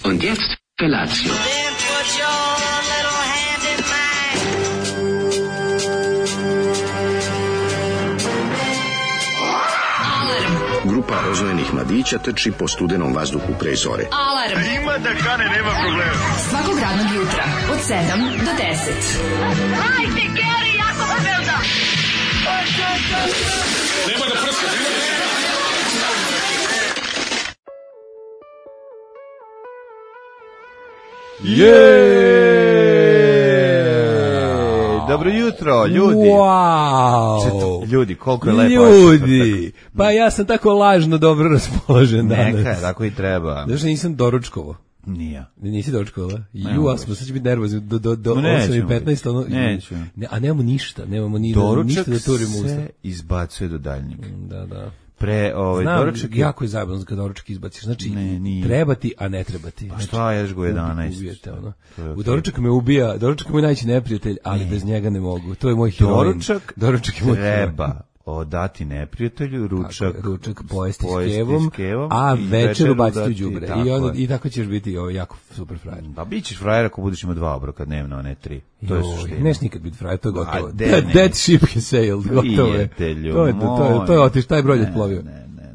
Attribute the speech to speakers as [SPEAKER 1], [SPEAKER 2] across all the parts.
[SPEAKER 1] Und jetzt Felatio.
[SPEAKER 2] Then put your little hand in mine.
[SPEAKER 1] Alarm. Grupa rozvojenih mladića trči po studenom vazduhu pre zore.
[SPEAKER 3] Alarm.
[SPEAKER 4] Ima da kane, nema problema.
[SPEAKER 3] Svakog radnog jutra od 7 do 10.
[SPEAKER 2] Hajde, Geri, jako se velda.
[SPEAKER 4] Nemoj da prska,
[SPEAKER 5] Dobro jutro, ljudi.
[SPEAKER 6] Wow.
[SPEAKER 5] Ljudi, koliko je lepo.
[SPEAKER 6] Ljudi, pa ja sam tako lažno dobro raspoložen danas.
[SPEAKER 5] Neka, tako i treba.
[SPEAKER 6] Znaš, nisam doručkovo.
[SPEAKER 5] Nije.
[SPEAKER 6] Nisi doručkovala? Ju, a smo sad će biti nervozni do 8:15. Ono,
[SPEAKER 5] neću.
[SPEAKER 6] A nemamo ništa, nemamo ništa da turimo usta.
[SPEAKER 5] Doručak se izbacuje do daljnjeg.
[SPEAKER 6] Da.
[SPEAKER 5] Znam,
[SPEAKER 6] doručak jako je zajebano kad doručak izbaciš. Znači, treba ti, a ne treba ti.
[SPEAKER 5] Pa šta, ješ go 11.
[SPEAKER 6] Ubijete, ono. U doručak me ubija, doručak je moj najveći neprijatelj, ali bez njega ne mogu. To je moj heroin.
[SPEAKER 5] Doručak je moj treba odati neprijatelju, ručak
[SPEAKER 6] pojesti s kevom, a večeru baciti u đubre. I tako ćeš biti jako super frajer.
[SPEAKER 5] Pa bit ćeš frajer ako budeš imao 2 obroka dnevno, a ne 3. To je suština.
[SPEAKER 6] Neš nikad biti frajer, to je gotovo. That ship has sailed, gotovo je. To je otiš, taj brod je plovio.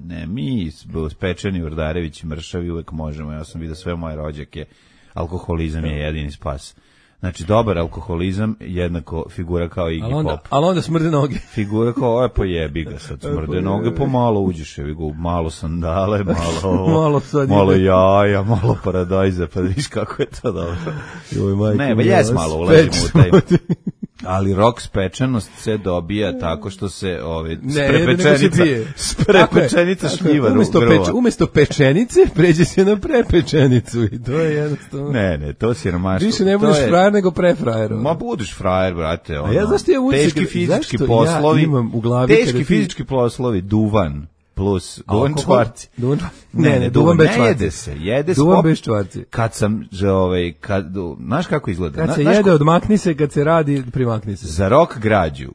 [SPEAKER 5] Ne, mi Pečeni, Urdarević, Mršavi uvek možemo. Ja sam vidio sve moje rođake. Alkoholizam je jedini spas. Znači, dobar alkoholizam jednako figura kao Iggy Pop.
[SPEAKER 6] Ali onda smrde noge.
[SPEAKER 5] Figura kao, pojebi ga sad, smrde noge, pomalo uđeš, malo sandale, malo jaja, malo paradajza, pa viš kako je to dobro. Ne, ba jes malo ulazimo u taj. Ali rok spečenost se dobija tako što se sprepečenica šljiva grova.
[SPEAKER 6] Umesto pečenice pređe se na prepečenicu i to je jednostavno.
[SPEAKER 5] Ne, to si romaško.
[SPEAKER 6] Više ne budeš frajer nego prefrajer.
[SPEAKER 5] Ma budiš frajer, brate.
[SPEAKER 6] A ja zašto je
[SPEAKER 5] teški fizički poslovi, ja imam u glavi fizički poslovi, duvan. Plus duvan čvarci. Ne, duvan bez čvarci. Jede se.
[SPEAKER 6] Duvan bez čvarci.
[SPEAKER 5] Kad sam, znaš kako izgleda?
[SPEAKER 6] Kad se jede, odmakni se, kad se radi, primakni se.
[SPEAKER 5] Za rock građu,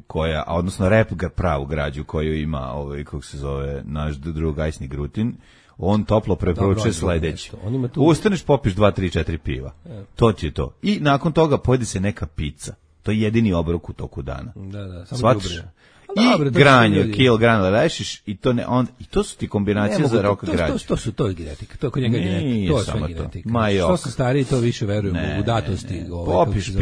[SPEAKER 5] odnosno rap pravu građu koju ima, kako se zove, naš drug Ajsni Grutin, on toplo preporučuje sledeće. Ustaneš, popiš 2, 3, 4 piva. To ti je to. I nakon toga pojede se neka pizza. To je jedini obrok u toku dana.
[SPEAKER 6] Da, samo dubre.
[SPEAKER 5] I granje, granula rešiš i to i to su ti kombinacije za rock građu.
[SPEAKER 6] To je genetika, to je kod njega genetika, to je sve genetika. Što su stariji, to više verujemo u datosti.
[SPEAKER 5] Popiš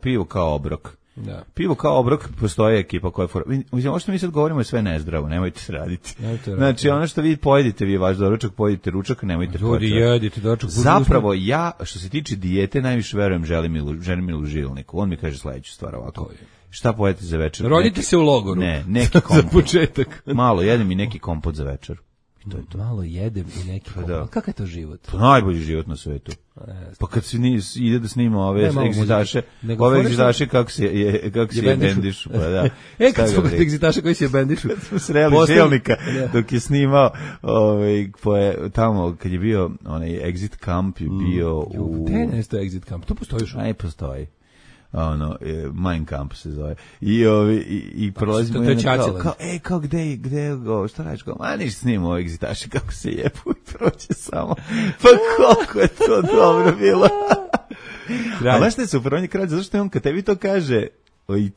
[SPEAKER 5] pivo kao obrok.
[SPEAKER 6] Da.
[SPEAKER 5] Pivo kao obrok, postoji ekipa koja fora. Ovo što mi sad govorimo je sve nezdravo, nemojte se raditi. Znači, ono što vi pojedite, vi vaš doručak, pojedite ručak, nemojte
[SPEAKER 6] ljudi jedite doručak.
[SPEAKER 5] Zapravo, ja, što se tiče dijete, najviše verujem Želimilu Žilniku. On mi kaže sledeću stvar ovako. Šta pojedete za večer?
[SPEAKER 6] Rodite se u logoru.
[SPEAKER 5] Ne, neki kompot.
[SPEAKER 6] Za početak.
[SPEAKER 5] Malo jedem i neki kompot za večer.
[SPEAKER 6] To je to. Malo jedem i neki kompot. Da. Kakav je to život?
[SPEAKER 5] Pa najbolji život na svetu. Pa kad se ide da snima ove egzitaše kako se je bendišu. Pa da.
[SPEAKER 6] Kad smo kod egzitaša koji se je bendišu.
[SPEAKER 5] Smo sreli Želnika dok je snimao tamo kad je bio onaj exit camp je bio u...
[SPEAKER 6] Ne, to je exit camp. To postoji još?
[SPEAKER 5] Ne, postoji. Mein Kampf se zove. I prolazimo kao gde šta radiš, a ništa snimamo egzitaše kako se jebu i proće samo. Pa koliko je to dobro bilo. A znaš šta je super, on je kralj, zato što on kad tebi to kaže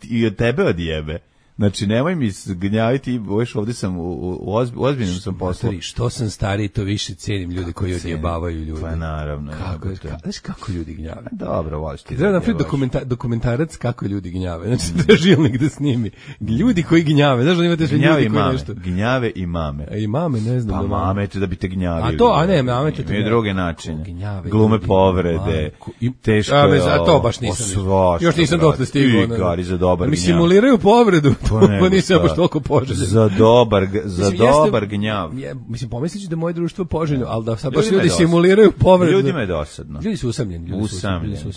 [SPEAKER 5] i od tebe odjebe. Znači, nemoj mi gnjaviti, ovdje sam u ozbiljnom sam poslu.
[SPEAKER 6] Što sam stariji, to više cijenim ljude koji odjebavaju ljudi.
[SPEAKER 5] Pa naravno.
[SPEAKER 6] Znaš kako ljudi gnjave?
[SPEAKER 5] Dobro, voliš ti.
[SPEAKER 6] Treba napraviti dokumentarac kako ljudi gnjave. Znači, da Žilnik da snimi. Ljudi koji gnjave. Znaš da imate sve ljudi koji nešto.
[SPEAKER 5] Gnjave i mame.
[SPEAKER 6] I mame, ne znam.
[SPEAKER 5] Pa mame će da bi te gnjavili.
[SPEAKER 6] A ne, mame će te gnjavili.
[SPEAKER 5] I druge načine. Glume povrede. Teško je.
[SPEAKER 6] A to baš nisam. Još nisam dotle stigao. Mi simuliraju povredu. Pa nisam baš toliko poželjen.
[SPEAKER 5] Za dobar gnjav.
[SPEAKER 6] Mislim, pomislit ću da je moje društvo poželjno, ali da sad baš ljudi simuliraju povredu.
[SPEAKER 5] Ljudima je dosadno.
[SPEAKER 6] Ljudi su usamljeni.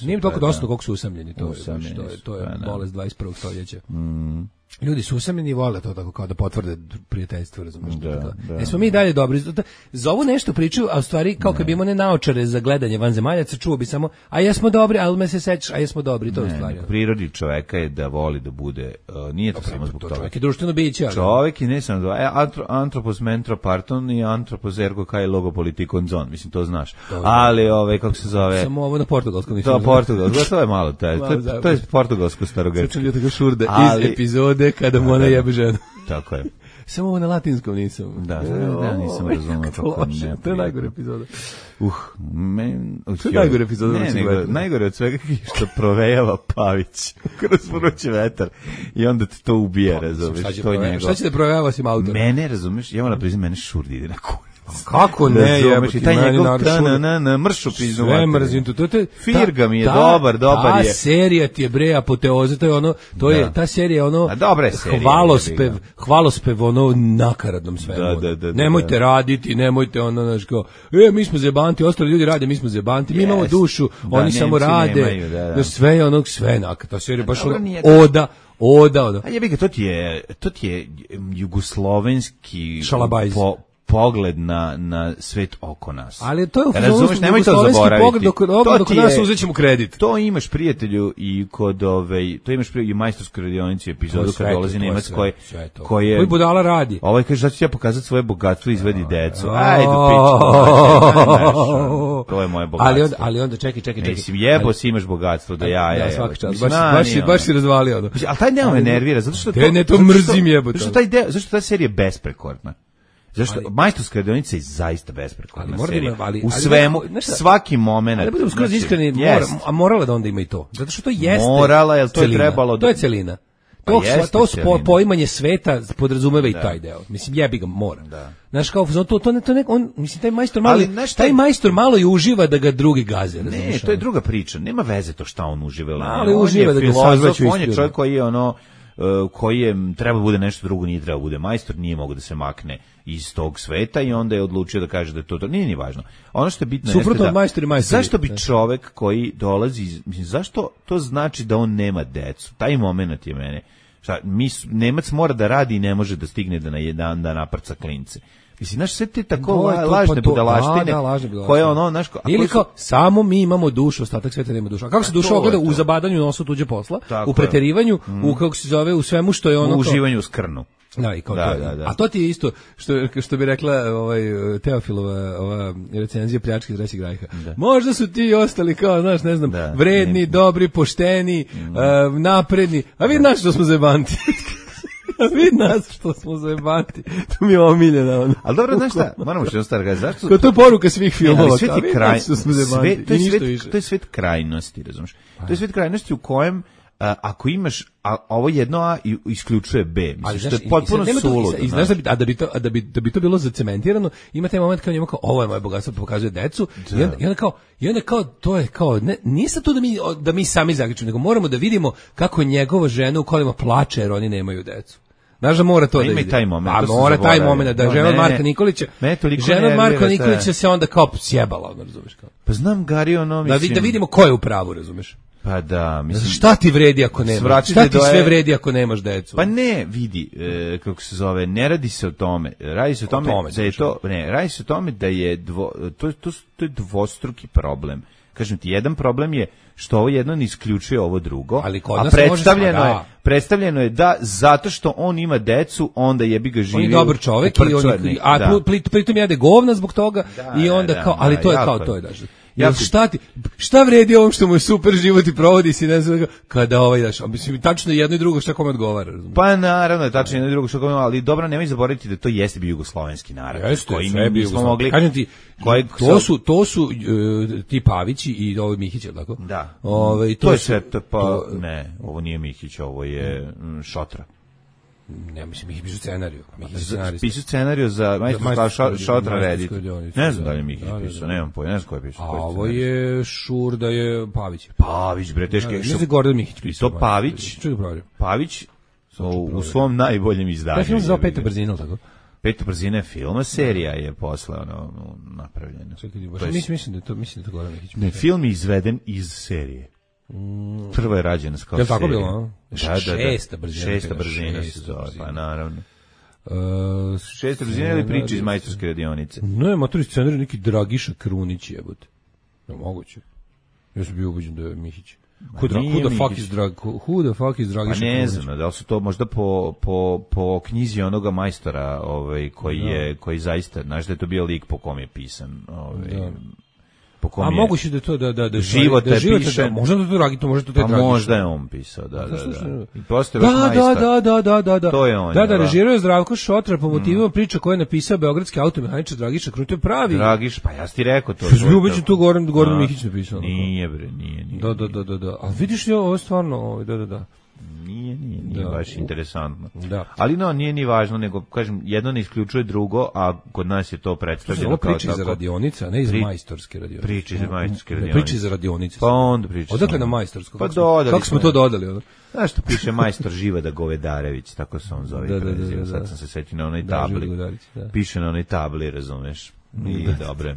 [SPEAKER 6] Nije toliko dosadno koliko su usamljeni. To je bolest 21. stoljeća. Ljudi su usamljeni i vole to tako kao da potvrde prijateljstvo, razumiješ? Da. Smo mi dalje dobri. Za ovu nešto pričaju, a u stvari kao kad bi imao ne naočare za gledanje vanzemaljaca, čuo bi samo, a jesmo dobri, ali me se sećaš, a jesmo dobri, to je u stvari.
[SPEAKER 5] Prirodi čoveka je da voli da bude, nije to samo zbog toga.
[SPEAKER 6] Čovek je društveno biće.
[SPEAKER 5] Čovek je ne samo antropos mentro parton i antropos ergo kai logo politikon zon, mislim to znaš. Ali kako se zove?
[SPEAKER 6] Samo ovo na portugalskom nisam.
[SPEAKER 5] To portugalsko, to je malo, to je portugalsko starogrečko.
[SPEAKER 6] Slučajno tako šurde iz epizode kada mu ona jebe ženu.
[SPEAKER 5] Tako je.
[SPEAKER 6] Samo ovo na latinskom nisam.
[SPEAKER 5] Da, nisam razumio.
[SPEAKER 6] To je najgore epizoda.
[SPEAKER 5] To je najgore epizoda. Najgore od svega što provejava Pavić kroz vrući vetar i onda te to ubije, razumiješ.
[SPEAKER 6] Šta će da provejava si autor?
[SPEAKER 5] Mene, razumiješ, ja moram priznam, mene šurdi ide na kurac.
[SPEAKER 6] Kako ne, jebati,
[SPEAKER 5] taj njegov mršu piznu.
[SPEAKER 6] Sve mrzim to.
[SPEAKER 5] Firga mi je dobar je.
[SPEAKER 6] Ta serija ti je bre apoteoza, to je ono, ta serija je ono, hvalospev ono nakaradnom svemu. Nemojte raditi, nemojte ono, znaš kao, mi smo zebanti, ostali ljudi rade, mi smo zebanti, mi imamo dušu, oni samo rade, sve je onog, sve nakad, ta serija baš oda.
[SPEAKER 5] A jebi ga, to ti je jugoslovenski
[SPEAKER 6] šalabajz.
[SPEAKER 5] Pogled na svet oko nas.
[SPEAKER 6] Ali to je
[SPEAKER 5] razumeš, nemoj to zaboraviti.
[SPEAKER 6] Pogled dok nas uzećemo kredit.
[SPEAKER 5] To imaš prijatelju i kod to imaš i majstorskoj radionici epizodu kad dolazi Nemac koji
[SPEAKER 6] budala radi.
[SPEAKER 5] Ovaj kaže da ću ja pokazati svoje bogatstvo i izvedi decu. Ajde pičku. To je moje bogatstvo.
[SPEAKER 6] Ali onda čekaj.
[SPEAKER 5] Mislim jebo si imaš bogatstvo da ja.
[SPEAKER 6] Svaka čast. Baš si razvalio.
[SPEAKER 5] Al taj deo me nervira zato što
[SPEAKER 6] to mrzim jebote.
[SPEAKER 5] Zašto ta serija je besprekorna? Zašto? Majstorska radionica je zaista besprekorna serija. U svemu, svaki moment.
[SPEAKER 6] Ali budemo skroz iskreni, morala da onda ima i to. Zato što to jeste
[SPEAKER 5] morala, jer to je trebalo.
[SPEAKER 6] To je celina. To poimanje sveta podrazumeva i taj deo. Mislim, jebi ga, mora. Znaš, kao, taj majstor malo i uživa da ga drugi gaze.
[SPEAKER 5] Ne, to je druga priča. Nema veze to šta on uživa.
[SPEAKER 6] Ali uživa da ga sazvaću.
[SPEAKER 5] On je čovjek koji je koji je treba bude nešto drugo, nije treba bude majstor, nije mogao da se makne iz tog sveta i onda je odlučio da kaže da je to nije ni važno. Ono što je bitno
[SPEAKER 6] jeste da
[SPEAKER 5] zašto bi čovek koji dolazi, mislim, zašto to znači da on nema decu? Taj moment je mene. Nemac mora da radi i ne može da stigne da na jedan dan naprca klince. Mislim, znaš, sve te tako lažne budalaštine koje ono, znaš...
[SPEAKER 6] Ili kao, samo mi imamo dušu, ostatak sveta nema dušu. A kako se duša ogleda? U zabadanju nosu tuđe posla, u preterivanju, u kako se zove, u svemu što je ono...
[SPEAKER 5] U uživanju u skrnu.
[SPEAKER 6] Da, i kao to. A to ti je isto, što bi rekla Teofilova recenzija Pljačke iz Trećeg rajha. Možda su ti ostali kao, znaš, ne znam, vredni, dobri, pošteni, napredni, a vi znaš što smo zajebanti. Vidi nas što smo zajebanti. To mi je omiljena.
[SPEAKER 5] Ali dobro, znaš šta, moramo što jednostavno reći. Zašto?
[SPEAKER 6] To je poruka svih filmova.
[SPEAKER 5] To je svet krajnosti, razumiješ? To je svet krajnosti u kojem ako imaš ovo jedno A isključuje B, mislim što je potpuno suludo.
[SPEAKER 6] I znaš da bi to bilo zacementirano, ima taj moment kao njemu kao ovo je moje bogatstvo, pokazuje decu i onda kao to je kao nije sad to da mi sami zaključimo, nego moramo da vidimo kako njegova žena u kolima plače jer oni nemaju decu. Znaš da mora to da vidi.
[SPEAKER 5] Taj moment,
[SPEAKER 6] mora taj moment da žena od Marka Nikolića. Žena od Marka Nikolića se onda kao sjebala, razumeš kao.
[SPEAKER 5] Pa znam Gari ono mislim.
[SPEAKER 6] Da vidimo ko je u pravu, razumeš.
[SPEAKER 5] Pa da, mislim.
[SPEAKER 6] Šta ti vredi ako nemaš? Šta ti sve vredi ako nemaš decu?
[SPEAKER 5] Pa ne, vidi, kako se zove, ne radi se o tome. Radi se o tome da je to, radi se o tome da je to je dvostruki problem. Kažem ti, jedan problem je što ovo jedno ne isključuje ovo drugo, a predstavljeno je da zato što on ima decu, onda jebi ga živi.
[SPEAKER 6] On je dobar čovjek pritom jede govna zbog toga i onda kao, ali to je kao to je daš. Šta vredi ovom što mu je super život i provodi si ne znam kada mislim tačno jedno i drugo šta kome odgovara, razumiješ?
[SPEAKER 5] Pa naravno je tačno jedno i drugo šta kome, ali dobro nemoj zaboraviti da to jeste bio jugoslovenski narod koji mi smo mogli.
[SPEAKER 6] Kažem ti, to su ti Pavići i ovo Mihić, tako?
[SPEAKER 5] Da. To je sve ne, ovo nije Mihić, ovo je Šotra.
[SPEAKER 6] Ne, mislim, Mihić pišu scenariju.
[SPEAKER 5] Pišu scenariju za Šotra Redit. Ne znam da li je Mihić pisao, nemam pojma, ne znam ko je pisao.
[SPEAKER 6] A ovo je Šurda je Pavić.
[SPEAKER 5] Pavić, bre, teške.
[SPEAKER 6] Ne znam Gordon Mihić pisao.
[SPEAKER 5] To Pavić u svom najboljem izdanju.
[SPEAKER 6] To je film za Peta brzina, tako?
[SPEAKER 5] Peta brzina je film, serija je posle napravljena.
[SPEAKER 6] Mislim da je to Gordon Mihić.
[SPEAKER 5] Ne, film je izveden iz serije. Prva je rađena kao serija.
[SPEAKER 6] Je tako bilo?
[SPEAKER 5] Šesta brzina se zove, pa naravno. Šesta brzina ili priče iz majstorske radionice?
[SPEAKER 6] Ne, motori scenarij neki Dragiša Krunić jebote. Moguće. Ja sam bio ubeđen da je Mihić. Who the fuck is Dragiša Krunić?
[SPEAKER 5] Pa ne znam, da li su to možda po knjizi onoga majstora koji zaista, znaš da je to bio lik po kom je pisan.
[SPEAKER 6] A moguće da to da
[SPEAKER 5] život je piše.
[SPEAKER 6] Možda to Dragito, možda to taj Dragiša.
[SPEAKER 5] Možda je on pisao, da. I postoje
[SPEAKER 6] Da.
[SPEAKER 5] To je on.
[SPEAKER 6] Da, režirao je Zdravko Šotra po motivima priča koje je napisao beogradski automehaničar Dragiša Krunić, to je pravi.
[SPEAKER 5] Dragiš, pa ja ti rekao to.
[SPEAKER 6] Ubeđen tu Gordon Mihić napisao.
[SPEAKER 5] Nije bre, nije.
[SPEAKER 6] Da. A vidiš li ovo stvarno, da.
[SPEAKER 5] Nije baš interesantno.
[SPEAKER 6] Da.
[SPEAKER 5] Ali nije ni važno, nego kažem, jedno ne isključuje drugo, a kod nas je to predstavljeno kao tako.
[SPEAKER 6] Priči za radionica, ne iz majstorske radionice.
[SPEAKER 5] Priči za majstorske radionice.
[SPEAKER 6] Priči za radionice.
[SPEAKER 5] Pa onda priči.
[SPEAKER 6] Odakle na majstorsko?
[SPEAKER 5] Pa dodali.
[SPEAKER 6] Kako smo to dodali?
[SPEAKER 5] Znaš što piše majstor Živada Govedarević, tako se on zove. Da. Sad sam se sjetio na onoj tabli. Piše na onoj tabli, razumeš. I dobro.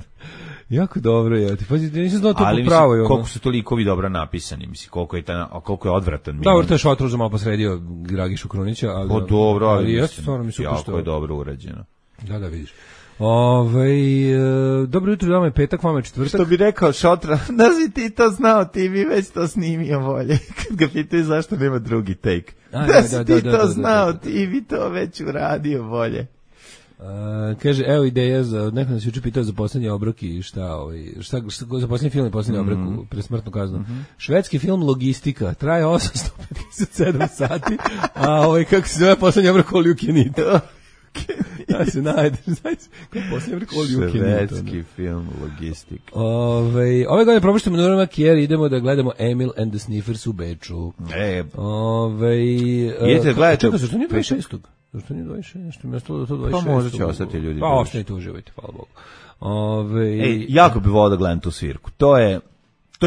[SPEAKER 6] Jako dobro je. Ti pazi, nisam znao to
[SPEAKER 5] ali
[SPEAKER 6] popravo.
[SPEAKER 5] Ali koliko su to likovi dobro napisani, mislim, koliko je odvratan.
[SPEAKER 6] Dobro, to je Šotrov za malo posredio Dragišu Krunića, ali
[SPEAKER 5] po dobro, ali
[SPEAKER 6] stvarno mi super
[SPEAKER 5] jako je dobro urađeno.
[SPEAKER 6] Da, vidiš. Dobro jutro, dama je petak, vama je četvrtak.
[SPEAKER 5] Što bi rekao Šotra, da si ti to znao, ti bi već to snimio bolje. Kad ga pitaju zašto nema drugi take. Da si ti to znao, ti bi to već uradio bolje.
[SPEAKER 6] Kaže, evo ideja za, neko nas juče pitao za posljednji obrok i šta za posljednji film i posljednji obrok pre smrtnu kaznu. Švedski film Logistika, traje 857 sati, a kako se zove posljednji obrok All You Can Eat. Ja se najdeš, posljednji obrok All You Can Eat.
[SPEAKER 5] Švedski film Logistika.
[SPEAKER 6] Ove godine propuštamo Nora Makijer, idemo da gledamo Emil and the Sniffers u Beču.
[SPEAKER 5] Idete gledajte.
[SPEAKER 6] Čekaj, zašto nije 26. Zašto nije 26? Nešto mi je stalo da to 26.
[SPEAKER 5] Pa možda će ostati ljudi.
[SPEAKER 6] Pa ostanite, uživajte, hvala Bogu.
[SPEAKER 5] Jako bi volao da gledam tu svirku. To je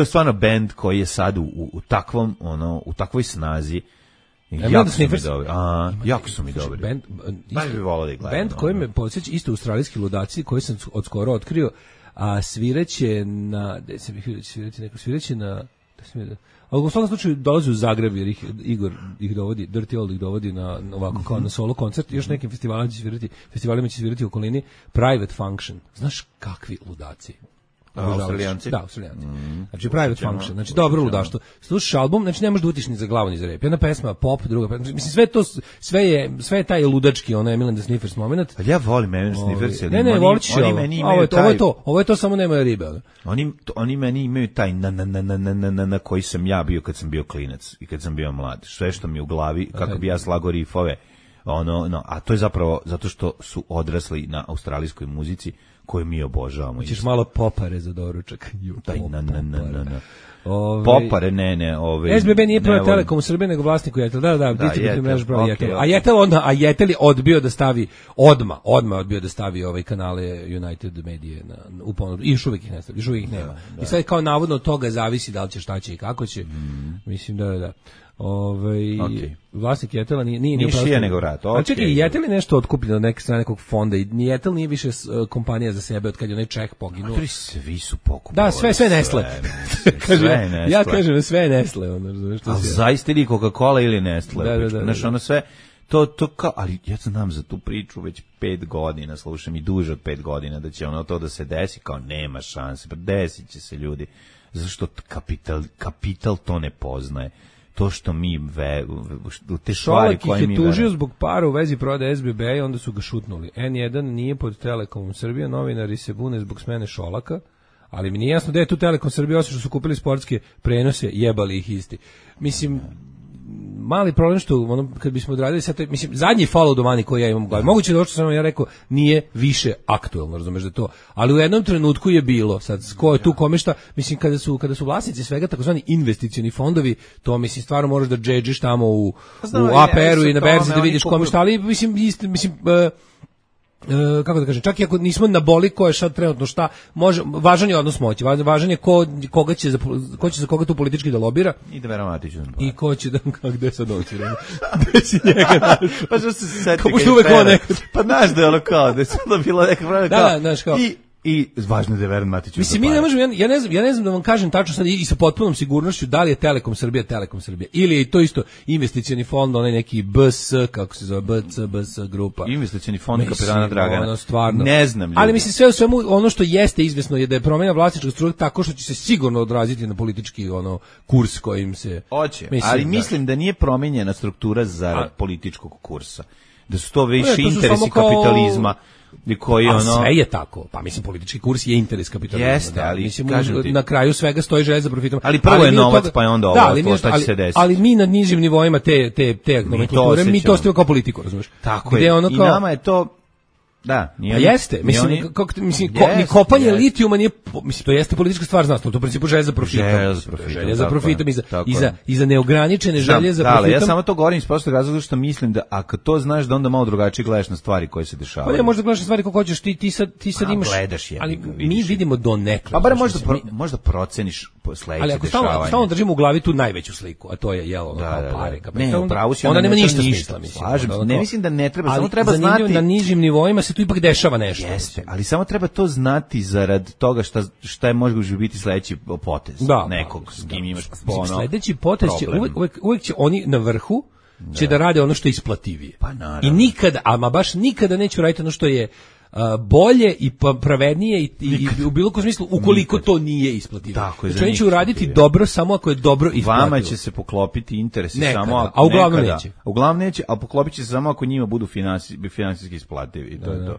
[SPEAKER 5] stvarno bend koji je sad u takvoj snazi. Jako su mi dobri. Jako su mi dobri. Baš bi volao da ih gledam.
[SPEAKER 6] Bend koji me podsjeća isto australijski ludaci koji sam od skoro otkrio, a sviraće na... Sviraće na... Ali u svakom slučaju dolazi u Zagreb jer Igor ih dovodi, Dirty Old ih dovodi na ovako kao na solo koncert, još nekim festivalima će svirati u okolini Private Function. Znaš kakvi ludaci?
[SPEAKER 5] Australijanci?
[SPEAKER 6] Da, Australijanci. Znači Private Function, znači dobro ludaštvo. Slušaš album, znači ne možeš da utiš ni za glavu ni za rep. Jedna pesma pop, druga pesma. Mislim sve je taj ludački onaj Emil and the Sniffers moment.
[SPEAKER 5] Ali ja volim Emil and the Sniffers.
[SPEAKER 6] Ne, voliš ovo je to samo nema ribe.
[SPEAKER 5] Oni meni imaju taj na koji sam ja bio kad sam bio klinac i kad sam bio mlad. Sve što mi u glavi, kako bi ja slago rifove a to je zapravo zato što su odrasli na australijskoj muzici koju mi obožavamo.
[SPEAKER 6] Hoćeš malo popare za doručak.
[SPEAKER 5] Popare,
[SPEAKER 6] SBB nije prvo Telekom u Srbiji, nego vlasniku Jetel. Da, distributivna mreža prvo Jetel. A Jetel je odbio da stavi, odmah odbio da stavi kanale United Medije u ponudu. I još uvijek ih ne stavi, još uvijek ih nema. I sad kao navodno od toga zavisi da li će, šta će i kako će. Mislim da. Vlasnik Jetela nije
[SPEAKER 5] šija nego vrat.
[SPEAKER 6] A čekaj, Jetel je nešto otkupljen od neke strane nekog fonda i Jetel nije više kompanija za sebe od kad je onaj Čeh poginuo.
[SPEAKER 5] Svi su pokupili.
[SPEAKER 6] Da, sve Nestle. Ja kažem sve je Nestle.
[SPEAKER 5] Ali zaista ili Coca-Cola ili Nestle. Znaš, ono sve, to kao, ali ja znam za tu priču već 5 godina, slušam i duže od 5 godina da će to da se desi, kao nema šanse, pa desit će se ljudi. Zato što kapital to ne poznaje. To što mi te stvari koje mi
[SPEAKER 6] ih je tužio zbog para u vezi prodaje SBB i onda su ga šutnuli. N1 nije pod Telekomom Srbije, novinari se bune zbog smene Šolaka, ali mi nije jasno da je tu Telekom Srbije, osim što su kupili sportske prenose, jebali ih isti. Mislim, mali problem što kad bismo odradili sad, mislim, zadnji follow do money koji ja imam u glavi, moguće da ovo što sam ja rekao nije više aktuelno, razumeš da to, ali u jednom trenutku je bilo, sad ko je tu kome šta, mislim kada su vlasnici svega takozvani investicioni fondovi, to mislim stvarno možeš da džedžiš tamo u APR-u i na berzi da vidiš kome šta, ali mislim kako da kažem, čak i ako nismo na boli ko je sad trenutno šta, važan je odnos moći, važan je ko će za koga tu politički da lobira
[SPEAKER 5] i da Veramatiću
[SPEAKER 6] i ko će da, gde sad doći, gde si njega našao,
[SPEAKER 5] pa što se seti
[SPEAKER 6] pa
[SPEAKER 5] znaš da je ono kao, da je sada bila neka vrana
[SPEAKER 6] da, znaš kao
[SPEAKER 5] i važno je da je Veran Matić.
[SPEAKER 6] Mislim, mi ne možemo, ja ne znam da vam kažem tačno sad i sa potpunom sigurnošću da li je Telekom Srbija ili je to isto investicioni fond, onaj neki BS, kako se zove, BS grupa.
[SPEAKER 5] Investicioni fond kapitana Dragana.
[SPEAKER 6] Stvarno.
[SPEAKER 5] Ne znam.
[SPEAKER 6] Ali mislim sve u svemu ono što jeste izvesno je da je promjena vlasničkog strukture tako što će se sigurno odraziti na politički kurs kojim se.
[SPEAKER 5] Hoće, ali mislim da nije promijenjena struktura zarad političkog kursa. Da su to više interesi kapitalizma.
[SPEAKER 6] Sve je tako. Pa mislim politički kurs je interes kapitalizma.
[SPEAKER 5] Jeste, ali
[SPEAKER 6] mislim na kraju svega stoji želja za profitom.
[SPEAKER 5] Ali prvo je novac, pa je onda ovo šta će se desiti.
[SPEAKER 6] Ali mi na nižim nivoima te nomenklature, mi to ostavimo kao politiku, razumiješ?
[SPEAKER 5] Tako je. I nama je to da,
[SPEAKER 6] jeste, mislim ni kopanje litijuma nije, mislim to jeste politička stvar, znaš, to u principu želja za profitom, i za neograničene želje za profitom.
[SPEAKER 5] Da, ja samo to govorim iz prostog razloga što mislim da ako to znaš da onda malo drugačije gledaš na stvari koje se dešavaju.
[SPEAKER 6] Pa ne, možda gledaš na stvari kako hoćeš, ti sad imaš, ali mi vidimo donekle.
[SPEAKER 5] Pa bar možda proceniš sledeće dešavanje.
[SPEAKER 6] Ali ako stalno držimo u glavi tu najveću sliku, a to je kao pare, onda nema ništa smisla, mislim.
[SPEAKER 5] Ne mislim da ne treba, samo treba znati
[SPEAKER 6] na nižim nivoima se tu ipak dešava nešto.
[SPEAKER 5] Jeste, ali samo treba to znati zarad toga šta je može biti sledeći potez nekog s kim imaš
[SPEAKER 6] sledeći potez će uvek će oni na vrhu će da rade ono što je isplativije.
[SPEAKER 5] Pa naravno.
[SPEAKER 6] I nikada, ama baš nikada neće raditi ono što je bolje i pravednije i u bilo kom smislu ukoliko to nije isplativo. Znači oni će uraditi dobro samo ako je dobro isplativo.
[SPEAKER 5] Vama će se poklopiti interesi samo ako
[SPEAKER 6] a uglavnom neće.
[SPEAKER 5] Uglavnom neće, a poklopit će se samo ako njima budu finansijski isplativi i to je to.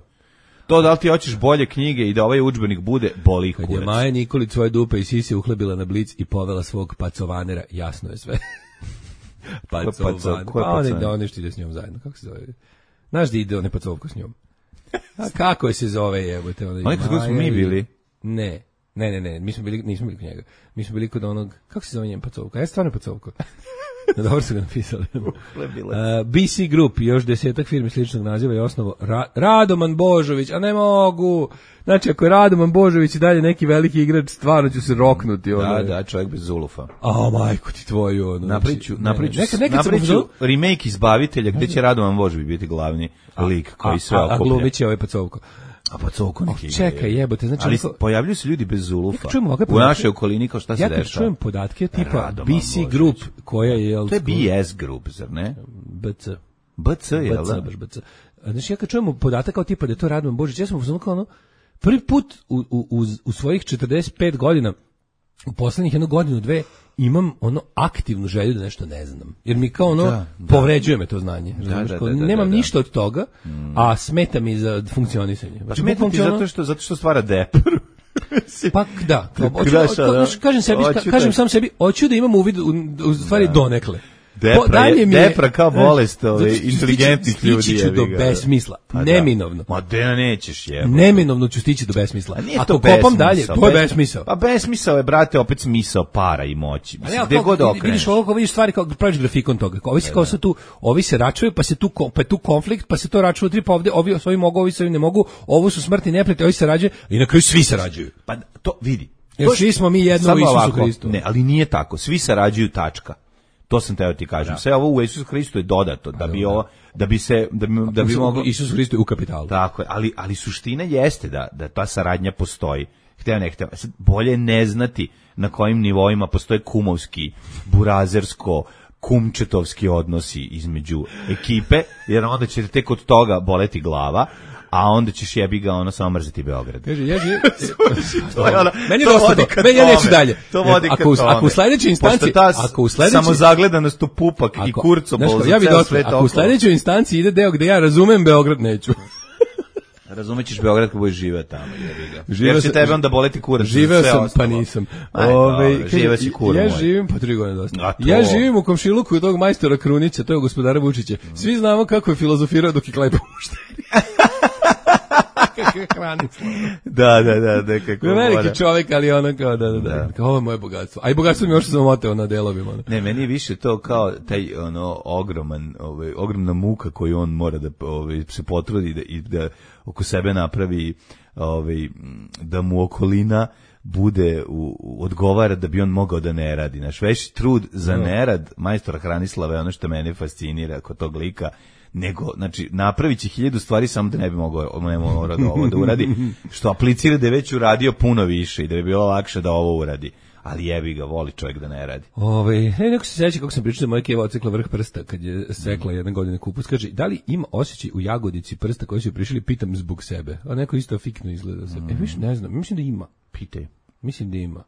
[SPEAKER 5] To da li ti hoćeš bolje knjige i da ovaj udžbenik bude, boli ih kurac.
[SPEAKER 6] Kad je Maja Nikolić svoje dupe i sise uhlebila na blic i povela svog pacovanera, jasno je sve. Pacovan. Pa oni što ide s njom zajedno, kako se zove? Znaš da ide one pacovko s njom? A kako se zove, jebote?
[SPEAKER 5] Oni kako smo mi bili?
[SPEAKER 6] Ne, nismo bili kod njega. Mi smo bili kod onog, kako se zove njen pacovka? Ja stvarno pacovko. Dobro su ga napisali. BC Group, još 10 firmi sličnog naziva i osnovo Radoman Božović, a ne mogu. Znači, ako je Radoman Božović i dalje neki veliki igrač, stvarno ću se roknuti.
[SPEAKER 5] Da, čovjek bez zulufa.
[SPEAKER 6] A, majko ti tvoju.
[SPEAKER 5] Napriču remake Izbavitelja, gde će Radoman Božović biti glavni lik koji sve okuplja.
[SPEAKER 6] A glumit će ovaj pacovko.
[SPEAKER 5] A pa coko neki.
[SPEAKER 6] Čekaj, jebote, znači
[SPEAKER 5] ali pojavljuju se ljudi bez zulufa. U našoj okolini kao šta se dešava.
[SPEAKER 6] Ja čujem podatke tipa BC Group koja je
[SPEAKER 5] to je BS Group, zar ne? BC je da.
[SPEAKER 6] Znači ja kad čujem podatak kao tipa da je to Radovan Božić, ja sam uzmano kao prvi put u svojih 45 godina u poslednjih jednu godinu, dve imam aktivnu želju da nešto ne znam. Jer mi kao povređuje me to znanje. Nemam ništa od toga, a smeta mi za funkcionisanje.
[SPEAKER 5] Pa smeta ti zato što stvara depru.
[SPEAKER 6] Pa da. Kažem sam sebi, hoću da imam uvid u stvari donekle.
[SPEAKER 5] Depra kao bolest inteligentnih ljudi.
[SPEAKER 6] Stići ću do besmisla. Neminovno.
[SPEAKER 5] Ma da nećeš jebati.
[SPEAKER 6] Neminovno ću stići do besmisla. Ako kopam dalje, to je besmisao.
[SPEAKER 5] Pa besmisao je, brate, opet smisao para i moći. Gde god okreneš.
[SPEAKER 6] Vidiš stvari kao praviš grafikon toga. Ovi se račuju, pa je tu konflikt, pa se to račuje tri, pa ovdje ovi mogu, ovi se ne mogu, ovo su smrtni neprijatelji, ovi se rađaju i na kraju svi se rađaju.
[SPEAKER 5] Pa to vidi.
[SPEAKER 6] Jer svi smo mi jedno u Isusu Hristu.
[SPEAKER 5] Ne, ali nije tako. Svi sarađuju, tačka. To sam teo ti kažem. Sve ovo u Isusu Hristu je dodato da bi moglo
[SPEAKER 6] Isus Hristo je u kapitalu.
[SPEAKER 5] Tako je, ali suština jeste da ta saradnja postoji. Hteo ne hteo. Bolje ne znati na kojim nivoima postoje kumovski, burazersko, kumčetovski odnosi između ekipe, jer onda će tek od toga boleti glava. A onda ćeš jebi ga samo mrziti Beograd.
[SPEAKER 6] Kaže, meni je dosta to. Ja neću dalje.
[SPEAKER 5] To vodi ka tome.
[SPEAKER 6] Ako u sledećoj instanci,
[SPEAKER 5] samo zagledanost u pupak i kurcobol za ceo svet.
[SPEAKER 6] Ako u sledećoj instanci ide deo gde ja razumem Beograd, neću.
[SPEAKER 5] Razumećeš Beograd kad budeš živeo tamo, jebi ga. Jer će tebe onda boleti kurac.
[SPEAKER 6] Živeo sam, pa nisam.
[SPEAKER 5] Živeo si kura.
[SPEAKER 6] Ja živim, pa 3 godine dosta. Ja živim u komšiluku od tog majstora Krunića, to je gospodara Vučića. Svi znamo kako je filozofirao dok je klaj pušteri.
[SPEAKER 5] Da, kako
[SPEAKER 6] veliki čovjek, ali ono kao da. Kao ovo je moje bogatstvo. A i bogatstvo mi još sam omoteo na delovima.
[SPEAKER 5] Ne, meni je više to kao taj ogromna muka koju on mora da se potrudi i da oko sebe napravi da mu okolina bude odgovara da bi on mogao da ne radi. Naš veći trud za nerad majstora Hranislava je ono što mene fascinira kod tog lika, nego, znači, napravit će 1000 stvari samo da ne bi mogao ovo da uradi, što aplicira da je već uradio puno više i da bi bilo lakše da ovo uradi. Ali jebi ga, voli čovjek da ne radi.
[SPEAKER 6] Neko se seća kako sam pričao da moja keva ocekla vrh prsta kad je sekla jedne godine kupus. Kaže, da li ima osjećaj u jagodici prsta koji su prišli, pitam zbog sebe. A neko isto fikno izgleda se. Ne znam, mislim da ima.
[SPEAKER 5] Pitaj.
[SPEAKER 6] Mislim da ima.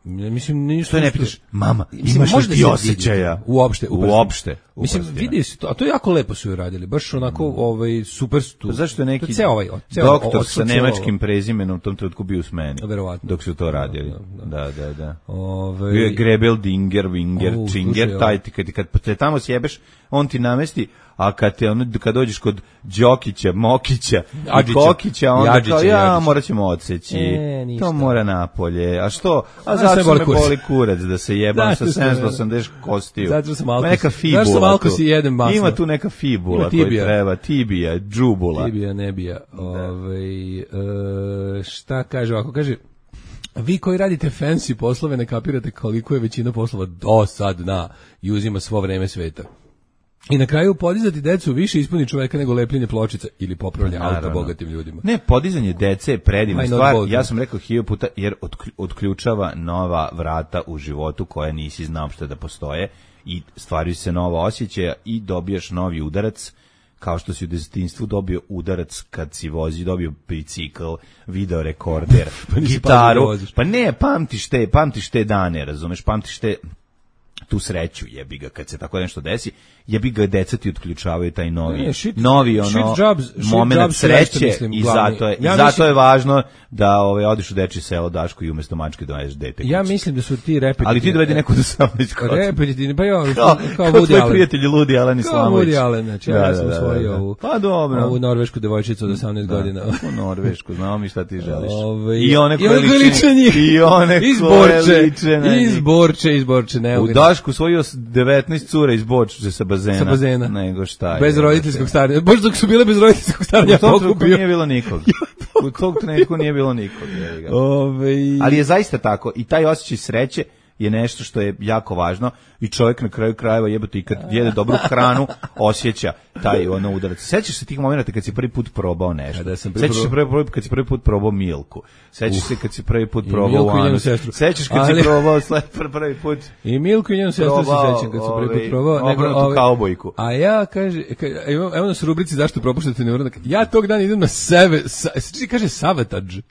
[SPEAKER 6] Mislim,
[SPEAKER 5] što ne pitaš, mama, imaš li ti osjećaja?
[SPEAKER 6] Uopšte. Mislim, vidi se to, a to je jako lepo su joj radili, baš onako super su.
[SPEAKER 5] Zašto je neki doktor sa nemačkim prezimenom u tom trenutku bio u smeni?
[SPEAKER 6] Verovatno.
[SPEAKER 5] Dok su to radili. Da. Bio je Grebel, Dinger, Winger, Činger, taj ti kad te tamo sjebeš, on ti namesti, a kad dođeš kod Đokića, Mokića i Kokića, onda kao, morat ćemo odseći. To mora napolje. A što? A zato me boli kurac da se jebam sa 780 kostiju.
[SPEAKER 6] Zato sam alkos.
[SPEAKER 5] Neka fibula.
[SPEAKER 6] Alkos i jedem masno.
[SPEAKER 5] Ima tu neka fibula koju treba. Tibija, džubula.
[SPEAKER 6] Tibija, nebija. Šta kaže ovako? Kaže, vi koji radite fancy poslove ne kapirate koliko je većina poslova dosadna i uzima svo vreme sveta. I na kraju podizati decu više ispuni čoveka nego lepljenje pločica ili popravlja auto bogatim ljudima.
[SPEAKER 5] Ne, podizanje dece je predivna stvar. Ja sam rekao 1000 puta jer otključava nova vrata u životu koja nisi znao što da postoje i stvaraju se nova osjećaja i dobijaš novi udarac, kao što si u detinjstvu dobio udarac kad si dobio bicikl, video rekorder, gitaru. Pa ne, pamtiš te dane, razumeš, pamtiš tu sreću, jebi ga, kad se tako nešto desi, jebi ga, deca ti otključavaju taj novi moment sreće i zato je važno da odiš u dečje selo Daško i umjesto mačke dovedeš dete.
[SPEAKER 6] Ja mislim da su ti repetitivni.
[SPEAKER 5] Ali ti dovedi neko do 18 godina.
[SPEAKER 6] Repetitivni, pa ja, kao
[SPEAKER 5] tvoj prijatelj Ludi Alan Islamović.
[SPEAKER 6] Kao Woody Allen, znači ja sam usvojio ovu norvešku devojčicu od 18 godina.
[SPEAKER 5] U norvešku, znamo mi šta ti želiš.
[SPEAKER 6] I one koje liče njih.
[SPEAKER 5] I one koje liče na njih.
[SPEAKER 6] Izborče, ne.
[SPEAKER 5] U Dašku svojio 19 cura iz Borče sa bazena. Nego šta je.
[SPEAKER 6] Bez roditeljskog staranja. Bože, dok su bile bez roditeljskog staranja,
[SPEAKER 5] u tom trenutku nije bilo nikog. U tog trenutku nije bilo nikog. Ali je zaista tako. I taj osjećaj sreće je nešto što je jako važno i čovjek na kraju krajeva jebote i kad jede dobru hranu osjeća taj udarac. Sećaš se tih momenata kad si prvi put probao nešto? Sećaš se kad si prvi put probao Milku? Sećaš se kad si prvi put probao Anu? Sećaš kad si probao prvi put?
[SPEAKER 6] I Milku i njenu sestru se sećam kad si prvi put probao.
[SPEAKER 5] Obrnutu kaubojku.
[SPEAKER 6] A ja evo nas u rubrici zašto propuštate neuradak. Ja tog dana idem na kaže Savatage,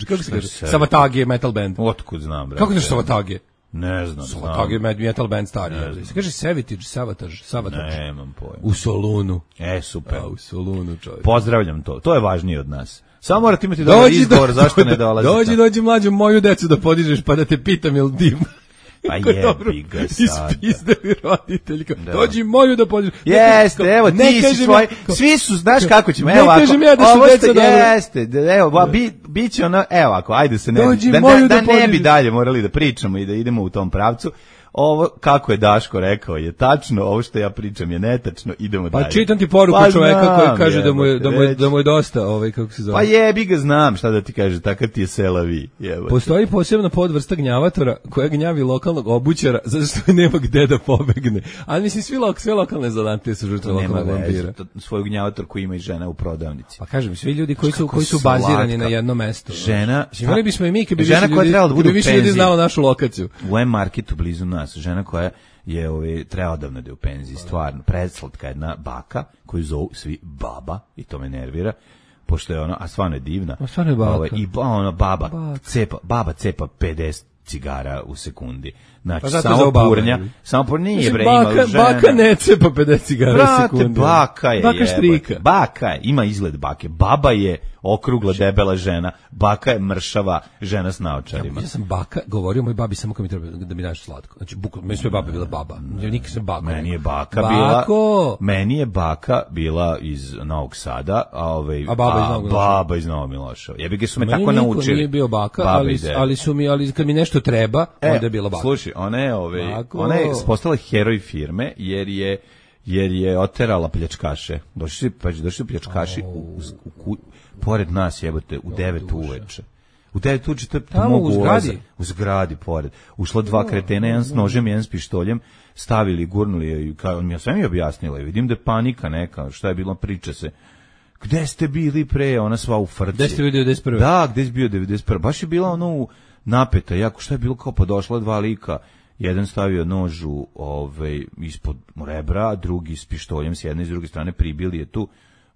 [SPEAKER 6] kako se kaže? Savatage metal band.
[SPEAKER 5] Otkud znam, bre.
[SPEAKER 6] Kako nešto Savatage?
[SPEAKER 5] Ne znam.
[SPEAKER 6] Savatage metal band stari. Se kaže Savatage.
[SPEAKER 5] Nemam pojma.
[SPEAKER 6] U Solunu.
[SPEAKER 5] Super.
[SPEAKER 6] U Solunu, čovjek.
[SPEAKER 5] Pozdravljam to. To je važnije od nas. Samo morate imati dobar izgovor zašto ne dolazite.
[SPEAKER 6] Dođi mlađo moju decu da podižeš pa da te pitam jel dim.
[SPEAKER 5] Pa jebi ga sad.
[SPEAKER 6] Ispizdali roditelji. Dođi moju da pođeš.
[SPEAKER 5] Jeste, evo, ti si svoj, svi su, znaš kako ćemo, evo
[SPEAKER 6] ovako. Ne kažem ja da su deca dobro.
[SPEAKER 5] Jeste, evo, bit će ono, evo ako, ajde se da ne bi dalje morali da pričamo i da idemo u tom pravcu. Ovo, kako je Daško rekao, je tačno, ovo što ja pričam je netačno, idemo dalje.
[SPEAKER 6] Pa čitam ti poruku čoveka koji kaže da mu je dosta, kako se zove.
[SPEAKER 5] Pa jebi ga, znam šta da ti kaže, takav ti je selavi.
[SPEAKER 6] Postoji posebna podvrsta gnjavatora koja gnjavi lokalnog obućara zato što nema gde da pobegne. Ali mislim, sve lokalne zanatlije su žrtve lokalnog vampira.
[SPEAKER 5] Svoju gnjavatorku ima i žena u prodavnici.
[SPEAKER 6] Pa kažem, svi ljudi koji su bazirani na jedno mesto.
[SPEAKER 5] Žena
[SPEAKER 6] bismo i mi, kad
[SPEAKER 5] bi
[SPEAKER 6] više ljudi znalo našu lokaciju.
[SPEAKER 5] U M-marketu blizu nas, žena koja je treba odavno da je u penziji, stvarno, preslatka jedna baka, koju zovu svi baba, i to me nervira, pošto je ona, a stvarno je divna.
[SPEAKER 6] A stvarno je baka.
[SPEAKER 5] I ona baba cepa 50 cigara u sekundi. Znači,
[SPEAKER 6] pa
[SPEAKER 5] samo purnja, nije bre, ima žena.
[SPEAKER 6] Baka ne cepa 50 cigara u sekundi.
[SPEAKER 5] Baka je,
[SPEAKER 6] baka štrika.
[SPEAKER 5] Baka je, ima izgled bake. Baba je okrugla, debela žena. Baka je mršava žena s naočarima.
[SPEAKER 6] Ja sam baka govorio moj babi samo kad mi treba da mi daš slatko. Znači, bukvalno, meni sve baba bila baba. Ja nikad sam baka.
[SPEAKER 5] Meni je baka bila iz Novog Sada, a baba iz Novog Miloševa. Jebi ga su me tako naučili.
[SPEAKER 6] Meni nije bio baka, ali kad mi nešto treba, onda je bila baka.
[SPEAKER 5] Slušaj, ona je postala heroj firme jer je oterala pljačkaše. Došli su pljačkaši pored nas, jebote, u 9 uveče. U 9 uveče, to je mogu ulaza. U zgradi pored. Ušla dva kretena, jedan s nožem, jedan s pištoljem, stavili, gurnuli je, ja sve mi objasnila, vidim da je panika neka, šta je bilo, priča se. Gde ste bili pre, ona sva u frci.
[SPEAKER 6] Gde ste bio 91.
[SPEAKER 5] Da, gde si bio 91. Baš je bila ono napeta, jako, šta je bilo, kao pa došla dva lika, jedan stavio nožu ispod rebra, drugi s pištoljem s jedne i s druge strane, pribili je tu,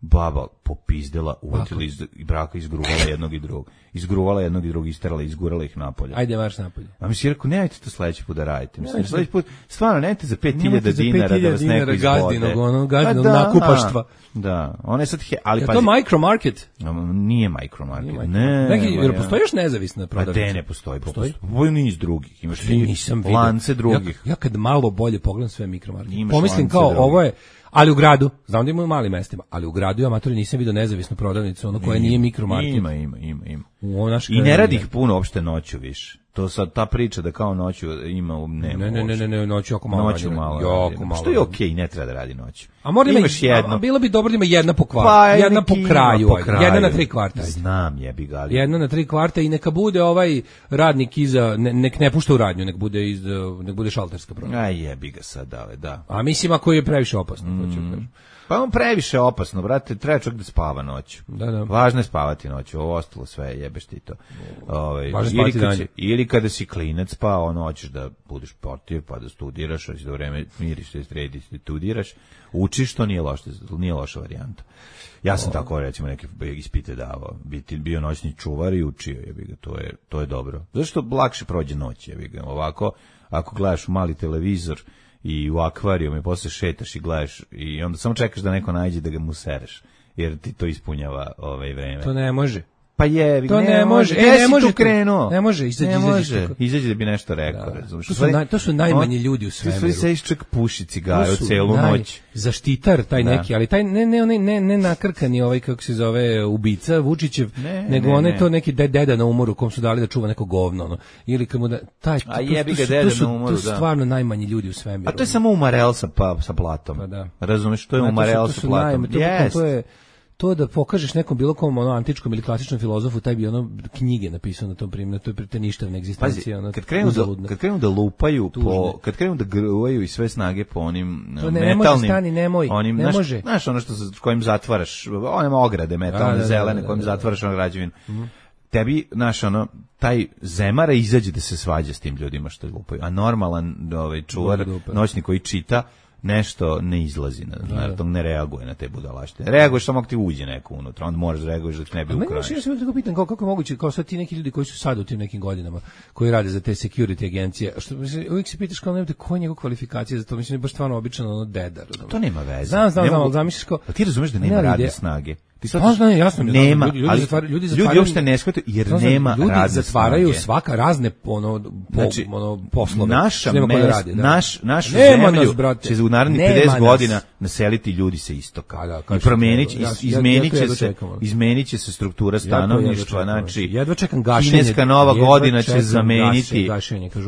[SPEAKER 5] baba popizdela, uvatila iz braka, izgruvala jednog i drugog, isterala, izgurala ih napolje.
[SPEAKER 6] Ajde, marš napolje.
[SPEAKER 5] A mi si rekao, nemojte to sledeći put da radite. Mislim, sledeći put, stvarno, nemojte za 5.000 dinara da vas neko izbode.
[SPEAKER 6] Gazdinog nakupaštva.
[SPEAKER 5] Da, ona je sad, ali
[SPEAKER 6] je to micromarket?
[SPEAKER 5] Nije micromarket,
[SPEAKER 6] Jer postoji još nezavisna prodavnica?
[SPEAKER 5] Pa ne postoji. Postoji niz drugih, imaš lance drugih.
[SPEAKER 6] Ja kad malo bolje pogledam sve mikromarket, pomislim kao, ovo je, ali u gradu, znam da ima u malim mestima, ali u gradu amatori nisam vidio nezavisnu prodavnicu, ono koja nije mikromarket.
[SPEAKER 5] Ima. I ne radi ih puno uopšte noću više. To sad ta priča da kao noću ima
[SPEAKER 6] ne, noću jako malo.
[SPEAKER 5] Što je okej, ne treba da radi noću.
[SPEAKER 6] A možda imaš jedno. Bilo bi dobro da ima jedna po kvartu, jedna po kraju, jedna na 3 kvarta.
[SPEAKER 5] Znam, jebi ga.
[SPEAKER 6] Jedna na 3 kvarta i neka bude ovaj radnik iza, nek ne pušta u radnju, nek bude šalterska prodavnica.
[SPEAKER 5] Aj, jebi ga sad, da.
[SPEAKER 6] A mislim ako je previše opasno, hoću kažem.
[SPEAKER 5] Pa on previše opasno, brate, treba čovjek da spava noću.
[SPEAKER 6] Da.
[SPEAKER 5] Važno je spavati noću, ovo ostalo sve jebeš ti to. Ili kada si klinac, pa hoćeš da budeš portir, pa da studiraš, hoćeš da vreme miriš, da središ, da studiraš, učiš, to nije loša varijanta. Ja sam tako, recimo, neke ispite davao, bio noćni čuvar i učio, jebi ga, to je dobro. Zašto lakše prođe noć, jebi ga, ovako, ako gledaš u mali televizor, i u akvarijum i posle šetaš i gledaš i onda samo čekaš da neko nađe da ga mu sereš, jer ti to ispunjava vreme.
[SPEAKER 6] To ne može.
[SPEAKER 5] Pa je,
[SPEAKER 6] to ne može.
[SPEAKER 5] Ne može tu krenuo.
[SPEAKER 6] Ne može,
[SPEAKER 5] izađi da bi nešto rekao, razumiješ.
[SPEAKER 6] To su najmanji ljudi u svemiru.
[SPEAKER 5] Ti sediš čak puši cigaru celu noć.
[SPEAKER 6] Zaštitar taj neki, ali taj ne nakrkani kako se zove ubica Vučićev, nego on je to neki deda na umoru kom su dali da čuva neko govno, ili kamo da taj.
[SPEAKER 5] A jebi ga deda na umoru, da.
[SPEAKER 6] To su stvarno najmanji ljudi u svemiru.
[SPEAKER 5] A to je samo umarel sa platom. Razumiješ, to je umarel sa platom.
[SPEAKER 6] To da pokažeš nekom bilo kom antičkom ili klasičnom filozofu, taj bi knjige napisao na tom primjeru, to je ništavna egzistencija.
[SPEAKER 5] Kad krenu da lupaju, kad krenu da gruvaju i sve snage po onim metalnim...
[SPEAKER 6] Ne može stani, nemoj, ne može.
[SPEAKER 5] Znaš ono kojim zatvaraš, one ograde metalne, zelene, kojim zatvaraš ono građevinu. Tebi, taj zemara izađe da se svađa s tim ljudima što lupaju, a normalan čuvar, noćni koji čita, nešto ne izlazi, ne reaguje na te budalaštine. Reaguješ samo ako ti uđe neko unutra, onda moraš da reaguješ da ti ne bi ukraješ.
[SPEAKER 6] Ja se tako pitan kako je moguće, kao sad ti neki ljudi koji su sad u tim nekim godinama, koji rade za te security agencije, što uvijek se pitaš kao nemate koje je njegov kvalifikacije za to, mislim je baš stvarno običan dedar.
[SPEAKER 5] To nema veze.
[SPEAKER 6] Znam, zamisliš kao...
[SPEAKER 5] Pa ti razumeš da nema radne snage.
[SPEAKER 6] jasno mi
[SPEAKER 5] nema,
[SPEAKER 6] ljudi
[SPEAKER 5] uopšte ne shvataju jer nema radne snage.
[SPEAKER 6] Ljudi zatvaraju svaka razne poslove.
[SPEAKER 5] Našu zemlju će u narednih 50 godina naseliti ljudi sa istoka. I izmenit će se struktura stanovništva, znači
[SPEAKER 6] jedva čekam gašenje.
[SPEAKER 5] Kineska nova godina će zameniti.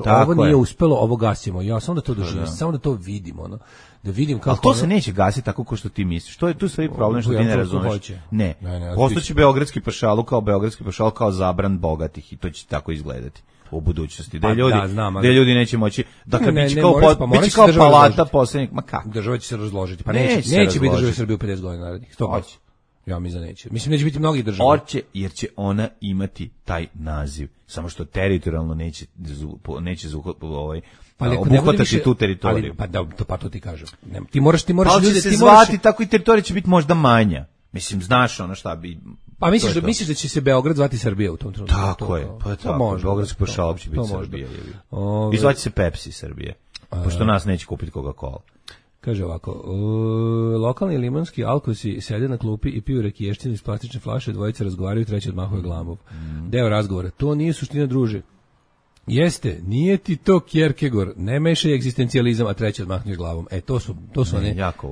[SPEAKER 6] Ovo nije uspelo, ovo gasimo. Ja samo da to doživim, samo da to vidimo, da vidim kako.
[SPEAKER 5] Ali to se neće gasiti tako kao što ti misliš. To je tu sve problem što ti ne razumeš. Ne. Postojeći beogradski pašaluk kao zabran bogatih i to će tako izgledati u budućnosti. Da ljudi neće moći da kad biće kao palata poslednjih, ma kako?
[SPEAKER 6] Država će se razložiti. Pa neće biti država Srbije u 50 godina narednih. 100%. Ja mislim da neće. Mislim neće biti mnogih država.
[SPEAKER 5] Hoće, jer će ona imati taj naziv. Samo što teritorijalno neće obuhvatati tu teritoriju.
[SPEAKER 6] Pa to ti kažem. Ti moraš
[SPEAKER 5] ali ljudi, će se zvati tako i teritorija će biti možda manja. Mislim, znaš ono šta bi...
[SPEAKER 6] Pa misliš da će se Beograd zvati Srbija u tom trenutku?
[SPEAKER 5] Tako je, pa tako. Beogradski pašaluk će biti Srbija. I zvaće se Pepsi Srbije, pošto nas neće kupiti Coca-Cola.
[SPEAKER 6] Kaže ovako, lokalni limanski alkosi sede na klupi i piju rekiješćinu iz plastične flaše, dvojice razgovaraju, treći odmahuje glavom. Deo razgovora, to nije suština, druže. Jeste, nije ti to Kierkegaard, ne mešaj egzistencijalizam, a treći odmahneš glavom.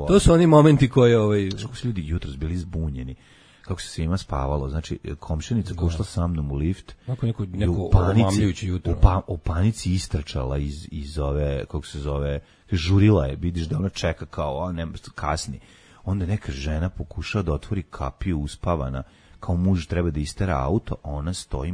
[SPEAKER 6] To su oni momenti koje...
[SPEAKER 5] Kako su ljudi jutros bili zbunjeni, kako se svima spavalo, znači komšinica koja ušla sa mnom u lift,
[SPEAKER 6] neko omamljujući jutro.
[SPEAKER 5] U panici istračala iz ove, kako se zove, žurila je, vidiš da ona čeka kao, kasni. Onda neka žena pokušava da otvori kapiju uspavana, kao muž treba da istera auto, a ona stoji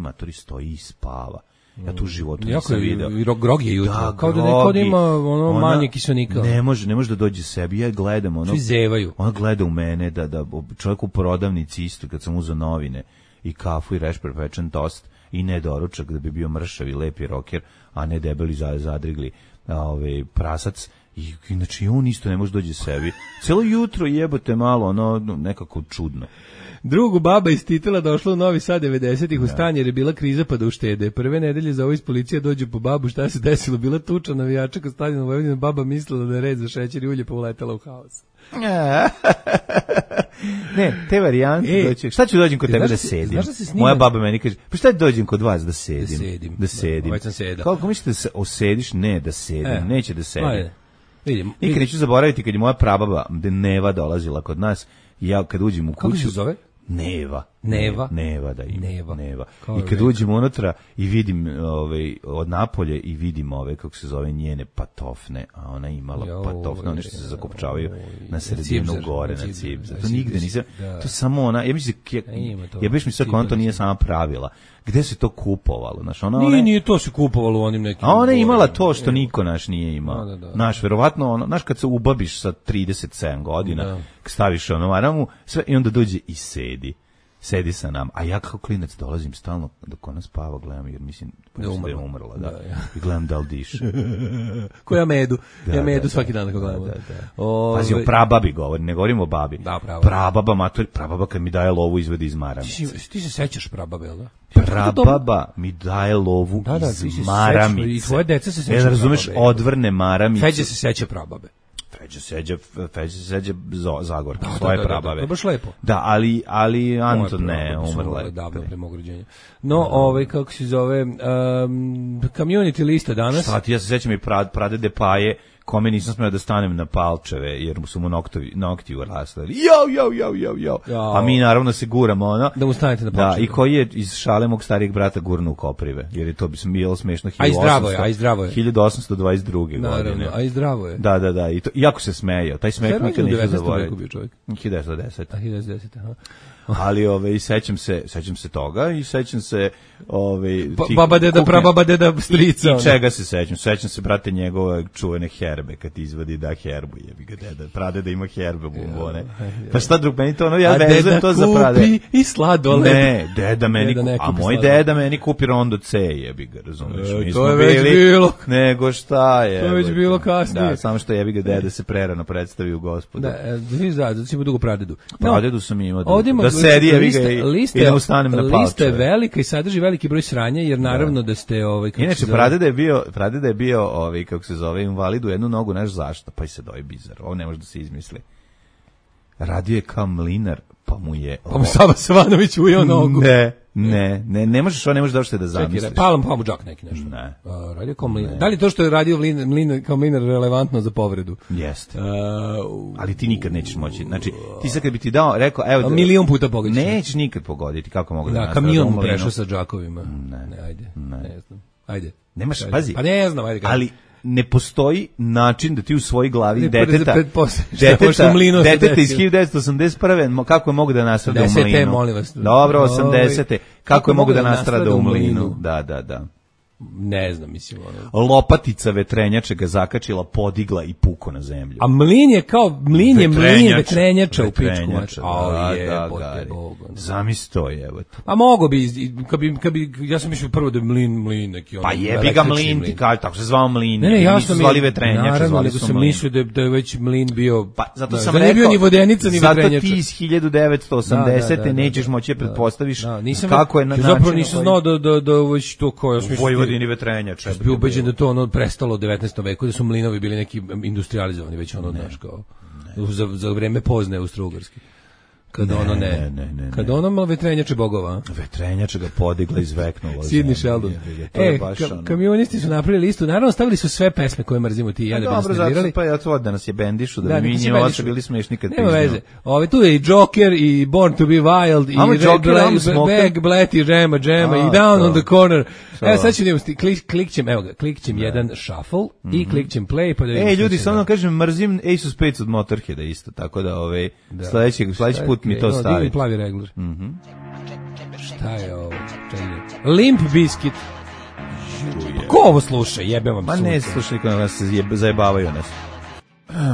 [SPEAKER 5] i spava. Ja tu u životu nisam video.
[SPEAKER 6] I grog je jutro. Kao da neko ima manje kiselnika.
[SPEAKER 5] Ne može da dođe sebi. Ja gledam
[SPEAKER 6] svi zevaju.
[SPEAKER 5] Ona gleda u mene da čovjek u prodavnici isto kad sam uzeo novine i kafu i rešper pečen tost i ne doručak da bi bio mršav i lepi roker, a ne debeli zadrigli prasac. I znači on isto ne može dođe sebi. Celo jutro jebote malo, nekako čudno.
[SPEAKER 6] Drugu baba iz Titela došla u Novi Sad 90-ih u stan jer je bila kriza pa da uštede. Prve nedelje za ovo iz policija dođu po babu, šta se desilo? Bila tuča navijača kod stadiona u Vojvodini, baba mislila da je red za šećer i ulje pa uletela u haos.
[SPEAKER 5] Ne, te varijante doći. Šta ću dođem kod tebe da sedim? Moja baba meni kaže, pa šta dođem kod vas da sedim? Da sedim. Kako mislite da se osediš? Ne, da sedim. Neće da sedim. Nikad neću zaboraviti kad je moja prababa Neva dolazila kod nas i ja kad uđem u kuću...
[SPEAKER 6] Kako se zove?
[SPEAKER 5] Neva, da ima. Neva. I kad uđem unutra i vidim od napolje i vidim kako se zove njene patofne, a ona imala patofne, one što se zakopčavaju na sredinu gore, na cipze. To nigde nisam, to samo ona, ja mislim mi sve ona to nije sama pravila. Gde se to kupovalo?
[SPEAKER 6] Nije to se kupovalo u onim nekim...
[SPEAKER 5] A ona je imala to što niko naš nije imao. Naš, verovatno, kad se ubabiš sa 37 godina, staviš maramu, sve i onda dođe i sedi sa nam, a ja kao klinac dolazim stalno dok ona spava, gledam, jer mislim da je umrla, i gledam da li diše.
[SPEAKER 6] Ko ja medu, svaki dan ako gledamo.
[SPEAKER 5] Pazi, o prababi govorim, ne govorim o babi. Prababa kad mi daje lovu izvedi iz maramice.
[SPEAKER 6] Ti se sećaš prababe, jel da?
[SPEAKER 5] Prababa mi daje lovu iz maramice.
[SPEAKER 6] I tvoje deca se seća
[SPEAKER 5] prababe. Razumeš, odvrne maramice.
[SPEAKER 6] Feđa se seća prababe.
[SPEAKER 5] Feđa se seđa Zagorka, svoje prabave.
[SPEAKER 6] To je baš lepo.
[SPEAKER 5] Da, ali Anton ne, umrla je.
[SPEAKER 6] Davno pre mog rođenja. No, kako se zove, community lista danas.
[SPEAKER 5] Šta ti, ja se sećam i pradede Paje, kome nisam smeo da stanem na palčeve, jer su mu nokti urasli. Jo. A mi naravno se guramo,
[SPEAKER 6] da mu stanete na palčeve.
[SPEAKER 5] Da, i koji je iz šale mog starijeg brata gurnu u koprive, jer je to bi bilo smešno.
[SPEAKER 6] A i zdravo je.
[SPEAKER 5] 1822.
[SPEAKER 6] Naravno, a i zdravo je.
[SPEAKER 5] Da, i to, iako se smejao, taj smeh nikad neću zaboraviti. 1910.
[SPEAKER 6] A 1910, aha.
[SPEAKER 5] Ali sećam se toga i sećam se
[SPEAKER 6] baba deda prababa deda strica.
[SPEAKER 5] I čega se sećam? Sećam se brate njegove čuvene herbe kad izvadi herbu, jebi ga deda. Pradeda ima herbe bombone. Pa šta drug meni to ja vezujem to za pradeda.
[SPEAKER 6] Kupi i sladoled.
[SPEAKER 5] Ne, deda meni, a moj deda meni kupi Rondo C, jebi ga, razumeš?
[SPEAKER 6] To je već bilo.
[SPEAKER 5] Nego šta je?
[SPEAKER 6] To je već bilo kasnije.
[SPEAKER 5] Da, samo što jebi ga deda se prerano predstavi u Gospodu.
[SPEAKER 6] Da si mu dugo pradedu.
[SPEAKER 5] Pradedu sam imao. Sedi, i da ustanem na palčeve.
[SPEAKER 6] Lista je velika i sadrži veliki broj sranja, jer naravno da ste...
[SPEAKER 5] Inače, pradeda je bio, kako se zove, invalid u jednu nogu, znaš zašto? Pa i se doje bizar. Ovo ne može da se izmisli. radio je kao mlinar, pa mu je...
[SPEAKER 6] Pa mu Sava Savanović ujeo nogu.
[SPEAKER 5] Ne možeš da zamisliš.
[SPEAKER 6] Pa mu džak neki nešto.
[SPEAKER 5] Ne.
[SPEAKER 6] Radio kao mlinar. Da li to što je radio mlinar kao mlinar relevantno za povredu?
[SPEAKER 5] Jeste. Ali ti nikad nećeš moći. Znači, ti sad kad bi ti dao, rekao, evo...
[SPEAKER 6] milion puta pogoditi.
[SPEAKER 5] Nećeš nikad pogoditi, kako mogu da nastavim.
[SPEAKER 6] Kamion mu prešao sa džakovima. Ne, ajde. Ne znam. Ajde.
[SPEAKER 5] Nemaš, pazi.
[SPEAKER 6] Pa ne znam, ajde.
[SPEAKER 5] Ali ne postoji način da ti u svojoj glavi deteta iz 1981. kako je mogu da nastrada u mlinu.
[SPEAKER 6] Molim vas.
[SPEAKER 5] Dobro, 80. Kako je mogu da nastrada u mlinu. Da.
[SPEAKER 6] Ne znam, mislim.
[SPEAKER 5] Lopatica vetrenjače ga zakačila, podigla i puko na zemlju.
[SPEAKER 6] A mlin je kao, mlin vetrenjača u pičku.
[SPEAKER 5] Zamisli to je, evo to.
[SPEAKER 6] A mogo bi, kad bi, ja sam mislio prvo da je mlin neki.
[SPEAKER 5] Pa jebi ga mlin, ti kaže, tako se zvao mlin.
[SPEAKER 6] Ne, jasno mi
[SPEAKER 5] zvali vetrenjače,
[SPEAKER 6] naravno, nego sam mislio da je već mlin bio,
[SPEAKER 5] pa zato sam
[SPEAKER 6] rekao, da ne bio ni vodenica, ni vetrenjača.
[SPEAKER 5] Zato ti iz 1980. nećeš moći pretpostaviš kako je na način.
[SPEAKER 6] Zapravo nisam znao da već to kao, ja sam mislio
[SPEAKER 5] Vojvodini vetrenjača.
[SPEAKER 6] Bio ubeđen da to ono prestalo u 19. veku, da su mlinovi bili neki industrializovani, već ono, znaš, kao za vreme pozne Austro-Ugarske. Kada kada ono malo vetrenjače bogova.
[SPEAKER 5] Vetrenjače ga podigla, izveknula.
[SPEAKER 6] Sidney Sheldon. Kamionisti su napravili listu, naravno stavili su sve pesme koje mrzimo ti i ja da bi nas nervirali.
[SPEAKER 5] Pa ja to da nas je bendišu, da mi njima oče bili smešni kad
[SPEAKER 6] nema veze. Tu je i Joker, i Born to be Wild, i Bag, Blatty, Džema, i Down on the Corner. Evo sad ću klikćem jedan shuffle i klikćem play. Pa da
[SPEAKER 5] ljudi, samo kažem, mrzim Ace of Spades od Motorheada isto, tako da sledeći put mi to stavi.
[SPEAKER 6] Divni plavi regler. Šta je ovo? Limp Bizkit. Ko ovo sluša? Jebem vam sunce.
[SPEAKER 5] Ma ne slušaj, kada nas zajebavaju nas.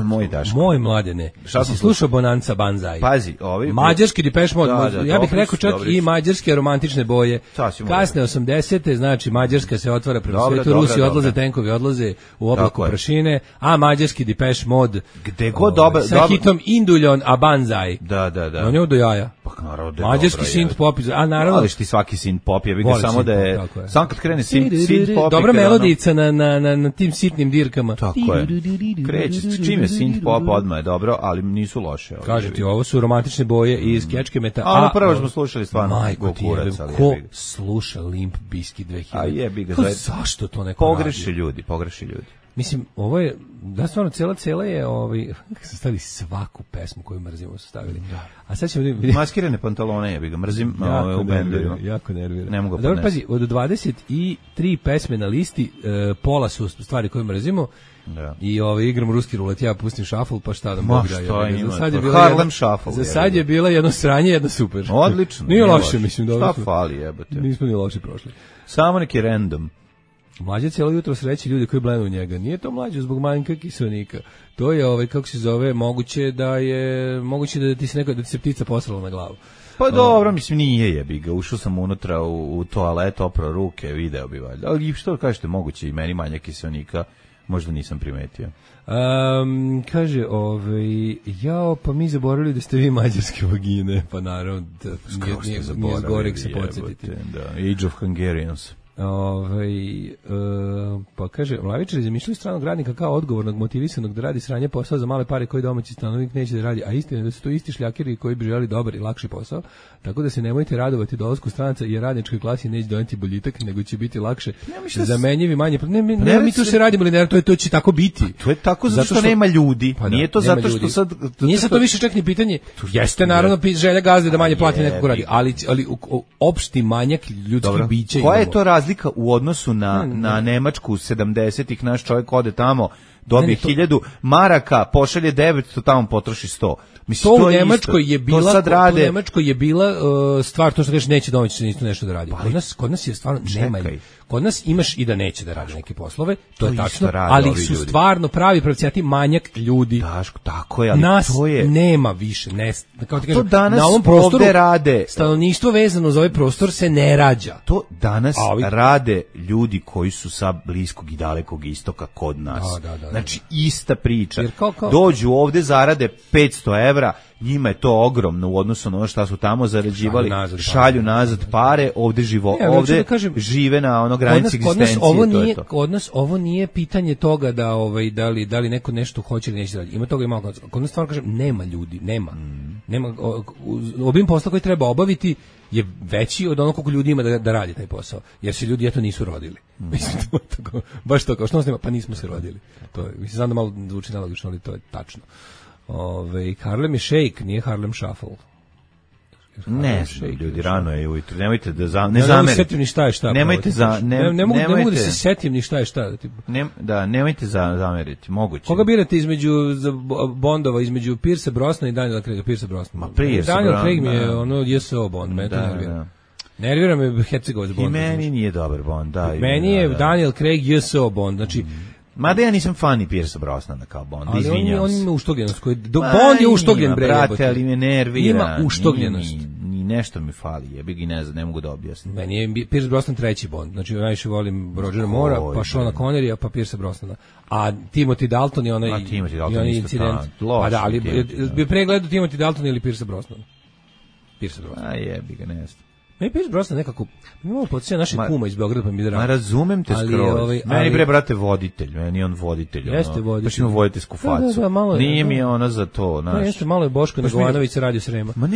[SPEAKER 5] Moj Daško.
[SPEAKER 6] Moj Mladene. Šta si slušao Bonanza Banzai?
[SPEAKER 5] Pazi, ovi
[SPEAKER 6] mađarski Depeche Mode, ja bih rekao čak i mađarske romantične boje. Kasne 80-te, znači Mađarska se otvara prema svetu, Rusi odlaze, tenkovi odlaze u oblaku prašine, a mađarski Depeche Mode
[SPEAKER 5] gde god dobar
[SPEAKER 6] sa hitom Induljon a Banzai.
[SPEAKER 5] Da.
[SPEAKER 6] On je do jaja.
[SPEAKER 5] Pa naravno.
[SPEAKER 6] Mađarski synth pop, a naravno.
[SPEAKER 5] Ali ti svaki synth pop, ja bih ga samo da je samo kad krene synth pop.
[SPEAKER 6] Dobra melodica na tim sitnim dirkama.
[SPEAKER 5] Tako je. Kreće čim je synth pop odmah je dobro, ali nisu loše.
[SPEAKER 6] Kaže ti, ovo su romantične boje iz Kečke Meta.
[SPEAKER 5] A prvo smo slušali stvarno
[SPEAKER 6] Gokurac. Ko sluša Limp Bizkit 2000?
[SPEAKER 5] A jebi ga.
[SPEAKER 6] Zašto to neko
[SPEAKER 5] pogreši ljudi.
[SPEAKER 6] Mislim, ovo je, da stvarno, cela je, su stavili svaku pesmu koju mrzimo, su stavili. A sad ćemo vidjeti.
[SPEAKER 5] Maskirane pantalone, jebi ga, mrzim u bendovima.
[SPEAKER 6] Jako nervira.
[SPEAKER 5] Ne mogu
[SPEAKER 6] dobro, pazi, od 23 pesme na listi, pola su stvari koje mrzimo. Da. I igram ruski rulet, ja pustim šafl, pa šta da mogu da je.
[SPEAKER 5] Harlem Shuffle.
[SPEAKER 6] Za sad je bila jedno sranje, jedno super.
[SPEAKER 5] Odlično.
[SPEAKER 6] Nije loše, mislim.
[SPEAKER 5] Šta fali, jebote.
[SPEAKER 6] Nismo ni loše prošli.
[SPEAKER 5] Samo neki random.
[SPEAKER 6] Mlađe cijelo jutro sreći ljudi koji blenu u njega. Nije to mlađe zbog manjka kiselnika. To je, kako se zove, moguće da ti se ptica posrala na glavu.
[SPEAKER 5] Pa dobro, mislim, nije jebi ga. Ušao sam unutra u toalet, oprao ruke, video bi valjda. Ali što kažete, moguće i meni manjak kiselnika. Možda nisam primetio.
[SPEAKER 6] Kaže, pa mi zaboravili da ste vi mađarske vagine, pa naravno, nije zgorek se podsjetiti.
[SPEAKER 5] Age of Hungarians.
[SPEAKER 6] Pa kaže, Mlavičari zamišljaju stranog radnika kao odgovornog, motivisanog da radi sranje posao za male pare koji domaći stanovnik neće da radi, a istina je da su to isti šljakeri koji bi želi dobar i lakši posao, tako da se nemojte radovati dolasku stranaca jer radničkoj klasi neće doneti boljitak, nego će biti lakše zamenjivi manje. Ne, mi tu se radimo, to će tako biti.
[SPEAKER 5] To je tako zato što nema ljudi. Nije to zato što sad...
[SPEAKER 6] Nije sad to više čak ni pitanje. Jeste naravno želja gazde da manje plati nekog radi, ali opšti manjak ljudskih bića.
[SPEAKER 5] Koja je to razlika u odnosu na Nemačku 70-ih? Naš čovjek ode tamo, dobije 1000 maraka, pošalje 900, tamo potroši 100.
[SPEAKER 6] Mislim, to u Nemačkoj je bila stvar, to što kažeš neće domaći isto nešto da radi. Kod nas je stvarno nema. Kod nas imaš i da neće da radi neke poslove, to je tačno, ali su stvarno pravi pravcijati manjak ljudi.
[SPEAKER 5] Daško, tako je, ali
[SPEAKER 6] nas
[SPEAKER 5] to je...
[SPEAKER 6] nema više, kao ti kažem,
[SPEAKER 5] danas
[SPEAKER 6] na ovom prostoru
[SPEAKER 5] rade.
[SPEAKER 6] Stanovništvo vezano za ovaj prostor se ne rađa.
[SPEAKER 5] To danas rade ljudi koji su sa bliskog i dalekog istoka kod nas. Znači, ista priča. Dođu ovde, zarade 500 evra, njima je to ogromno u odnosu na ono što su tamo zarađivali, šalju nazad pare, ovde žive na ono granici egzistencije.
[SPEAKER 6] Kod nas ovo nije pitanje toga da li neko nešto hoće ili neće raditi. Ima toga i malo. Kod nas stvarno kažem, nema ljudi, nema. Obim posla koji treba obaviti je veći od onog koliko ljudi ima da radi taj posao, jer se ljudi nisu rodili. Mislim, baš to kao što pa nismo se rodili. To je, mislim, znam da malo zvuči nelogično, ali to je tačno. Harlem je Shake, nije Harlem Shuffle.
[SPEAKER 5] Ne, ljudi, rano je ujutro. Nemojte da ne zamerite.
[SPEAKER 6] Ni šta je šta. Ne mogu da se setim ni šta je šta.
[SPEAKER 5] Nemojte zameriti, moguće.
[SPEAKER 6] Koga birate između Bondova, između Pierce Brosnana i Daniela Craiga? Pierce Brosnan. Daniel Craig mi je JSO Bond, me to nervira. Nervira me Hercegovac Bond.
[SPEAKER 5] I meni nije dobar Bond, da.
[SPEAKER 6] Meni je Daniel Craig JSO Bond, znači
[SPEAKER 5] mada ja nisam fan i Pierce Brosnana kao Bond, izvinjavam se.
[SPEAKER 6] Ali on ima uštogljenost. Bond je uštogljen, bre.
[SPEAKER 5] Brate, ali me nervira.
[SPEAKER 6] Ima uštogljenost.
[SPEAKER 5] Ni nešto mi fali, jebi ga, ne mogu da objasnim.
[SPEAKER 6] Meni je Pierce Brosnan treći Bond. Znači, najviše volim Rogera Moora, pa Seana Connerya, pa Pierce Brosnana. A Timothy Dalton je onaj incident. Pa da, ali bi pregledao Timothy Dalton ili Pierce Brosnan? Pierce Brosnan.
[SPEAKER 5] A jebi ga, ne znam.
[SPEAKER 6] Meni Pierce Brosnan nekako, imamo podsjeća naše kuma iz Beograda, pa mi drago.
[SPEAKER 5] Ma razumem te skroz. Meni bre, brate, voditelj, meni on voditelj.
[SPEAKER 6] Jeste voditelj.
[SPEAKER 5] Baš ima voditeljsku facu. Nije mi ona za to, znaš.
[SPEAKER 6] Jeste, malo je Boško Negovanović se radio Srema.
[SPEAKER 5] Ma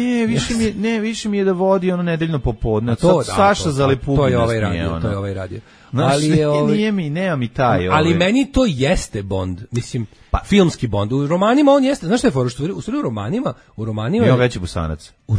[SPEAKER 5] više mi je da vodi ono nedeljno popodne. Saša Zalepukin.
[SPEAKER 6] To je ovaj radio.
[SPEAKER 5] Ali nema mi taj.
[SPEAKER 6] Ali meni to jeste Bond, mislim, filmski Bond. U romanima on jeste, znaš šta je fora, u romanima
[SPEAKER 5] je veći Busanac.
[SPEAKER 6] U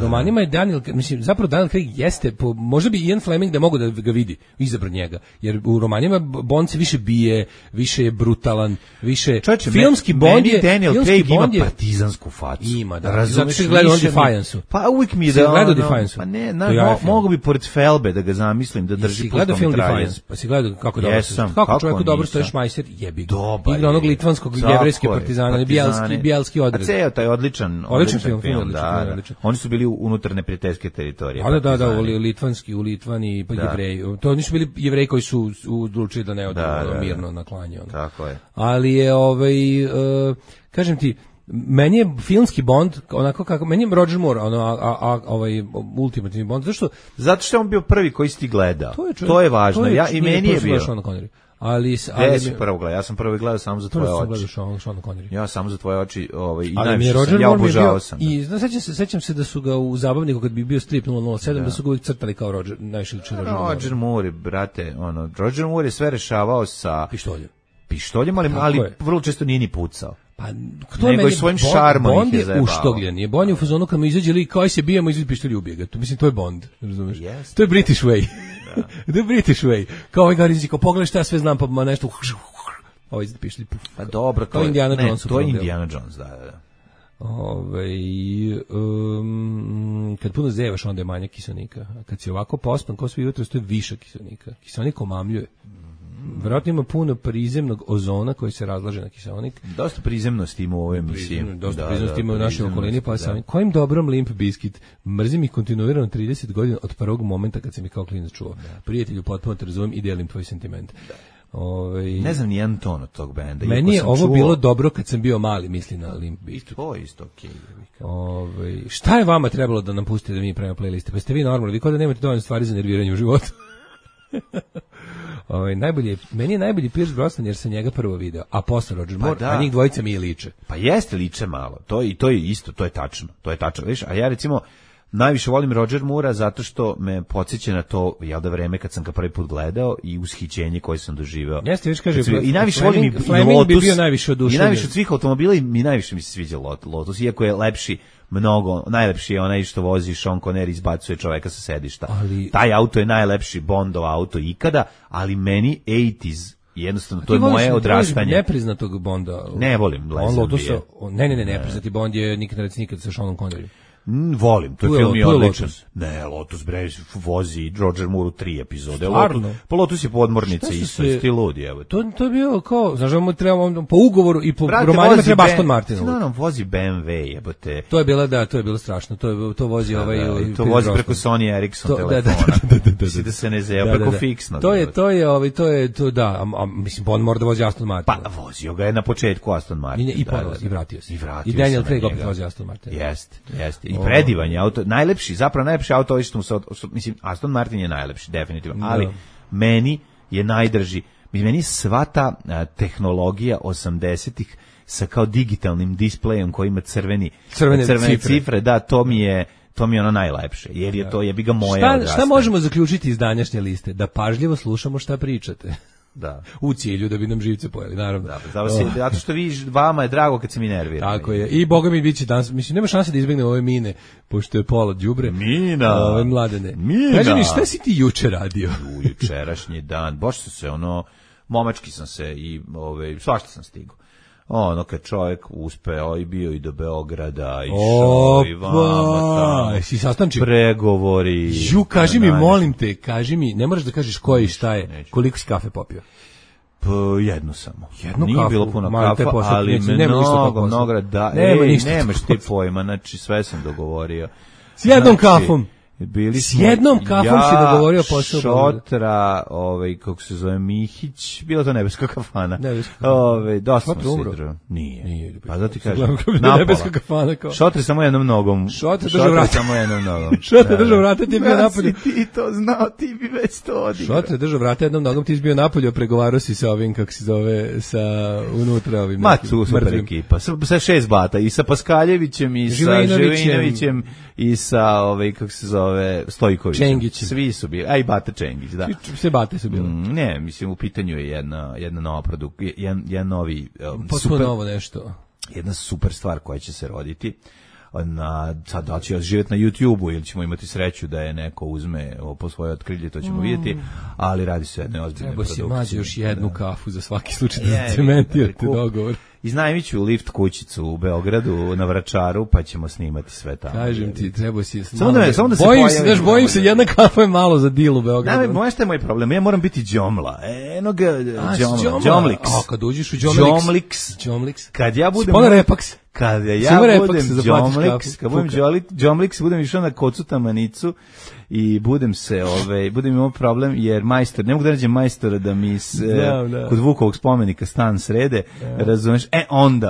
[SPEAKER 6] romanima je Daniel, mislim, zapravo Daniel Craig jeste, možda bi Ian Fleming da mogu da ga vidi, izabran njega, jer u romanima Bond se više bije, više je brutalan, više filmski Bond je,
[SPEAKER 5] Daniel Craig ima partizansku facu.
[SPEAKER 6] Ima, da. Zato što gleda on Defiance-u.
[SPEAKER 5] Pa uvijek mi je da
[SPEAKER 6] gleda Defiance-u.
[SPEAKER 5] Pa ne, mogu bi pored Felbe da ga zamislim, da drži
[SPEAKER 6] gledao film Defiance, pa si gledao kako dobro stoji. Kako čovjeku dobro stoji Šmajser, jebi ga. Igra onog litvanskog jevrejske partizana, bijelski odred.
[SPEAKER 5] A ceo taj odličan film, odličan. Oni su bili unutar neprijateljske teritorije.
[SPEAKER 6] Da, u Litvani, pa Jevreji. To nisu bili Jevreji koji su odlučili da ne odu mirno na klanje.
[SPEAKER 5] Tako je.
[SPEAKER 6] Ali je, kažem ti, meni je filmski Bond onako kako meni je Roger Moore ultimativni Bond,
[SPEAKER 5] zato što je on bio prvi koji si ti gledao. To je važno. I meni je bio.
[SPEAKER 6] Ali
[SPEAKER 5] si prvo gledao? Ja sam prvo gledao samo za tvoje oči. Ja samo za tvoje oči, i najviše
[SPEAKER 6] sam,
[SPEAKER 5] ja obožavao sam.
[SPEAKER 6] I sećam se da su ga u Zabavniku kad bi bio strip 007 da su ga uvijek crtali kao Roger, najviše liči
[SPEAKER 5] Roger Moore, brate, Roger Moore je sve rešavao sa pištoljem, ali vrlo često nije ni pucao.
[SPEAKER 6] Pa to je meni
[SPEAKER 5] svojim šarmom
[SPEAKER 6] Bond je uštogljen. Je Bond je u fazonu kad mu izađe lik kao se bijemo izvadi pištolj i ubije ga. Mislim to je Bond, razumeš? To je British way. The British way. Kao ovaj garizi, kao pogledaj šta ja sve znam, pa nešto ovaj izvadi pištolj.
[SPEAKER 5] Pa dobro,
[SPEAKER 6] to je Indiana Jones.
[SPEAKER 5] To je Indiana Jones, da.
[SPEAKER 6] Kad puno zevaš, onda je manje kiselnika. A kad si ovako pospan, kao svi jutro, to je više kiselnika. Kiselnik omamljuje. Vjerojatno ima puno prizemnog ozona koji se razlaže na kiseonik.
[SPEAKER 5] Dosta prizemnosti ima u ovoj emisiji.
[SPEAKER 6] Dosta prizemnosti ima u našoj okolini, pa sam kojim dobrom Limp Bizkit. Mrzim ih kontinuirano 30 godina od prvog momenta kad sam ih kao klinac čuo. Prijatelju, potpuno te razumem i delim tvoj sentiment.
[SPEAKER 5] Ne znam nijedan ton od tog benda.
[SPEAKER 6] Meni je ovo bilo dobro kad sam bio mali, misli na Limp Bizkit.
[SPEAKER 5] To je isto okej.
[SPEAKER 6] Šta je vama trebalo da nam pustite da mi pravimo playliste? Pa ste vi normalni, vi kao da nemate dovoljno stvari za nerviranje u životu. Meni je najbolji Pierce Brosnan jer sam njega prvo video, a posle Roger Moore, a njih dvojica mi je liče.
[SPEAKER 5] Pa jeste liče malo, to je isto, to je tačno, vidiš, a ja recimo najviše volim Roger Moora zato što me podsjeća na to, jel da vreme kad sam ga prvi put gledao i ushićenje koje sam doživeo.
[SPEAKER 6] Jeste, viš kaže,
[SPEAKER 5] i najviše volim i
[SPEAKER 6] Fleming bi bio najviše oduševljen.
[SPEAKER 5] I najviše od svih automobila i najviše mi se sviđa Lotus, iako je lepši najlepši je onaj što vozi Sean Connery, izbacuje čoveka sa sedišta. Taj auto je najlepši Bondov auto ikada, ali meni 80s, jednostavno, to je moje odrastanje.
[SPEAKER 6] Nepriznatog Bonda.
[SPEAKER 5] Ne volim Lazenbije.
[SPEAKER 6] Ne, nepriznati Bond je nikad sa Seanom Connery.
[SPEAKER 5] Volim, to je film je odličan. Ne, Lotus bre vozi Roger Moore u 3 epizode. Pa Lotus je podmornica isto, ti ludi, evo.
[SPEAKER 6] To je bio kao, znaš, treba po ugovoru i po romanima treba Aston Martin.
[SPEAKER 5] No, vozi BMW, jebote.
[SPEAKER 6] To je bilo strašno. To vozi
[SPEAKER 5] to vozi preko Sony Ericsson telefona. Da se ne zeo preko fiksno. Mislim, on mora da vozi Aston Martin. Pa vozio ga je na početku Aston Martin.
[SPEAKER 6] I vratio se. I Daniel Craig opet vozi Aston Martin.
[SPEAKER 5] Jeste. I predivan je auto, najlepši auto, mislim, Aston Martin je najlepši, definitivno, ali meni je najdrži, meni sva ta tehnologija 80-ih sa kao digitalnim displejom koji ima crvene cifre, da, to mi je ono najlepše, jer je to jebi ga moja odrastanja.
[SPEAKER 6] Šta možemo zaključiti iz današnje liste? Da pažljivo slušamo šta pričate.
[SPEAKER 5] Da.
[SPEAKER 6] U cilju da bi nam živce pojeli, naravno.
[SPEAKER 5] Zato što vama je drago kad se mi nerviramo.
[SPEAKER 6] Tako je. I boga mi biće danas, mislim, nema šanse da izbegne ove mine, pošto je pola đubre.
[SPEAKER 5] Mina.
[SPEAKER 6] Mladene.
[SPEAKER 5] Mina.
[SPEAKER 6] Kaži mi, šta si ti juče radio?
[SPEAKER 5] Jučerašnji dan, baš se momački sam se i svašta sam stigao. Ono kad čovjek uspeo i bio i do Beograda, išao i vama
[SPEAKER 6] si sastančio?
[SPEAKER 5] Pregovori.
[SPEAKER 6] Kaži mi, molim te, ne moraš da kažeš koji šta je, koliko si kafe popio?
[SPEAKER 5] Jednu samo.
[SPEAKER 6] Nije kafu,
[SPEAKER 5] bilo puno kafa, ali mnogo, da, nemaš ti pojma, znači sve sam dogovorio.
[SPEAKER 6] S jednom kafom. S jednom kafom si dogovorio posao.
[SPEAKER 5] Šotra, kako se zove, Mihić, bila to nebeska kafana. Dosta smo sidro. Nije. Pa da ti kažem,
[SPEAKER 6] nebeska kafana kao.
[SPEAKER 5] Šotra samo jednom nogom.
[SPEAKER 6] Šotra samo jednom nogom. Šotra držao vrata, ti je bio napolju.
[SPEAKER 5] Ti to znao, ti bi već to odigrao.
[SPEAKER 6] Šotra držao vrata jednom nogom, ti si bio napolju, pregovarao si sa ovim, kako se zove, sa unutra ovim.
[SPEAKER 5] Tu super ekipa, sa 6 bata, i sa Paskaljevićem, i sa Živinovićem, i sa, kako se zove, Stojković.
[SPEAKER 6] Čengić.
[SPEAKER 5] Svi su bili, a i Bata Čengić, da.
[SPEAKER 6] Sve Bate su bile.
[SPEAKER 5] Ne, mislim, u pitanju je jedna nova jedan novi
[SPEAKER 6] super novo nešto.
[SPEAKER 5] Jedna super stvar koja će se roditi. Sad da će živjeti na YouTube-u ili ćemo imati sreću da je neko uzme po svoje otkrilje, to ćemo vidjeti, ali radi se jedne ozbiljne produkcije.
[SPEAKER 6] Treba si mađe još jednu kafu za svaki slučaj da cementirate dogovor.
[SPEAKER 5] Iznajmiću lift kućicu u Beogradu na Vračaru, pa ćemo snimati sve tamo.
[SPEAKER 6] Kažem ti, treba si...
[SPEAKER 5] Samo da se
[SPEAKER 6] bojim se, jedna kafa je malo za deal u Beogradu.
[SPEAKER 5] Moja šta je moj problem? Ja moram biti džomla. Džomliks.
[SPEAKER 6] Kad uđeš u
[SPEAKER 5] Džomliks. Kad ja budem...
[SPEAKER 6] Repaks.
[SPEAKER 5] Kad ja budem Džomliks, budem išao na Kocu Tamanicu i budem imao problem jer majstor, ne mogu da nađem majstora da mi kod Vukovog spomenika stan srede, razumeš,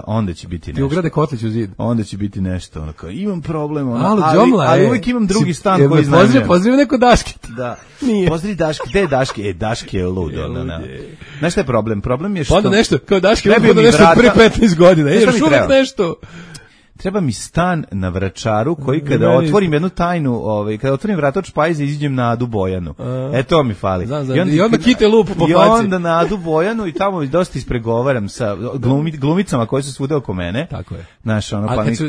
[SPEAKER 5] onda će biti nešto.
[SPEAKER 6] Ti ugrade kotlić u zid.
[SPEAKER 5] Onda će biti nešto, ono kao, imam problem, ali uvijek imam drugi stan koji znam.
[SPEAKER 6] Pozdrav neko Daške.
[SPEAKER 5] Da, pozdrav Daške, gde je Daške? Daške je lud, znaš šta je problem? Problem je što...
[SPEAKER 6] Onda nešto, kao Daške, onda nešto pre 15 godina, još uvijek nešto.
[SPEAKER 5] Treba mi stan na Vračaru koji kada otvorim jednu tajnu, kada otvorim vrata od špajza izađem na Adu Bojanu. To mi fali.
[SPEAKER 6] I onda kite lup po faci.
[SPEAKER 5] I onda na Adu Bojanu i tamo dosta ispregovaram sa glumicama koje su svuda oko mene.
[SPEAKER 6] Tako je.
[SPEAKER 5] Znaš,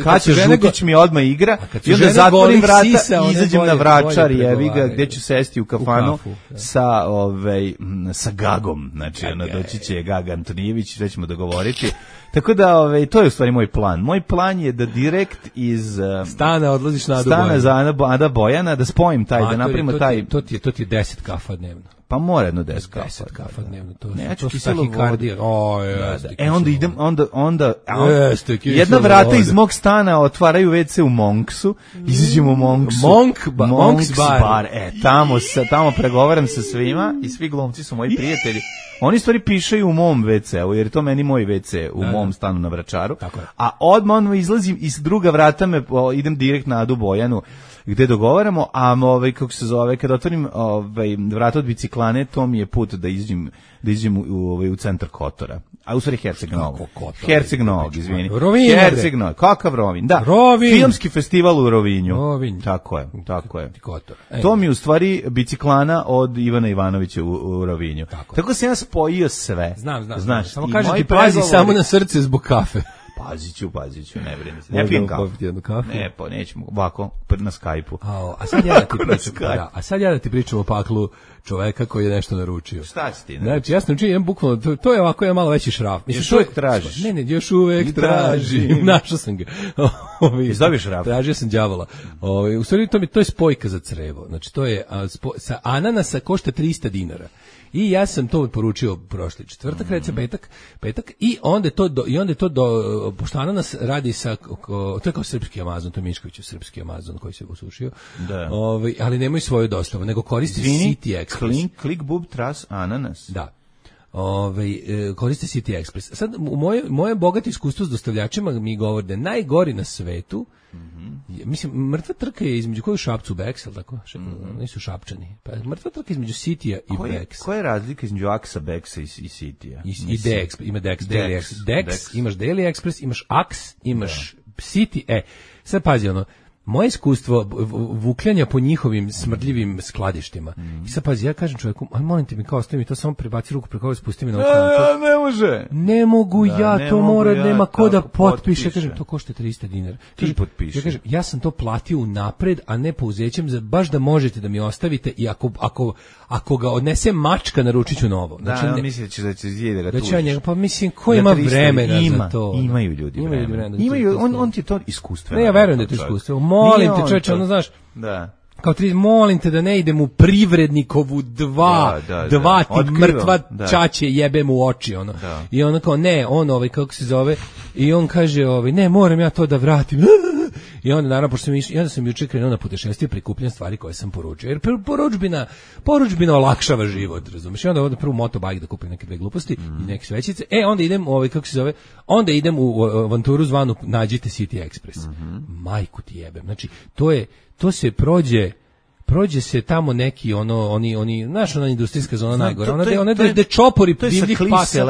[SPEAKER 5] kad će Žutić mi odmah igra i onda zatvorim vrata i izađem na Vračar, jevi ga, gde ću sesti u kafanu sa Gagom. Znači, doći će Gaga Antonijević, sve ćemo dogovoriti. Tako da, to je u stvari moj plan. Moj plan je da direkt iz
[SPEAKER 6] stana odlaziš na Adu Bojana.
[SPEAKER 5] Stana za Ada Bojana, da spojim taj, da napravimo taj...
[SPEAKER 6] To ti je 10 kafa dnevno.
[SPEAKER 5] Pa mora jedno 10 kafa.
[SPEAKER 6] 10 kafa dnevno,
[SPEAKER 5] to su tahikardija. Onda
[SPEAKER 6] jedna
[SPEAKER 5] vrata iz mog stana otvaraju WC u Monksu, izađemo u Monksu.
[SPEAKER 6] Monks bar.
[SPEAKER 5] Tamo pregovaram sa svima i svi glumci su moji prijatelji. Oni stvari pišaju u mom WC-u, jer je to meni moj WC u mom stanu na Vračaru. A odmah izlazim iz druga vrata, idem direkt na Adu Bojanu, gde dogovaramo, a kako se zove, kada otvorim vrata od biciklane, to mi je put da iđem u centar Kotora. A u stvari Herceg Novog, izvini. Herceg Novog, kakav Rovinj? Da, filmski festival u Rovinju. Tako je. To mi je u stvari biciklana od Ivana Ivanovića u Rovinju. Tako sam ja spojio sve.
[SPEAKER 6] Znam. Samo kažem ti, pazi samo na srce zbog kafe.
[SPEAKER 5] Pazit ću, ne brini se. Ne pijem kafu. Ne, pa nećemo, ovako, na Skype-u.
[SPEAKER 6] A sad ja da ti pričam o paklu čoveka koji je nešto naručio.
[SPEAKER 5] Šta si ti?
[SPEAKER 6] Znači, ja sam učinio, bukvalno, to je ovako, je malo veći šraf.
[SPEAKER 5] Još uvek tražiš?
[SPEAKER 6] Ne, još uvek tražim. Našao sam ga.
[SPEAKER 5] Izdobiš šraf?
[SPEAKER 6] Tražio sam đavola. U stvari, to je spojka za crevo. Znači, to je, sa ananasa košta 300 dinara. I ja sam to poručio prošli četvrtak, recimo petak, i onda je to pošto ananas radi sa, to je kao srpski Amazon, to je Miškoviću srpski Amazon koji se usušio, ali nemaju svoju dostavu, nego koriste City Express.
[SPEAKER 5] Klik bub tras ananas.
[SPEAKER 6] Da. Koriste City Express. Sad, moje bogato iskustvo s dostavljačima mi govori da najgori na svetu, mislim, mrtva trka je između koju Šapcu Bex, tako? Nisu Šapčani. Pa mrtva trka između Citya i Bex.
[SPEAKER 5] Koja je razlika između Axa Bexa i Citya?
[SPEAKER 6] I Dex, ima Dex, Daily Express. Dex, imaš Daily Express, imaš Ax, imaš City. Sad pazi, moje iskustvo vukljanja po njihovim smrdljivim skladištima. I sad pazi, ja kažem čovjeku, aj molim te mi kao ostavi mi to, samo prebaci ruku preko ove, spusti mi na
[SPEAKER 5] okolo. Ne može.
[SPEAKER 6] Ne mogu to mora, nema ko da potpiše. Kažem, to košta 300 dinara.
[SPEAKER 5] Ti potpiše.
[SPEAKER 6] Ja kažem, ja sam to platio unapred, a ne pouzećem, baš da možete da mi ostavite i ako ga odnese mačka, naručit ću novo.
[SPEAKER 5] Znači, da, misli da će zjede da tužiš.
[SPEAKER 6] Pa mislim, ko ima vremena za to?
[SPEAKER 5] Imaju ljudi vremena. On ti je to iskustveno.
[SPEAKER 6] Ne, ja verujem da je to iskustveno. Molim te, čovječe, znaš, kao molim te da ne idem u Privrednikovu dva ti mrtva čače jebem u oči, I ono kao, ne, kako se zove, i on kaže, ne, moram ja to da vratim. I onda, naravno, onda sam juče krenuo na putešestvije, prikupljam stvari koje sam poručio. Jer poručbina olakšava život, razumiješ? I onda prvo motobajk da kupim neke dve gluposti i neke svećice. Onda idem, onda idem u avanturu zvanu Nađite City Express. Majku ti jebem. Znači, to se prođe se tamo neki oni znaš, ona industrijska zona najgore, ona da čopori divljih pasa,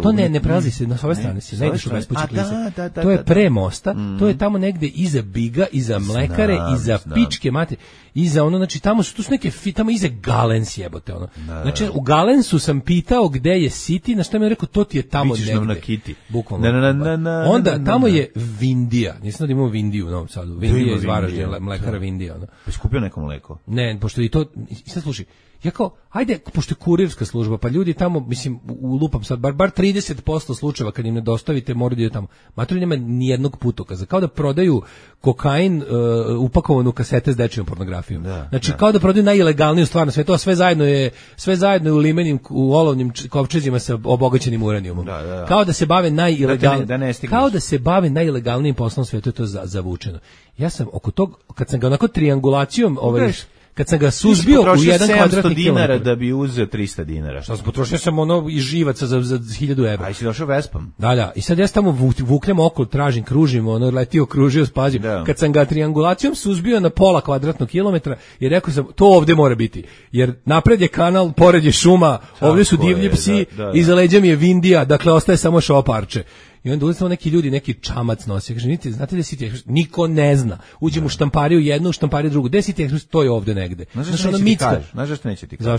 [SPEAKER 6] to ne prelazi se na ove strane, se ne ideš u bespuće klise, to je pre mosta, to je tamo negde iza Biga, iza mlekare, iza pičke mate, iza znači tu su neke, tamo iza Galens jebote, znači u Galensu sam pitao gde je City, na što mi je rekao, to ti je tamo negde, bukvalno, onda tamo je Vindija, nisam da imamo Vindiju u Novom Sadu, Vindija iz Varaždina, mlekara Vindija,
[SPEAKER 5] pa skupio neko mleko?
[SPEAKER 6] Ne, pošto i to, sad slušaj, ja kao, ajde, pošto je kurirska služba, pa ljudi tamo, mislim, ulupam sad, bar 30% slučajeva kad im ne dostavite, moraju da je tamo. Matori nema nijednog putokaza, kao da prodaju kokain upakovan u kasete s dečijom pornografijom. Znači, kao da prodaju najilegalniju stvar na svetu, a sve zajedno je u limenim, u olovnim kovčezima sa obogaćenim uranijumom. Kao da se bave najilegalnijim poslom svetu, je to zavučeno. Ja sam oko tog, kad sam ga onako triangulacijom, kad sam ga suzbio u jedan kvadratni
[SPEAKER 5] dinara da bi uzeo 300 dinara.
[SPEAKER 6] Šta sam potrošio sam iz živaca za 1000 evra.
[SPEAKER 5] A si došao Vespom?
[SPEAKER 6] Da. I sad ja tamo vukljam okolo, tražim, kružim, letio, kružio, spazim. Kad sam ga triangulacijom suzbio na pola kvadratnog kilometra i rekao sam, to ovde mora biti. Jer napred je kanal, pored je šuma, ovde su divlji psi, iza leđa mi je Vindija, dakle ostaje samo šoparče. I onda ulazimo neki ljudi, neki čamac nosi. Kaže, znate da City Express? Niko ne zna. Uđem u štampariju jednu, u štampariju drugu. Gde je City Express? To je ovde negde.
[SPEAKER 5] Znaš zašto neće ti kaži?
[SPEAKER 6] Zašto neće ti kaži?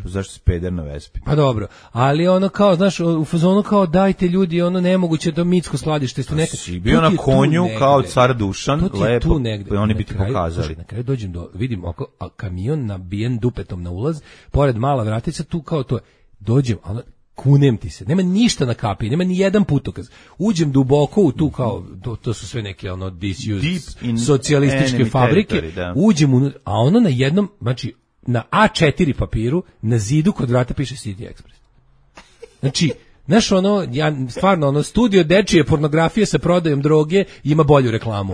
[SPEAKER 5] Zašto si peder na Vespi?
[SPEAKER 6] Pa dobro. Ali kao, znaš, u fazonu kao, dajte ljudi, nemoguće da mitsko skladište.
[SPEAKER 5] Si bio na konju kao car Dušan, lepo. Oni bi ti pokazali.
[SPEAKER 6] Na kraju dođem vidim kamion nabijen dupetom na ulaz, pored mala vratica, tu kao to. Dođem, kunem ti se, nema ništa na kapi, nema ni jedan putokaz. Uđem duboko u tu kao, to su sve neke disused socijalističke fabrike, uđem a na jednom, znači na A4 papiru, na zidu kod vrata piše City Express. Znači, znaš stvarno studio dečije pornografije sa prodajom droge ima bolju reklamu,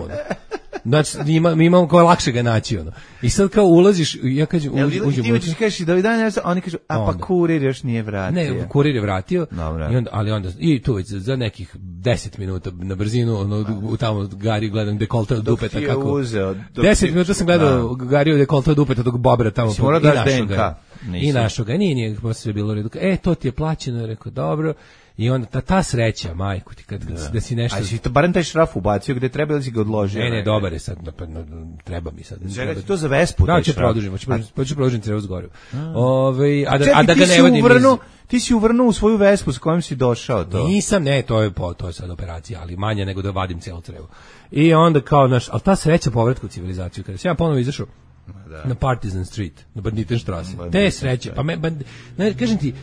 [SPEAKER 6] Znači, imamo kao lakše ga naći, I sad kao ulaziš, ja kažem, uđem.
[SPEAKER 5] Ti hoćeš kažeš da dan, oni kažu, pa kurir još nije vratio.
[SPEAKER 6] Ne, kurir je vratio, i tu već za nekih 10 minuta na brzinu, tamo Gari gledam dekolta od dupeta.
[SPEAKER 5] Kako
[SPEAKER 6] 10 minuta sam gledao Gari dekolta od dupeta dok bobra tamo.
[SPEAKER 5] Si morao daš DNK.
[SPEAKER 6] I našo ga, nije posle bilo redu. To ti je plaćeno, rekao, dobro. I onda ta sreća, majku ti, kad da si nešto...
[SPEAKER 5] A si to barem taj šraf ubacio gde treba ili si ga odložio?
[SPEAKER 6] Ne, dobar je sad, treba mi sad.
[SPEAKER 5] Čekaj, to za Vespu taj šraf.
[SPEAKER 6] Hoću produžiti treba zgorio. A da ga ne vodim
[SPEAKER 5] ti si uvrnuo u svoju Vespu s kojom si došao to.
[SPEAKER 6] Nisam, ne, to je sad operacija, ali manje nego da vadim celu crevu. I onda kao ali ta sreća povratka u civilizaciju, kada sam ja ponovo izašao na Partizan Street, na Banditenstrasse. Te sreće, pa kažem ti,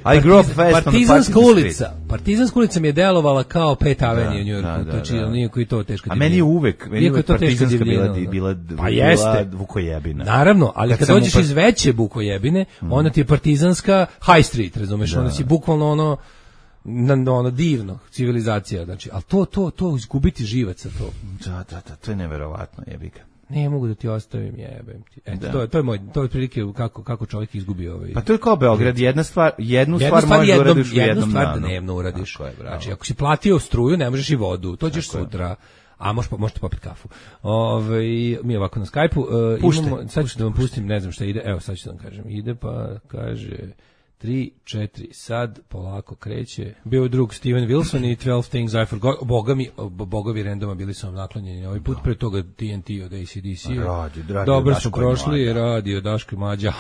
[SPEAKER 6] Partizanska ulica mi je delovala kao Pet Avenue u Njujorku, znači nijako i to teško.
[SPEAKER 5] A meni je uvek Partizanska bila Vukojebina.
[SPEAKER 6] Naravno, ali kad dođeš iz veće Vukojebine, onda ti je Partizanska High Street, razumeš, onda si bukvalno ono divno, civilizacija, znači, ali to izgubiti živaca, to.
[SPEAKER 5] Da, to je neverovatno, jebi ga.
[SPEAKER 6] Ne mogu da ti ostavim, jebem ti. Eto, to je otprilike kako čovjek izgubi ovaj.
[SPEAKER 5] Pa to je kao Beograd, jednu stvar možeš da uradiš u jednom danu.
[SPEAKER 6] Jednu stvar dnevno uradiš. Znači, ako si platio struju, ne možeš i vodu, to ćeš sutra. A možete popiti kafu. Mi ovako na Skype-u, sad ću da vam pustim, ne znam šta ide, evo sad ću da vam kažem, ide pa kaže 3, 4, sad polako kreće. Bio je drug Steven Wilson i 12 Things I Forgot. Bogovi randoma bili su vam naklonjeni ovaj put, pre toga TNT od AC/DC. Dobro su prošli, radio Daško i Mlađa.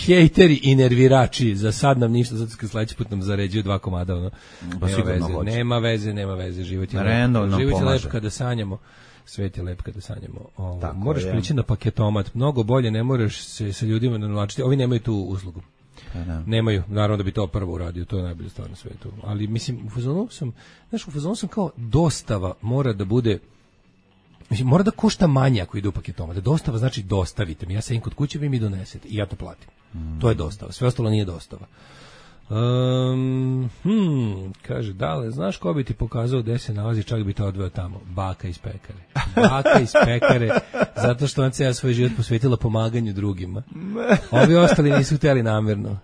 [SPEAKER 6] Hejteri i nervirači, za sad nam ništa, zato kad sledeći put nam zaređuju 2 komada. Nema veze, život je lep kada sanjamo. Svet je lep kada sanjamo. Moraš prići na paketomat, mnogo bolje, ne moraš se sa ljudima navlačiti. Ovi nemaju tu uslugu. Nemaju, naravno da bi to prvo uradio, to je najbolje stvar na svetu. Ali mislim, u fazonu sam kao dostava mora da bude, mislim, mora da košta manje ako ide u paketoma. Da dostava znači dostavite mi, ja sedim kod kuće, vi mi donesete i ja to platim. To je dostava, sve ostalo nije dostava. Kaže, Dale, znaš ko bi ti pokazao gde se nalazi, čak bi te odveo tamo? Baka iz pekare, zato što on cijel svoj život posvetila pomaganju drugima. Ovi ostali nisu htjeli namjerno,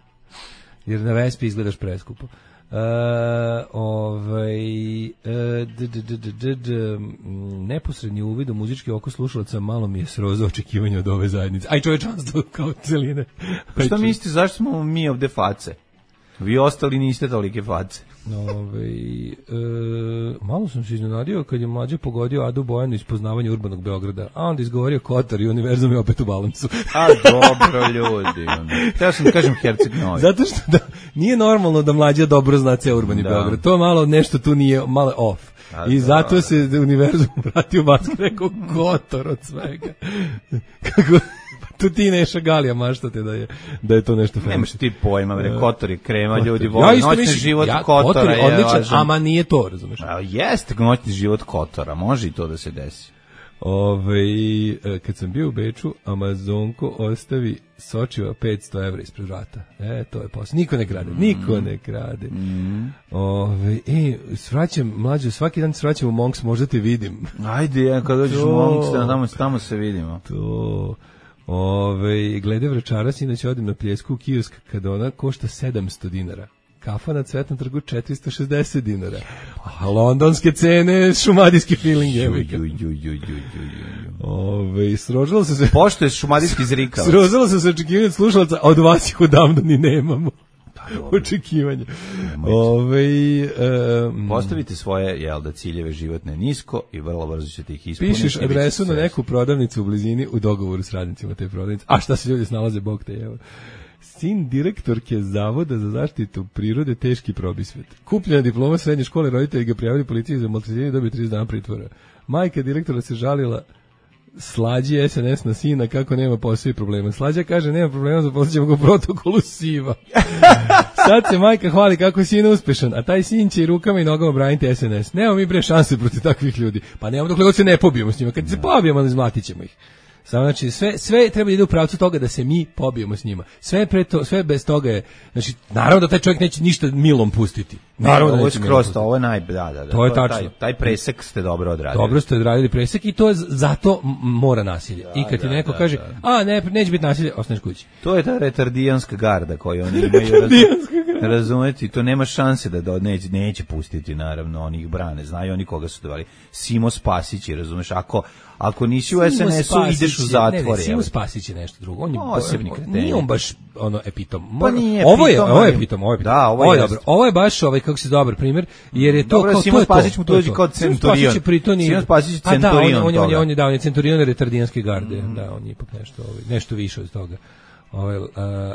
[SPEAKER 6] jer na Vespi izgledaš preskupo. Neposredni uvid u muzički oko slušalaca malo mi je srozao očekivanje od ove zajednice. Aj čovečanstvo kao celine.
[SPEAKER 5] Pa šta mislite, zašto smo mi ovde face? Vi ostali niste tolike face.
[SPEAKER 6] Malo sam se iznenadio kad je Mlađe pogodio Adu Bojanu iz Poznavanja urbanog Beograda, a onda izgovorio Kotor i univerzum je opet u balansu.
[SPEAKER 5] A dobro ljudi. Ja sam da kažem Herceg Novi.
[SPEAKER 6] Zato što nije normalno da Mlađe dobro zna ceo urbani Beograd. To malo nešto tu nije malo off. I zato se univerzum vratio u basket, rekao Kotor od svega. Kako... Tu ti Neša Galija maštate da je to nešto fenomenalno.
[SPEAKER 5] Nemaš ti pojma, Kotor je krema, ljudi vole noćni život Kotora.
[SPEAKER 6] Kotor je odličan, ama nije to, razumeš?
[SPEAKER 5] Jeste noćni život Kotora, može i to da se desi.
[SPEAKER 6] Kad sam bio u Beču, Amazonko ostavi Sočiva 500 evra ispred vrata. To je posao. Niko ne krade. Svraćam, Mlađe, svaki dan svraćam u Monks, možda te vidim.
[SPEAKER 5] Ajde, kad dođeš u Monks, tamo se vidimo.
[SPEAKER 6] To... glede Vračara, inače odim na Pljesku u kiosk kada ona košta 700 dinara. Kafa na Cvetnom trgu 460 dinara. A londonske cene, šumadijski feeling je. Srožilo se se...
[SPEAKER 5] Pošto je šumadijski zrikavac.
[SPEAKER 6] Srožilo se se očekivanje od slušalaca, a od vas ih odavno ni nemamo. Očekivanje.
[SPEAKER 5] Postavite svoje ciljeve životne nisko i vrlo brzo ćete ih ispuniti.
[SPEAKER 6] Pišeš adresu na neku prodavnicu u blizini u dogovoru s radnicima te prodavnice. A šta se ljudi snalaze, bog te evo. Sin direktorke Zavoda za zaštitu prirode, teški probisvet. Kupljena diploma srednje škole, roditelji ga prijavili policiji za maltretiranje, dobio 30 dana pritvora. Majka direktora se žalila Slađi SNS na sina kako nema posao i problema. Slađa kaže nema problema, zaposlićemo ga u protokolu siva. Sad se majka hvali kako je sin uspešan, a taj sin će i rukama i nogama braniti SNS. Nemamo mi bre šanse protiv takvih ljudi. Pa nemamo dokle god se ne pobijemo s njima. Kad se pobijemo, izmlatit ćemo ih. Samo znači sve treba da ide u pravcu toga da se mi pobijemo s njima. Sve bez toga je, znači naravno da taj čovjek neće ništa milom pustiti. Naravno
[SPEAKER 5] ovo je skroz, ovo je
[SPEAKER 6] to je tačno.
[SPEAKER 5] Taj presek ste dobro odradili.
[SPEAKER 6] Dobro ste odradili presek i to je zato mora nasilje. I kad ti neko kaže, neće biti nasilje, ostaneš kući.
[SPEAKER 5] To je ta retardijanska garda koju oni imaju. Razumeti, to nema šanse da neće pustiti, naravno, oni ih brane, znaju oni koga su dovali. Simo Spasić, razumeš, ako nisi u SNS-u, ideš u zatvor.
[SPEAKER 6] Ne, Simo Spasić je nešto drugo, on je
[SPEAKER 5] posebni kreten.
[SPEAKER 6] Nije on baš epitom.
[SPEAKER 5] Pa nije
[SPEAKER 6] ovo je epitom,
[SPEAKER 5] Da, ovo je
[SPEAKER 6] dobro. Ovo je baš kako se dobar primjer, jer je to
[SPEAKER 5] dobro,
[SPEAKER 6] kao
[SPEAKER 5] Simo Spasić mu dođe kao centurion. Simo Spasić je centurion.
[SPEAKER 6] On je centurion retardijanske garde, da, on je ipak nešto više od toga.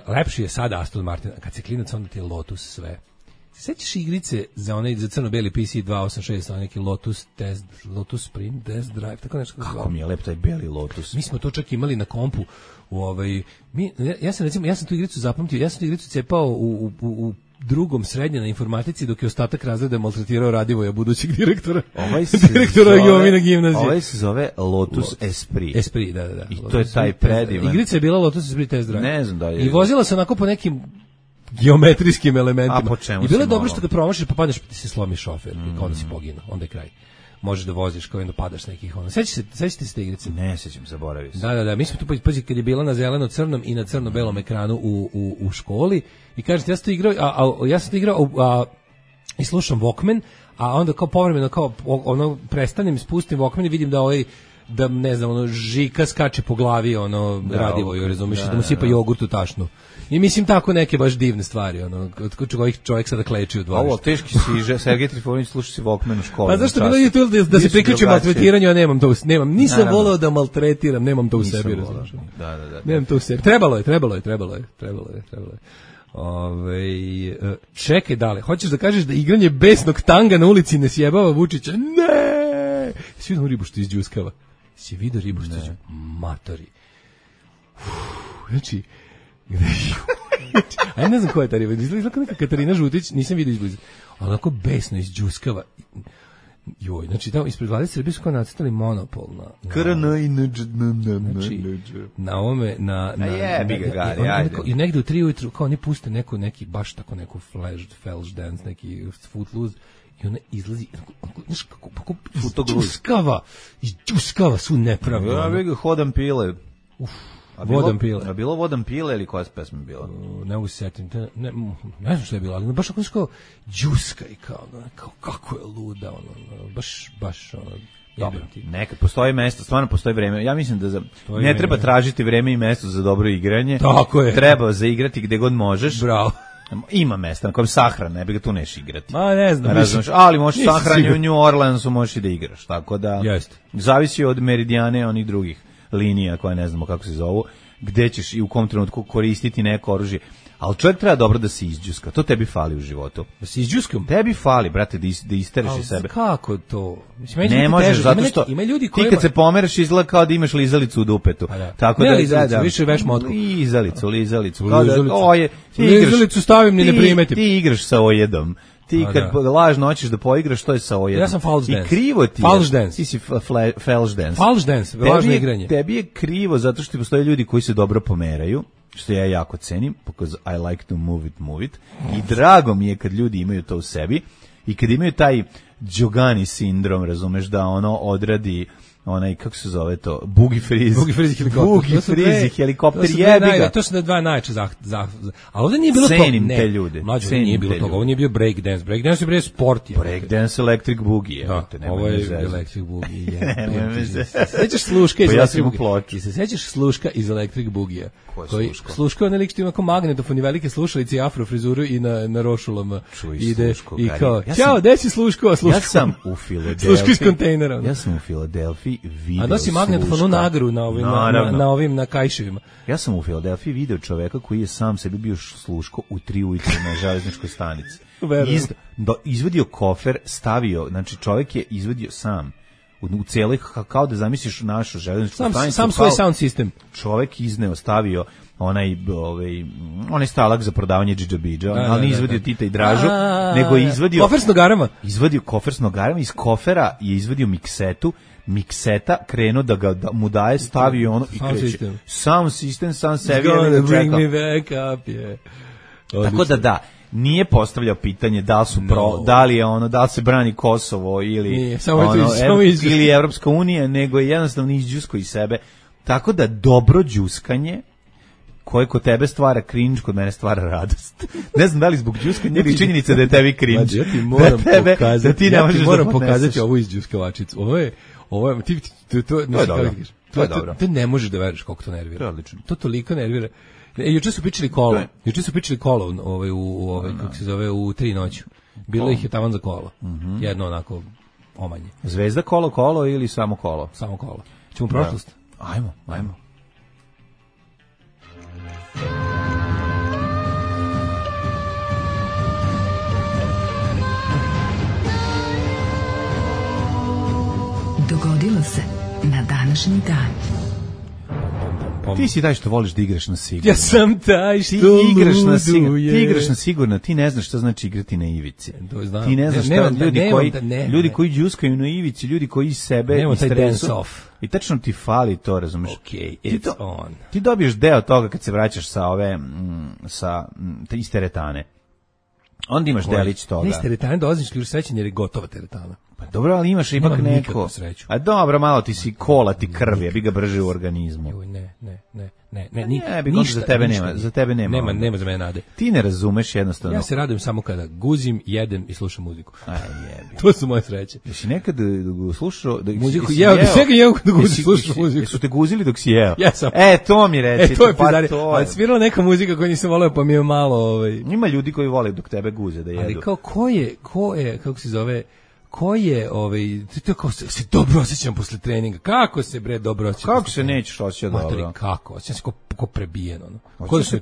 [SPEAKER 6] Lepši je sada Aston Martin, kad se klinac onda ti je Lotus sve. Sećaš igrice za crno-beli PC 286, neki Lotus Sprint Test Drive, tako nešto.
[SPEAKER 5] Kako mi je lep taj beli Lotus.
[SPEAKER 6] Mi smo to čak imali na kompu. Ja sam tu igricu zapamtio, ja sam tu igricu cepao u drugom srednje na informatici, dok je ostatak razreda maltretirao Radivoja, budućeg direktora. Direktora Jovina gimnazije.
[SPEAKER 5] Ovaj se zove Lotus Esprit.
[SPEAKER 6] Esprit, da.
[SPEAKER 5] I to je taj predivan.
[SPEAKER 6] Igrica je bila Lotus Esprit Test Drive.
[SPEAKER 5] Ne znam da je.
[SPEAKER 6] I vozila se onako po nekim geometrijskim elementima.
[SPEAKER 5] A po čemu?
[SPEAKER 6] I bilo je dobro što ga promašiš, pa padneš, pa ti se slomi šofer, kao da si poginuo, onda je kraj. Možeš da voziš, kao da padaš nekih ono. Sećate se te igrice?
[SPEAKER 5] Ne sećam, zaboravio sam.
[SPEAKER 6] Da, mi smo tu kad je bila na zeleno-crnom i na crno-belom ekranu u školi i kažete, ja sam to igrao i slušam Walkman, a onda kao povremeno prestanem, spustim Walkman i vidim da ne znam, Žika skače po glavi Radivoju, razumiješ, da mu sipa jogurt u tašnu. I mislim tako neke baš divne stvari, od kojih čovjek sada kleči u dvorištu.
[SPEAKER 5] Ovo, teški si, Sergej Trifunović, sluša si Walkman u školi.
[SPEAKER 6] Pa zašto bilo je to da se priključim maltretiranju, a nisam voleo da maltretiram, nemam to u sebi, razumiješ.
[SPEAKER 5] Da.
[SPEAKER 6] Nemam to u sebi. Trebalo je. Čekaj, dale, hoćeš da kažeš da igranje besnog tanga na ulici ne sjebava Vučića? Ne! Si vidio ribu što izđuskava? Si vidio ribu što izđuskava? Matori. Znači, a ja ne znam ko je ta riba, izgleda kao neka Katarina Žutić, nisam vidio izbliza, ali onako besno izđuskava. Joj, znači tamo ispred vlade Srbije su kao nacrtali monopol na ovome, i negde u 3 ujutru kao oni puste neki baš tako neku flash dance, neki footloose, i ona izlazi, znaš kako izđuskava su nepravdu.
[SPEAKER 5] Ja bih ga hodam pile.
[SPEAKER 6] Vodam pile.
[SPEAKER 5] A bilo Vodam pile ili koja pesma bila?
[SPEAKER 6] Ne mogu se setiti. Ne znam što je bilo, ali baš ako džuska i kao kako je luda, baš
[SPEAKER 5] dobro, nekad postoji mesto, stvarno postoji vreme. Ja mislim da ne treba tražiti vreme i mesto za dobro igranje.
[SPEAKER 6] Tako je.
[SPEAKER 5] Treba zaigrati gde god možeš.
[SPEAKER 6] Bravo.
[SPEAKER 5] Ima mesta na kojem sahran, ne bi ga tu neš igrati.
[SPEAKER 6] Ma ne znam.
[SPEAKER 5] Ali možeš sahranje u New Orleansu, možeš i da igraš. Tako da, zavisi od meridijane onih drugih linija koje ne znamo kako se zovu, gde ćeš i u kom trenutku koristiti neko oružje. Ali čovjek treba dobro da se izđuska. To tebi fali u životu.
[SPEAKER 6] Da se izđuskam?
[SPEAKER 5] Tebi fali, brate, da istereš iz sebe.
[SPEAKER 6] Kako to?
[SPEAKER 5] Ne možeš, zato što ti kad se pomeraš izgleda kao da imaš lizalicu u dupetu. Tako
[SPEAKER 6] ne lizalicu, više veš motku.
[SPEAKER 5] Lizalicu.
[SPEAKER 6] Lizalicu stavim ni ne primetim.
[SPEAKER 5] Ti igraš sa ojedom. Ti kad lažno hoćeš da poigraš, to je sa ojedom.
[SPEAKER 6] Ja sam false dance.
[SPEAKER 5] I krivo ti je.
[SPEAKER 6] False dance.
[SPEAKER 5] Ti si false dance.
[SPEAKER 6] False dance, lažno igranje.
[SPEAKER 5] Tebi je krivo zato što postoje ljudi koji se dobro pomeraju, što ja jako cenim, because I like to move it. I drago mi je kad ljudi imaju to u sebi i kad imaju taj Džogani sindrom, razumeš, da ono odradi onaj, kako se zove to, Boogie Freeze helikopter, jebi ga.
[SPEAKER 6] To su dva najjače ali ovdje nije bilo toga.
[SPEAKER 5] Cenim te ljude.
[SPEAKER 6] Mlađe, nije bilo toga, ovo nije bio breakdance. Breakdance je bio sport.
[SPEAKER 5] Breakdance Electric Boogie.
[SPEAKER 6] Ovo je Electric Boogie. Sećaš Sluška iz Electric Boogie? Sećaš Sluška iz Electric Boogie? Sluška je onaj lik što ima kao magnetofon i velike slušalice i afro frizuru i na rošulama ide i kao, ćao, gde si Sluško?
[SPEAKER 5] Ja sam u Filadelfiji.
[SPEAKER 6] Sluško iz kontejnera.
[SPEAKER 5] Ja sam u Filadelfiji video.
[SPEAKER 6] A nosi magnetofonu nagru na kajševima.
[SPEAKER 5] Ja sam u Filadelfiji video čoveka koji je sam sebi bio Sluško u 3 ujutru na železničkoj stanici. Izvadio kofer, stavio, znači čovek je izvadio sam u cijeloj, kao da zamisliš našu železničku stanicu.
[SPEAKER 6] Sam svoj sound system.
[SPEAKER 5] Čovek izneo, stavio onaj stalak za prodavanje džidžabidža, ali nije izvadio Tita i Dražu, nego je izvadio
[SPEAKER 6] kofer s nogarama.
[SPEAKER 5] Izvadio kofer s nogarama, iz kofera je izvadio mikseta, krenuo da mu daje, stavio ono i kreće. Sound system, sam sebi je
[SPEAKER 6] bring me back up,
[SPEAKER 5] Tako da, nije postavljao pitanje da li su da li je da li se brani Kosovo ili ili Evropska unija, nego je jednostavno izđusko iz sebe. Tako da dobro đuskanje koje kod tebe stvara cringe, kod mene stvara radost. Ne znam da li zbog đuskanja ili činjenica da je tebi cringe.
[SPEAKER 6] Ja ti moram pokazati,
[SPEAKER 5] da ti ne možeš da
[SPEAKER 6] pokazati ovu iz đuskavačicu. Ovo je to je dobro. To ne možeš da veruješ koliko to nervira.
[SPEAKER 5] Odlično.
[SPEAKER 6] To toliko nervira. Juče su pričali kolo u kako se zove, u 3 noću. Bilo ih je taman za kolo. Jedno onako omanje.
[SPEAKER 5] Zvezda kolo ili samo kolo?
[SPEAKER 6] Samo kolo. Ćemo u prošlost?
[SPEAKER 5] Ajmo.
[SPEAKER 3] Dogodilo se na današnji dan.
[SPEAKER 5] Ti si taj što voliš da igraš na sigurno.
[SPEAKER 6] Ja sam taj što
[SPEAKER 5] Ti igraš na sigurno, ti ne znaš šta znači igrati na ivici. Ti ne znaš ljudi koji đuskaju na ivici, ljudi koji sebe istresu. I tačno ti fali to, razumeš?
[SPEAKER 6] Okay, it's on.
[SPEAKER 5] Ti dobiješ deo toga kad se vraćaš sa iz teretane. Onda imaš delić toga.
[SPEAKER 6] Iz teretane dolaziš li srećen jer je gotova teretana.
[SPEAKER 5] Pa dobro, ali imaš ipak neko. A dobro, malo ti si kola, ti krvi, bi ga brže u organizmu. Ništa za tebe nema.
[SPEAKER 6] Nema za mene nade.
[SPEAKER 5] Ti ne razumeš jednostavno.
[SPEAKER 6] Ja se radujem samo kada guzim, jedem i slušam muziku.
[SPEAKER 5] Aj jebi.
[SPEAKER 6] To su moje sreće.
[SPEAKER 5] Jesi nekad slušao
[SPEAKER 6] muziku? Jeo da guzim, slušam muziku.
[SPEAKER 5] Su te guzili dok si jeo?
[SPEAKER 6] Jesam.
[SPEAKER 5] To mi reci.
[SPEAKER 6] To je pizarija. Ali svirala neka muzika koju nisam voleo, pa mi je malo...
[SPEAKER 5] Ima ljudi koji vole dok tebe guze da jedu.
[SPEAKER 6] Ali kao ko je, kako se zove... Ko je, kako se dobro osjećam posle treninga. Kako se dobro osjećam?
[SPEAKER 5] Kako se nećeš osjećati dobro?
[SPEAKER 6] Matori, kako? Osjećam se ko prebijen,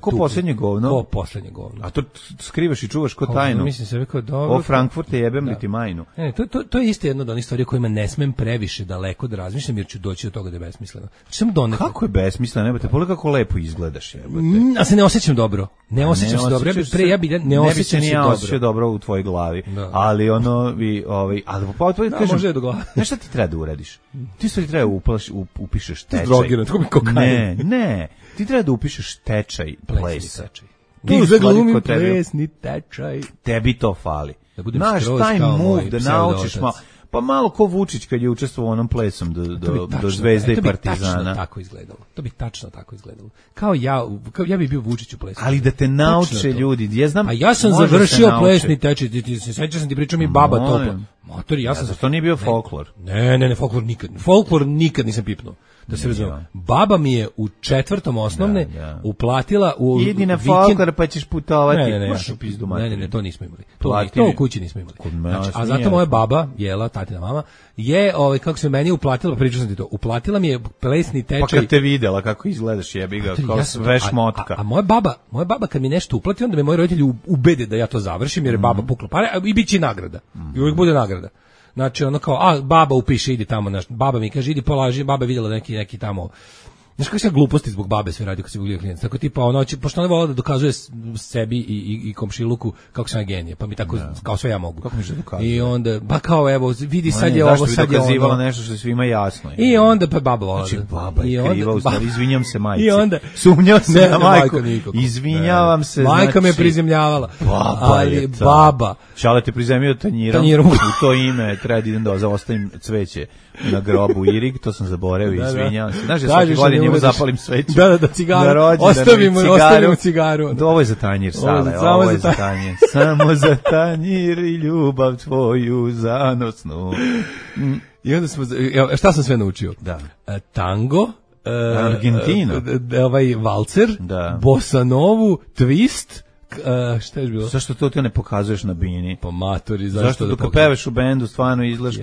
[SPEAKER 5] Ko posljednje govno?
[SPEAKER 6] Ko posljednje govno.
[SPEAKER 5] A to skrivaš i čuvaš ko tajnu?
[SPEAKER 6] Mislim se kao dobro.
[SPEAKER 5] O Frankfurt je jebem li ti majnu.
[SPEAKER 6] To je isto jedno od onih stvari kojima ne smem previše daleko da razmišljam, jer ću doći do toga da je besmisleno.
[SPEAKER 5] Kako je besmisleno? Nebate, pogledaj kako lepo izgledaš, jebote.
[SPEAKER 6] A se ne osjećam dobro. Ne osjećam se dobro. Ne osjećam se dobro
[SPEAKER 5] u tvojoj glavi. Ali ali
[SPEAKER 6] može do glave.
[SPEAKER 5] Znaš šta ti treba da uradiš? Ti sve treba upišeš tečaj.
[SPEAKER 6] Drogiran, tako mi kokain.
[SPEAKER 5] Ne. Ti treba da upišeš tečaj plesa.
[SPEAKER 6] Tu zaglumim plesni tečaj.
[SPEAKER 5] Tebi to fali. Znaš, taj move da naučiš malo. Pa malo ko Vučić kad je učestvovao onom plesom do Zvezde i Partizana.
[SPEAKER 6] To bi tačno tako izgledalo. Kao ja bih bio Vučić u plesu.
[SPEAKER 5] Ali da te nauče ljudi.
[SPEAKER 6] A ja sam završio plesni tečaj. Sećam sam ti pričao mi baba topa. Motori, ja sam
[SPEAKER 5] to nije bio folklor.
[SPEAKER 6] Ne, folklor nikad nisam pipnuo. Da se razumem. Baba mi je u 4. osnovne uplatila u
[SPEAKER 5] idi na folklor pa ćeš putovati.
[SPEAKER 6] Ne, to nismo imali. To u kući nismo imali. A zato moja baba, Jela, tatina mama, je, kako se meni uplatila, pričao sam ti to, uplatila mi je plesni tečaj.
[SPEAKER 5] Pa kad te videla kako izgledaš, jebi ga, kao sve šmotka.
[SPEAKER 6] A moja baba kad mi nešto uplati, onda me moji roditelji ubede da ja to završim, jer je baba pukla pare, i bit će nagrada. I uvijek bude nagrada. Znači ono kao, baba upiše, idi tamo, baba mi kaže, idi polaži, baba je vidjela neki tamo, znaš kako se gluposti zbog babe sve radi kad se guglio klijent, tako tipa pošto ona vola da dokazuje sebi i komšiluku kako sam ja genije, pa mi tako kao sve ja mogu.
[SPEAKER 5] Kako mi se dokazuje?
[SPEAKER 6] I onda, pa kao evo, vidi sad je ovo, sad je ono.
[SPEAKER 5] Nešto što je svima jasno.
[SPEAKER 6] I onda pa baba vola.
[SPEAKER 5] Znači baba je kriva, u stvari, izvinjam se majci.
[SPEAKER 6] I onda,
[SPEAKER 5] sumnjao se na majku, izvinjavam se.
[SPEAKER 6] Majka me prizemljavala, ali baba.
[SPEAKER 5] Šale te prizemio tanjirom, u to ime treba da idem da ostavim cveće na grobu Irig, to sam zaboravio, izvinjavam se. Znaš, ja svaki godin njemu zapalim sveću.
[SPEAKER 6] Da, cigaru. Ostavimo cigaru.
[SPEAKER 5] Ovo je za tanjir, Sale, ovo je za tanjir. Samo za tanjir i ljubav tvoju zanosnu.
[SPEAKER 6] I onda smo, šta sam sve naučio?
[SPEAKER 5] Da.
[SPEAKER 6] Tango,
[SPEAKER 5] Argentino,
[SPEAKER 6] valcer, bossa novu, twist, šta je bilo?
[SPEAKER 5] Zašto to ti ne pokazuješ na bini?
[SPEAKER 6] Pa matori,
[SPEAKER 5] zašto dok peveš u bendu stvarno izgledaš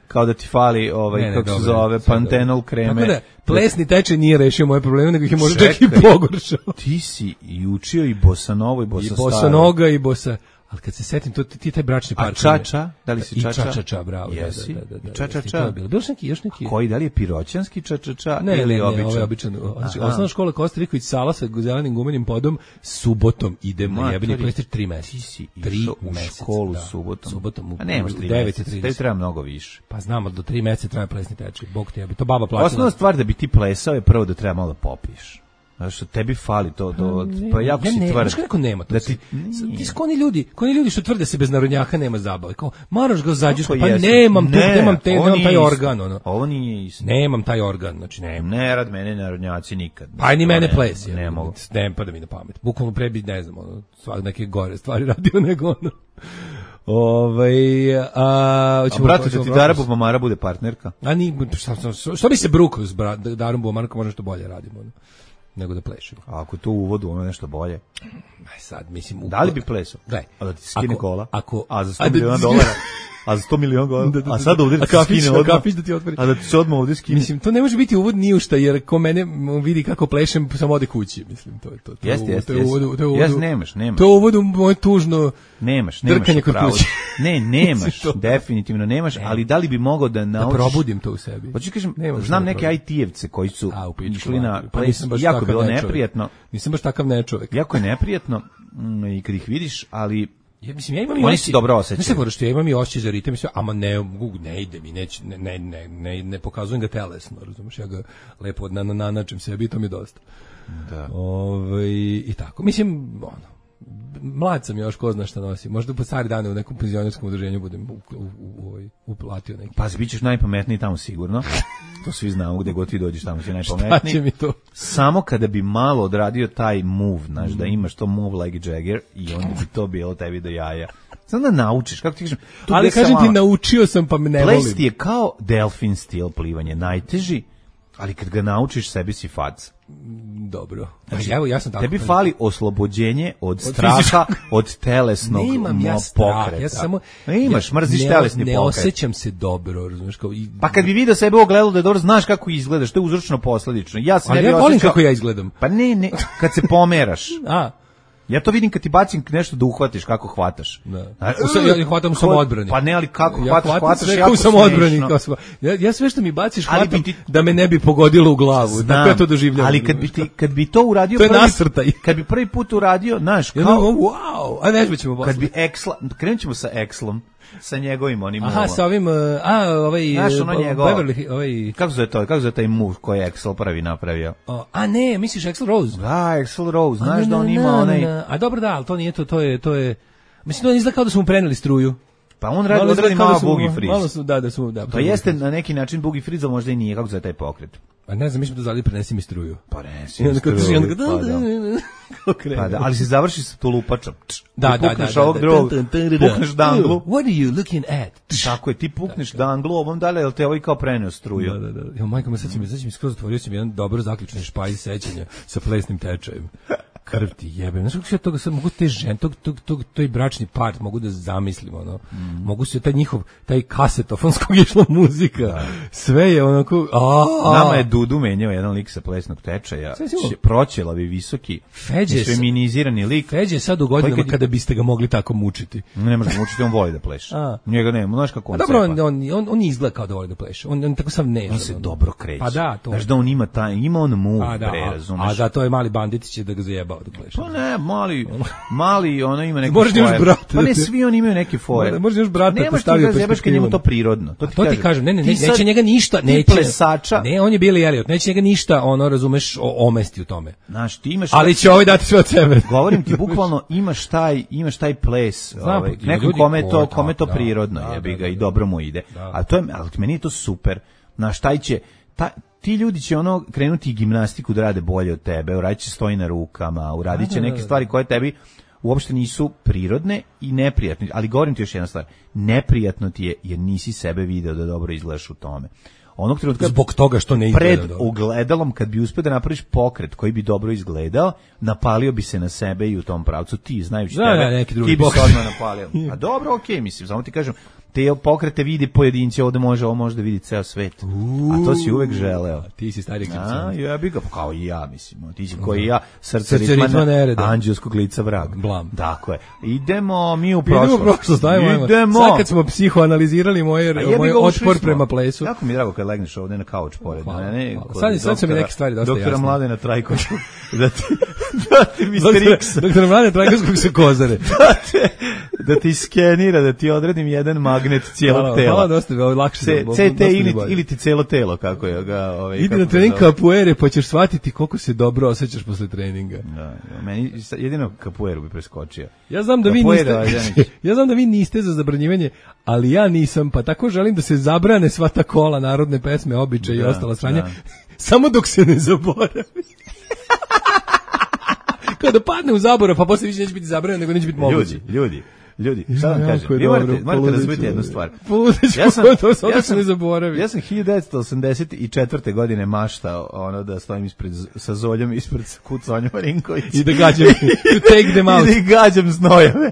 [SPEAKER 5] kao da ti fali kako se zove, pantenol kreme.
[SPEAKER 6] Tako da, plesni tečaj nije rešio moje probleme, nego ih je možda čak i pogoršao.
[SPEAKER 5] Ti si i učio i bossa novo i bossa staro.
[SPEAKER 6] I bossa noga i bossa... Ali kad se setim, ti taj bračni par...
[SPEAKER 5] A čača? Da li si čača?
[SPEAKER 6] I čača, bravo.
[SPEAKER 5] Jesi?
[SPEAKER 6] Da.
[SPEAKER 5] Čača.
[SPEAKER 6] Bilo još neki...
[SPEAKER 5] Koji, da li je piroćanski čača
[SPEAKER 6] ili običan? Ne, ovo je običan. Osnovna škola Kosta Riković Sala sa zelenim gumenim podom, subotom idemo, jebeni plestič 3 meseca.
[SPEAKER 5] Ti si išao u školu subotom. A nemaš 3 meseca, tebi treba mnogo više.
[SPEAKER 6] Pa znamo, do 3 meseca treba plesni tečaj. Bog te jebi, to baba plaćala.
[SPEAKER 5] Osnovna stvar da bi ti plesao je prvo da treba malo da popiješ. Što tebi fali to pa jako si tvrd.
[SPEAKER 6] Znaš kako nema to? Ti skoni ljudi što tvrde se bez narodnjaka nema zabave. Kao, moraš ga zađeš, pa nemam taj organ. Ono.
[SPEAKER 5] Ovo nije isto.
[SPEAKER 6] Nemam taj organ, znači nemam.
[SPEAKER 5] Ne rad mene narodnjaci nikad.
[SPEAKER 6] Pa ni mene ples.
[SPEAKER 5] Ne mogu.
[SPEAKER 6] Ne pada mi na pamet. Bukvalno prebi, ne znam, neke gore stvari radio nego ono.
[SPEAKER 5] Brate, da ti Dara Bubamara bude partnerka?
[SPEAKER 6] Što bi se brukao s Darom Bubamarkom, možda što bolje radimo, nego da plešemo.
[SPEAKER 5] A ako to u uvodu, ono nešto bolje?
[SPEAKER 6] Sad, mislim...
[SPEAKER 5] Da li bi plesao?
[SPEAKER 6] Gledaj.
[SPEAKER 5] A da ti skine kola?
[SPEAKER 6] A
[SPEAKER 5] za $100 miliona? A za $100 miliona? A sad ovdje da ti skine odmah? A da ti se odmah ovdje skine?
[SPEAKER 6] Mislim, to ne može biti uvod ni u šta, jer ko mene vidi kako plešem, samo ode kući. Mislim, to je to.
[SPEAKER 5] Jeste. Nemaš.
[SPEAKER 6] To je uvod u moje tužno drkanje kod kući.
[SPEAKER 5] Nemaš, definitivno nemaš, ali da li bi mogao da naučiš...
[SPEAKER 6] Da probudim to u sebi.
[SPEAKER 5] Hoću kažem, znam neke IT-evce koji su išli na ples, jako bilo neprijatno.
[SPEAKER 6] Nisam baš takav nečovek.
[SPEAKER 5] Jako je neprijatno i kad ih vidiš, ali...
[SPEAKER 6] Ja mislim, ja imam i
[SPEAKER 5] oni se dobro osjećaju.
[SPEAKER 6] Ne se ja imam i osjećaj za ritam, mislim, ama ne ide mi, ne pokazujem ga telesno, razumiješ, ja ga lepo nanačem sebi i to mi je dosta.
[SPEAKER 5] Da.
[SPEAKER 6] I tako, mislim, mlad sam još, ko zna šta nosim. Možda po stari dane u nekom penzionerskom udruženju budem uplatio neki.
[SPEAKER 5] Pa bit ćeš najpametniji tamo sigurno. To svi znamo, gde god ti dođeš tamo si najpametniji.
[SPEAKER 6] Šta će mi to?
[SPEAKER 5] Samo kada bi malo odradio taj move, znaš, da imaš to move like Jagger i onda bi to bilo tebi do jaja. Samo da naučiš, kako ti kažem.
[SPEAKER 6] Ali kažem ti, naučio sam pa me ne volim.
[SPEAKER 5] Ples ti je kao delfin stil plivanje, najteži, ali kad ga naučiš sebi si fac.
[SPEAKER 6] Dobro. Znači, evo, ja sam tako.
[SPEAKER 5] Tebi fali oslobođenje od straha, od telesnog pokreta.
[SPEAKER 6] Ja samo
[SPEAKER 5] imaš, mrziš telesni pokret.
[SPEAKER 6] Ne osjećam se dobro, razumiješ, kao
[SPEAKER 5] pa kad bi video sebe u ogledalu da je dobro, znaš kako izgledaš, to je uzročno posledično.
[SPEAKER 6] Ali ja volim kako ja izgledam.
[SPEAKER 5] Pa ne, kad se pomeraš. Ja to vidim kad ti bacim nešto da uhvatiš, kako hvataš.
[SPEAKER 6] Ja hvatam u samoodbrani.
[SPEAKER 5] Pa ne, ali kako hvataš
[SPEAKER 6] jako u samoodbrani. Ja sve što mi baciš hvatam da me ne bi pogodilo u glavu. Tako ja to doživljavam.
[SPEAKER 5] Ali kad bi to uradio
[SPEAKER 6] to je nasrtaj.
[SPEAKER 5] Kad bi prvi put uradio, znaš, kao
[SPEAKER 6] wow, a ne ćemo
[SPEAKER 5] kad bi krenut ćemo sa Exlom, sa njegovim onim
[SPEAKER 6] movom. Aha, sa ovim Beverly,
[SPEAKER 5] kako zove taj move koji je Axl prvi napravio?
[SPEAKER 6] Ne, misliš Axl Rose?
[SPEAKER 5] Da, Axl Rose, znaš da on ima onaj...
[SPEAKER 6] A dobro da, ali to nije to je... Mislim, to izgleda kao da su mu preneli struju.
[SPEAKER 5] Pa on odradi malo boogie freeze.
[SPEAKER 6] Malo su, da.
[SPEAKER 5] To jeste na neki način boogie freeze, možda i nije, kako zove taj pokret.
[SPEAKER 6] A ne znam, mislim da zali prenesi mi struju.
[SPEAKER 5] Pa prenesi mi struju, pa da. Ali se završi sa tulupačom.
[SPEAKER 6] Da.
[SPEAKER 5] Pukneš ovog drugog, pukneš danglu.
[SPEAKER 6] What are you looking at?
[SPEAKER 5] Tako je, ti pukneš danglu, ovom dalje, jel te ovaj kao preneo struju.
[SPEAKER 6] Da. Jo, majko, sad mi skroz otvorio sam jedan dobro zaključni špajz sećanja sa plesnim tečajem. Krv ti jebem. Znaš kako se toga sad mogu te žene, toj bračni part mogu da zamislim, ono. Mogu se taj kasetofonskog išla muzika. Da. Sve je onako...
[SPEAKER 5] Nama je Dudu menjao jedan lik sa plesnog tečaja. Proćelavi, visoki, feminizirani lik.
[SPEAKER 6] Feđe sad u godinama kada biste ga mogli tako mučiti.
[SPEAKER 5] Ne može mučiti, on voli da pleše. Njega nema, znaš kako on sepa.
[SPEAKER 6] Dobro, on izgleda kao da voli da pleše. On tako sam nežan.
[SPEAKER 5] On se dobro kreće.
[SPEAKER 6] Pa da, to.
[SPEAKER 5] Znaš da on ima on move, razumeš.
[SPEAKER 6] A da, to je mali bandit će da ga zajeba.
[SPEAKER 5] Pa ne, mali, ono ima neke
[SPEAKER 6] fore.
[SPEAKER 5] Pa ne, svi oni imaju neke fore.
[SPEAKER 6] Možeš još brata postavio perspektivu.
[SPEAKER 5] Njemu to prirodno.
[SPEAKER 6] To ti kažem, neće njega ništa, ne, on je Billy Elliot, neće njega ništa, ono, razumeš, omesti u tome.
[SPEAKER 5] Znaš, ti imaš...
[SPEAKER 6] Ali će ovaj dati sve od sebe.
[SPEAKER 5] Govorim ti, bukvalno imaš taj ples, nekom kome to prirodno, jebi ga, i dobro mu ide. Ali meni je to super. Znaš, ti ljudi će krenuti gimnastiku da rade bolje od tebe, uradit će stoji na rukama, uradit će neke stvari koje tebi uopšte nisu prirodne i neprijatne. Ali govorim ti još jedna stvar, neprijatno ti je jer nisi sebe video da dobro izgledaš u tome. Onog trenutka
[SPEAKER 6] zbog toga što ne izgleda
[SPEAKER 5] pred ogledalom, kad bi uspio da napraviš pokret koji bi dobro izgledao, napalio bi se na sebe i u tom pravcu. Ti, znajući tebe, ti bi se odmah napalio. A dobro, okej, mislim, samo ti kažem, te pokrete vidi pojedinci, ovo može da vidi ceo svet. A to si uvek želeo.
[SPEAKER 6] Ti si stari egzorcist.
[SPEAKER 5] Ja bih ga, kao i ja, mislim. Ti si koji i ja, srce ritma nereda, anđelskog lica vrag.
[SPEAKER 6] Blam.
[SPEAKER 5] Dakle, idemo mi u prošlost.
[SPEAKER 6] Idemo. Sad kad smo psihoanalizirali moj otpor prema plesu.
[SPEAKER 5] Jako mi je drago kad legneš ovde na kauč pored mene.
[SPEAKER 6] Sad su mi neke stvari dosta jasne.
[SPEAKER 5] Doktora Mladena Trajkovića. Da ti Mr. X.
[SPEAKER 6] Doktora Mladena Trajkovskog se kozare.
[SPEAKER 5] da ti skenira, da ti odredim jedan magnet cijelog tela.
[SPEAKER 6] Hvala, dosta lakše.
[SPEAKER 5] CT ili ti cijelo telo, kako je ga...
[SPEAKER 6] Idi na trening kapuere, pa ćeš shvatiti koliko se dobro osjećaš posle treninga.
[SPEAKER 5] Da, meni jedino kapueru bi preskočio.
[SPEAKER 6] Ja znam da vi niste za zabranjivanje, ali ja nisam, pa tako želim da se zabrane sva ta kola, narodne pesme, običaje i ostala sranja, samo dok se ne zaboravi. Kada padne u zaborav, pa posle više neće biti zabranjeno, nego neće biti moguće. Ljudi, šta vam kažem? Vi morate razumjeti jednu stvar. Ja sam 1984. godine maštao da stojim sa Zoljom ispred Sonjom Marinković. I da gađam, take them out.
[SPEAKER 5] I da gađam znojeve.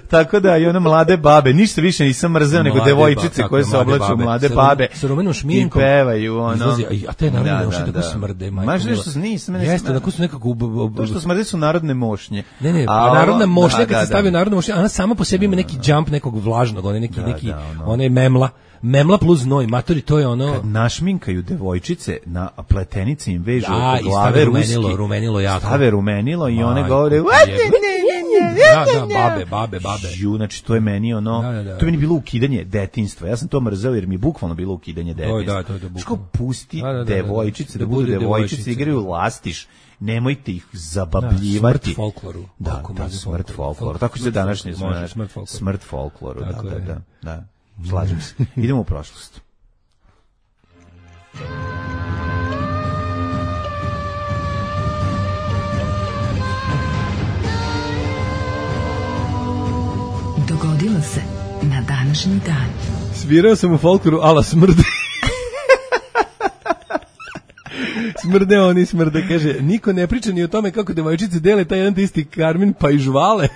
[SPEAKER 5] Tako da i one mlade babe, ništa više nisam mrzeo nego devojčice koje se oblaču mlade babe.
[SPEAKER 6] Sa rumenom šminkom.
[SPEAKER 5] I pevaju
[SPEAKER 6] A te narodne mošnje tako smrde.
[SPEAKER 5] Maš nešto nisam.
[SPEAKER 6] Jeste, tako su nekako...
[SPEAKER 5] To što smrde su narodne mošnje.
[SPEAKER 6] Ne, narodna mošnja, kad se stavio narodna mošnja, ona sama po sebi ima neki jump nekog vlažnog, ona je memla plus znoj, matori, to je ono...
[SPEAKER 5] Kad našminkaju devojčice, na pletenici im vežu oko glave ruski.
[SPEAKER 6] Rumenilo jako.
[SPEAKER 5] Stave rumenilo i one govore...
[SPEAKER 6] Babe.
[SPEAKER 5] Znači, to je meni ono... To je meni bilo ukidanje detinjstva. Ja sam to mrzeo jer mi je bukvalno bilo ukidanje detinjstva.
[SPEAKER 6] To je bukvalno.
[SPEAKER 5] Ško pusti devojčice da budu devojčice, igraju lastiš. Nemojte ih zabavljivati.
[SPEAKER 6] Smrt folkloru.
[SPEAKER 5] Da, smrt folkloru. Tako će se današnje smrt folkloru. Da. Slažem se. Idemo u prošlost.
[SPEAKER 3] Dogodilo se na današnji dan.
[SPEAKER 6] Svirao sam u folkloru ala smrde. Smrde, kaže, niko ne priča ni o tome kako devojčice dele taj jedan isti karmin, pa i žvale.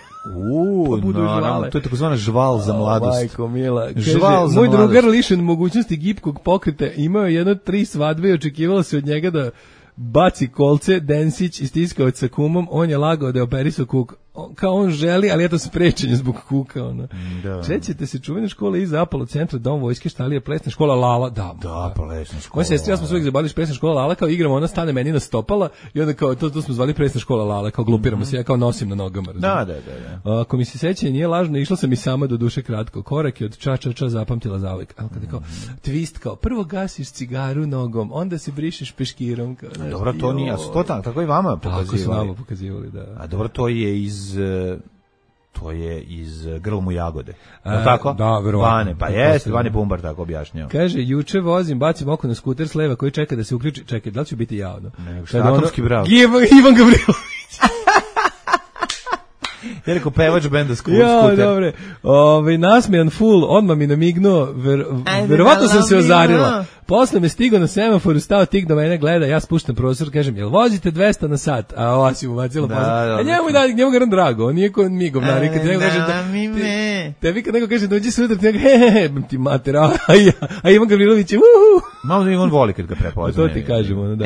[SPEAKER 5] To je takozvana žval za mladost.
[SPEAKER 6] Majko mila. Kaže, moj drugar lišen mogućnosti gibkog pokreta imao jedno 3 svadbe i očekivalo se od njega da baci kolce, Densić istiskao sa kumom, on je lagao da je operisao kuk. Kao on želi, ali eto sprečenje zbog kuka. Sećate se čuvene škole iza Apollo centra, dom vojske, šta li je plesna škola Lala? Da,
[SPEAKER 5] plesna škola.
[SPEAKER 6] Moja sestra, ja smo se uvijek zabavili plesna škola Lala, kao igramo, ona stane meni na stopala i onda kao, to smo zvali plesna škola Lala, kao glupiramo se, ja kao nosim na nogama.
[SPEAKER 5] Da.
[SPEAKER 6] Ako mi se sećanje nije lažno, išla sam i sama do duše kratko. Korak je od ča zapamtila zauvek. Ali kada kao, twist kao, prvo gasiš cigaru nogom, onda se brišeš peškirom. Kao,
[SPEAKER 5] dobro, to nije, tako i vama
[SPEAKER 6] pokazivali. Da.
[SPEAKER 5] A dobro, to je iz Grlom u jagode. Tako?
[SPEAKER 6] Da, verovatno.
[SPEAKER 5] Vane Bumbar tako objašnjao.
[SPEAKER 6] Kaže, juče vozim, bacim oko na skuter s leva koji čeka da se uključi. Čekaj, da li ću biti javno?
[SPEAKER 5] Atomski brav.
[SPEAKER 6] Ivan Gavrilović.
[SPEAKER 5] Ja rekao pevač benda skuter.
[SPEAKER 6] Ja, dobre. Nasmijan full, odmah mi namignuo, verovatno sam se ozarila. Posle me stigao na semaforu, stao tik do mene, gleda, ja spuštam prozor, kažem, jel vozite 200 na sat? A ova si mu bacila pozor. A njemu ga drago, on nije ko mi govnari. Tebi kad neko kaže, dođi sutra, ti mater, a Ivan Gavrilović je,
[SPEAKER 5] malo da on voli kad ga prepozna.
[SPEAKER 6] To ti kažemo, da.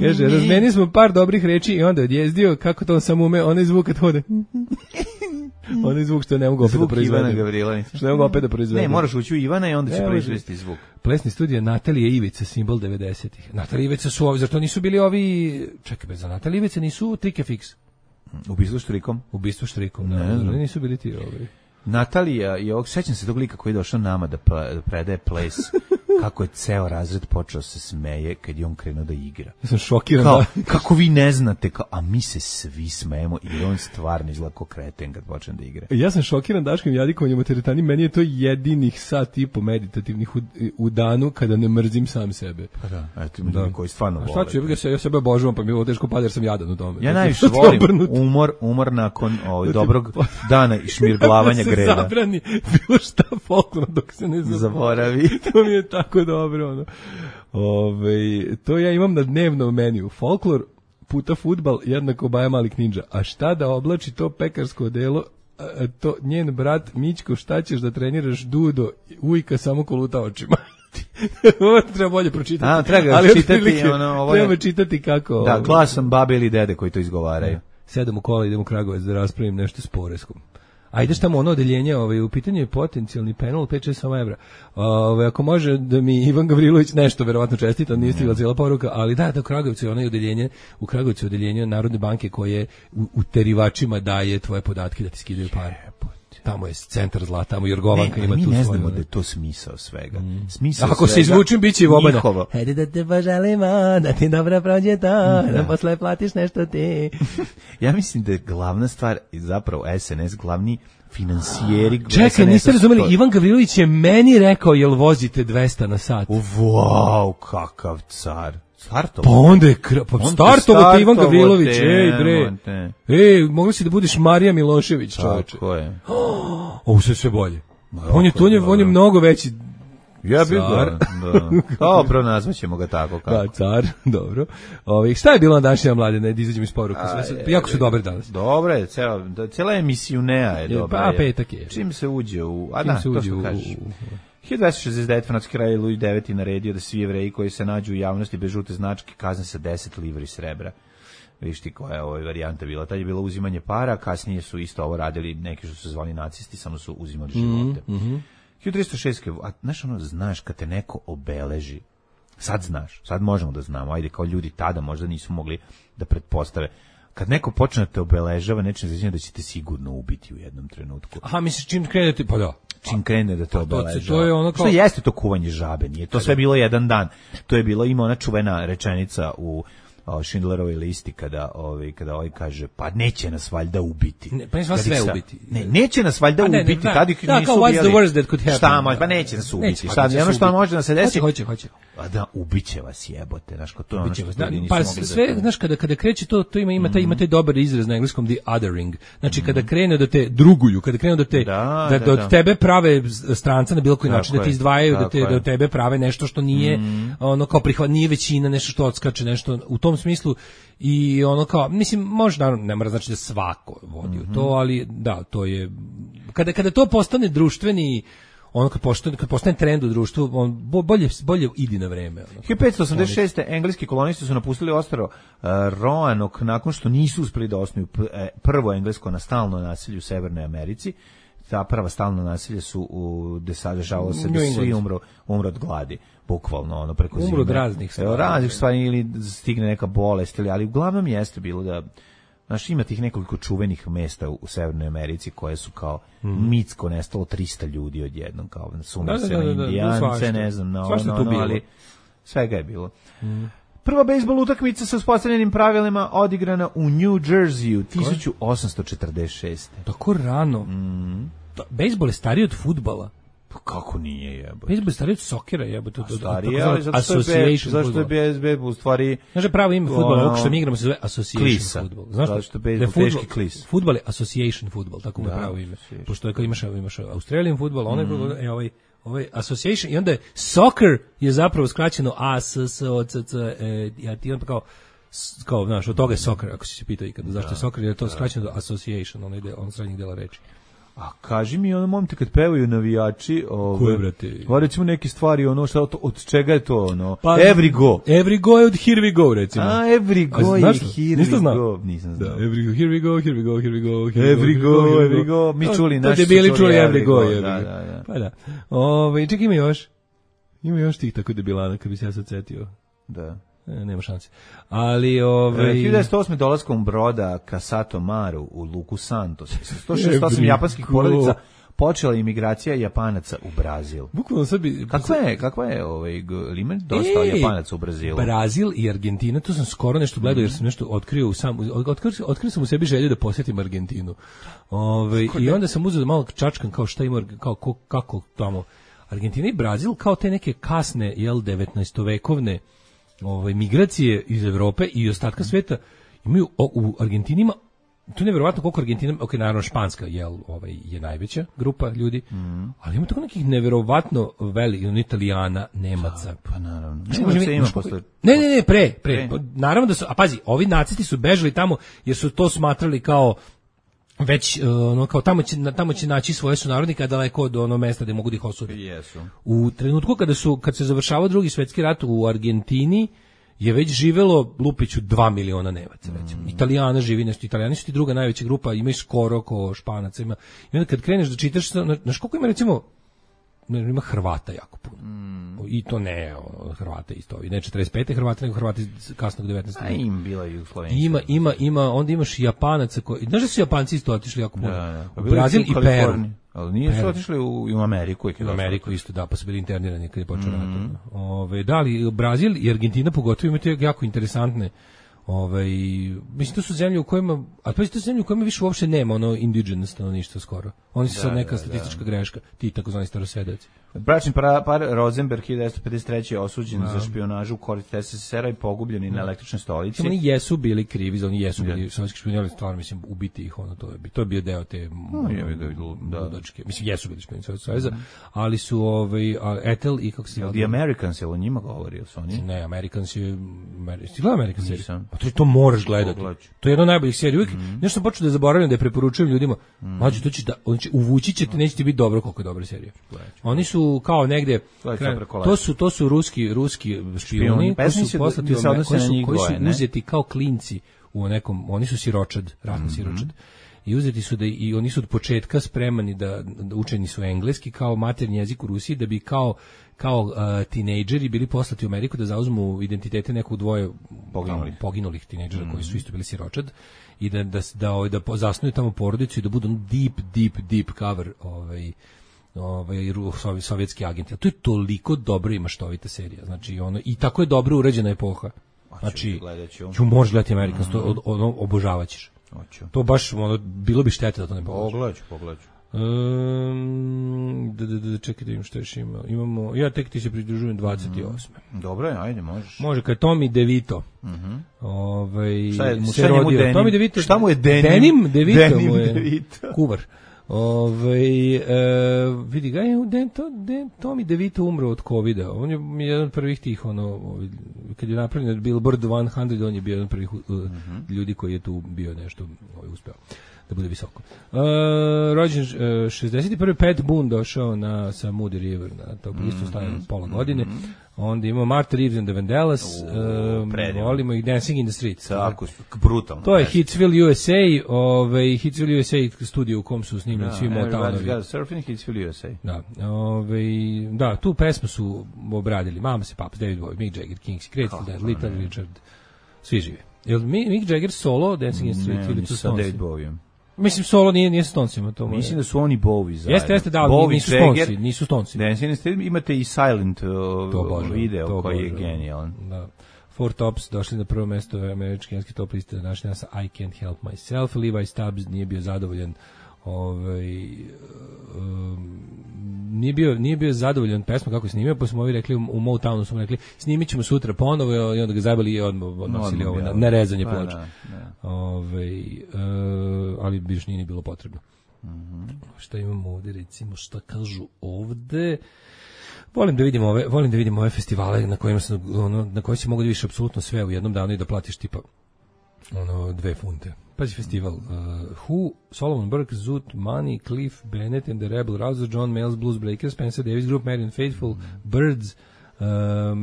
[SPEAKER 6] Kaže, razmeni smo par dobrih reči i onda odjezdio, kako to on sam ume, onaj zvuk kad hode. Onaj zvuk što ne mogu opet da proizvedem.
[SPEAKER 5] Zvuk Ivana Gavrilovića.
[SPEAKER 6] Što ne mogu opet da proizvedem.
[SPEAKER 5] Ne, moraš ući u Ivana i onda će proizvesti zvuk.
[SPEAKER 6] Plesni studij Natalija Ivica, simbol 90-ih. Natalija Ivica su ovi, zato nisu bili ovi... Čekaj, za Natalija Ivica nisu Trike Fix. Ubistvo štrikom, ne, nisu bili ti ovi.
[SPEAKER 5] Natalija i ovog, sećam se tog lika koji je došao nama da predaje ples, kako je ceo razred počeo se smeje kad je on krenuo da igra.
[SPEAKER 6] Ja sam šokiran.
[SPEAKER 5] Kako vi ne znate, a mi se svi smejemo i on stvarno izgleda kao kreten kad počne da igra.
[SPEAKER 6] Ja sam šokiran Daškim Jadikovanjem u teretani, meni je to jedinih sat i po meditativnih u danu kada ne mrzim sam sebe.
[SPEAKER 5] Pa da, eto ima koji stvarno vole.
[SPEAKER 6] A šta ću, ja sebe obožavam, pa mi je ovo teško pada jer sam jadan u tome.
[SPEAKER 5] Ja najviše volim umor nakon dobrog dana i šmirglavanja greda.
[SPEAKER 6] Zabrani bilo šta folklorno dok se ne
[SPEAKER 5] zaboravi.
[SPEAKER 6] To mi je tako dobro. To ja imam na dnevnom meniju. Folklor puta fudbal jednako Baja Malik Ninja. A šta da oblači to pekarsko odelo? To njen brat Mićko, šta ćeš da treniraš Dudo? Ujka samo koluta očima. Ovo treba bolje pročitati.
[SPEAKER 5] Treba čitati.
[SPEAKER 6] Treba čitati kako...
[SPEAKER 5] Da, glasom babe ili dede koji to izgovaraju.
[SPEAKER 6] 7 u kola idem u Kragujevac da raspravim nešto s Poreskom. A ideš tamo ono odeljenje, u pitanju je potencijalni penal 5-6 evra. Ako može da mi Ivan Gavrilović nešto verovatno čestita, nije stigla cijela poruka, ali da u Kragujevcu je ono odeljenje, u Kragujevcu je odeljenje Narodne banke koje u terivačima daje tvoje podatke da ti skidaju pare. Tamo je centar zla, tamo Jorgovanka ima tu svoju.
[SPEAKER 5] Mi ne znamo da je to smisao svega. Smisao
[SPEAKER 6] ako se izvučem, bit će i obada.
[SPEAKER 5] Hajde
[SPEAKER 6] da te poželimo, da ti dobro prođe to, da posle platiš nešto ti.
[SPEAKER 5] Ja mislim da je glavna stvar, zapravo SNS, glavni finansijeri.
[SPEAKER 6] Čekaj, niste razumeli, Ivan Gavrilović je meni rekao, jel vozite 200 na sat?
[SPEAKER 5] Wow, kakav car. Startovo.
[SPEAKER 6] Pa onda je startovo te Ivan Gavrilović, ej bre. Ej, mogli si da budeš Marija Milošević, čoveče.
[SPEAKER 5] Tako je.
[SPEAKER 6] Ovo sve bolje. On je mnogo veći.
[SPEAKER 5] Ja bih car. Dobro, nazvaćemo ga tako. Kako.
[SPEAKER 6] Da, car, dobro. Šta je bilo na današnja Mladena, da izađemo iz poruke? Jako su dobre danas.
[SPEAKER 5] Dobro je, cijela emisijunea je dobra.
[SPEAKER 6] Pa petak je.
[SPEAKER 5] Čim se uđe u... A da, to što kažeš. 1269 francuski kralj Louis IX naredio da svi Jevreji koji se nađu u javnosti bez žute značke kazne sa 10 livri srebra. Viš ti koja je ovo varijanta bila. Tad je bilo uzimanje para, kasnije su isto ovo radili neki što su zvali nacisti, samo su uzimali živote. 1306. A znaš kad te neko obeleži, sad znaš, sad možemo da znamo, ajde kao ljudi tada možda nisu mogli da pretpostave. Kad neko počne da te obeležava, nečem znači da će te sigurno ubiti u jednom trenutku.
[SPEAKER 6] Aha, misliš čim krene ti, pa da.
[SPEAKER 5] Čim krene da te obeležava.
[SPEAKER 6] To je ono kao...
[SPEAKER 5] Što jeste to kuvanje žabe, nije to sve bilo jedan dan. To je bilo, ima ona čuvena rečenica u Schindlerovoj listi kada kaže pa neće nas valjda ubiti.
[SPEAKER 6] Pa neće vas sve ubiti.
[SPEAKER 5] Neće nas valjda ubiti. Tad ih nisu ubijali.
[SPEAKER 6] What's the worst that could happen?
[SPEAKER 5] Šta može, pa neće nas ubiti. Šta, ono što može da se desi.
[SPEAKER 6] Hoće.
[SPEAKER 5] A da, ubiće vas jebote, znaš, to je ono što nisu mogli
[SPEAKER 6] pa sve, znaš, kada kreće to ima taj dobar izraz na engleskom the othering. Znači, kada krene da te druguju, kada krenu da te, da od tebe prave stranca na bilo koji način, da te izdvajaju, da od tebe prave nešto što nije, ono kao nije većina, nešto što odskače, nešto u tom smislu. I ono kao, mislim, možda ne mora znači da svako vodi u to, ali da, to je kada to postane društveni, ono kad postane trend u društvu, on bolje idi na vreme.
[SPEAKER 5] 1586. engleski kolonisti su napustili ostrvo Roanoke nakon što nisu uspeli da osnuju prvo englesko nastalno naselje u Severnoj Americi. Ta prva stalno naselje su dešavalo se da svi umru od gladi, bukvalno ono preko zime.
[SPEAKER 6] Umru od raznih
[SPEAKER 5] stvari ili stigne neka bolest, ali uglavnom jeste bilo da znaš, ima tih nekoliko čuvenih mesta u Severnoj Americi koje su kao mitsko nestalo 300 ljudi odjednom, kao sumnja se na Indijance, ne znam, ali svega je bilo. Prva bejsbol utakmica sa uspostavljenim pravilima odigrana u New Jerseyu 1846.
[SPEAKER 6] Tako rano. Bejsbol je stariji od fudbala.
[SPEAKER 5] Pa kako nije, jebote?
[SPEAKER 6] Bejsbol je stariji od sokera, jebote.
[SPEAKER 5] Stariji, ali zašto je bejsbol u stvari...
[SPEAKER 6] Znaš je pravo ime fudbala, ovo što mi igramo se zove Association Football. Znaš
[SPEAKER 5] zašto je bejsbol teški klis?
[SPEAKER 6] Fudbal je Association Football, tako mu je pravo ime. Pošto imaš Australian Football, onaj ovaj Association, i onda je soccer je zapravo skraćeno ASSOCC, i onda kao, znaš, od toga je soccer, ako si se pitao ikada, zašto je soccer, jer je to skraćeno do Association, on srednjih dela reči.
[SPEAKER 5] A kaži mi, ono, momte, kad pevaju navijači,
[SPEAKER 6] koje, brate?
[SPEAKER 5] Recimo neke stvari, ono, šta, od čega je to, ono? Pa, every go.
[SPEAKER 6] Every go je od Here we go, recimo.
[SPEAKER 5] A, every go je Here we go. Nisam znao.
[SPEAKER 6] Da, every go, here we go, here we go, here we go.
[SPEAKER 5] Every go. Mi čuli, naši su
[SPEAKER 6] čuli every go.
[SPEAKER 5] Da.
[SPEAKER 6] Pa da. Ček, ima još. Ima još tih tako debilana, kad bi se ja sad setio.
[SPEAKER 5] Da.
[SPEAKER 6] Nema šanse. Ali
[SPEAKER 5] 1908. dolaskom broda Casato Maru u luku Santos. 168 japanskih porodica počela imigracija Japanaca u Brazil.
[SPEAKER 6] Bukvalno sad bi...
[SPEAKER 5] Kakva je limen dosta Japanaca u Brazilu?
[SPEAKER 6] Brazil i Argentina, to sam skoro nešto gledao jer sam nešto otkrio sam u sebi želju da posjetim Argentinu. I onda sam uzeo da malo čačkam kao šta ima, kako tamo. Argentina i Brazil kao te neke kasne, 19-vekovne migracije iz Evrope i ostatka sveta imaju u Argentinima, to je nevjerovatno koliko Argentina, naravno španska je najveća grupa ljudi, ali ima tako nekih nevjerovatno velikih, Italijana, Nemaca.
[SPEAKER 5] Pa naravno.
[SPEAKER 6] Ne, pre. Naravno da su, a pazi, ovi nacisti su bežali tamo jer su to smatrali kao već kao tamo će naći svoje sunarodnike daleko od onog mesta gde mogu da ih osude.
[SPEAKER 5] Jesu.
[SPEAKER 6] U trenutku kad se završavao Drugi svjetski rat u Argentini je već živelo Lupiću 2 miliona Nevaca, recimo. Italijana živi nešto, Italijani su ti druga najveća grupa, imaju skoro ko Španaca, ima. I onda kad kreneš da čitaš, znaš koliko ima, recimo, ima Hrvata jako puno. I to ne Hrvata isto, ne 45. Hrvata, nego Hrvati iz kasnog 19.
[SPEAKER 5] A im bila Jugoslovenska.
[SPEAKER 6] Ima, onda imaš i Japanaca koji, znaš da su Japanci isto otišli jako puno. U Brazil i Peru.
[SPEAKER 5] Ali nije su otišli u Ameriku.
[SPEAKER 6] U Ameriku isto, da, pa su bili internirani kad je počeo rat. Da, ali Brazil i Argentina pogotovo imaju jako interesantne. Mislim, to su zemlje u kojima, a to je to zemlje u kojima više uopšte nema ono indigenous stanovništva skoro. Oni su sad neka statistička greška, ti takozvani starosedaci.
[SPEAKER 5] Bračni par Rosenberg 1953. je osuđen za špijunažu u korist SSSR-a i pogubljen na električnoj stolici.
[SPEAKER 6] Oni jesu bili krivi, oni jesu bili sovjetski špijuni, stvarno mislim ubiti ih, to je bio deo te ludačke. Mislim, jesu bili špijuni Sovjetskog saveza, ali su Ethel i kako se
[SPEAKER 5] zove. The Americans, je o njima govorio su oni?
[SPEAKER 6] Ne, Americans je Stigla Americans serija. To moraš gledati. To je jedna od najboljih serija. Uvijek nešto sam počeo da zaboravljam, da je preporučujem ljudima. Mlađe, uvući ćete, neće ti biti dobro koliko je dobra serija. Oni su kao negde, to su ruski špijuni koji su poslati koji su uzeti kao klinci u nekom, oni su siročad, ratni siročad. I uzeti su i oni su od početka spremani da učeni su engleski kao maternji jezik u Rusiji, da bi kao tinejdžeri bili poslati u Ameriku da zauzmu identitete nekog dvoje poginulih tinejdžera koji su isto bili siročad i da zasnuju tamo porodicu i da budu deep cover sovjetski agenti. A to je toliko dobro i maštovita serija. Znači, i tako je dobro urađena epoha. Znači, možeš gledati Amerikans, to obožavaćeš. To baš, bilo bi štete da to ne pogledaš.
[SPEAKER 5] Pogledaću.
[SPEAKER 6] Čekaj da im što još imamo. Ja tek ti se pridružujem 28.
[SPEAKER 5] Dobro, ajde, možeš.
[SPEAKER 6] Može, kad Tommy DeVito.
[SPEAKER 5] Šta mu je
[SPEAKER 6] Tommy DeVito?
[SPEAKER 5] Šta mu je
[SPEAKER 6] Denim DeVito mu je kuvar. Vidi ga, Tommy DeVito umro od covida. On je jedan od prvih tih, kad je napravljen Billboard 100, on je bio jedan od prvih ljudi koji je tu bio nešto uspeo da bude visoko. Rođen 61. Pat Boone došao sa Moody River, na to isto stavljeno pola godine. Onda imamo Martha Reeves and the Vandellas, volimo ih, Dancing in the Street.
[SPEAKER 5] Tako, brutalno.
[SPEAKER 6] To je Hitsville USA, Hitsville USA studio u kom su snimljeni svi Motownovi.
[SPEAKER 5] Surfing Hitsville USA.
[SPEAKER 6] Da, tu pesmu su obradili Mama se Paps, David Bowie, Mick Jagger, Kings, Grateful Dead, Little Richard, svi žive. Je li Mick Jagger solo Dancing in the Street ili su Stonesi?
[SPEAKER 5] David Bowie.
[SPEAKER 6] Mislim, solo nije s Stonesima.
[SPEAKER 5] Mislim da su oni Bowie zajedno.
[SPEAKER 6] Jeste, da, nisu Stonesi.
[SPEAKER 5] Imate i Silent video koji je genijalan.
[SPEAKER 6] Da. Four Tops došli na prvo mesto američke top liste današnje sa I Can't Help Myself. Levi Stubbs nije bio zadovoljan nije bio zadovoljan pesma kako je snimio, pa smo ovi rekli u Motownu smo rekli snimit ćemo sutra ponovo i onda ga zajebali i odnosili ovo na rezanje ploča. Ali biš nije ni bilo potrebno. Šta imamo ovdje, recimo, šta kažu ovdje? Volim da vidim ove festivale na koji se mogu da vidiš apsolutno sve u jednom danu i da platiš tipa 2 funte. Pazi festival. Who, Solomon Burke, Zoot, Money, Cliff, Bennett and the Rebel Rousers, John Mayall's Blues Breakers, Spencer Davis Group, Marian Faithfull, Birds, bla,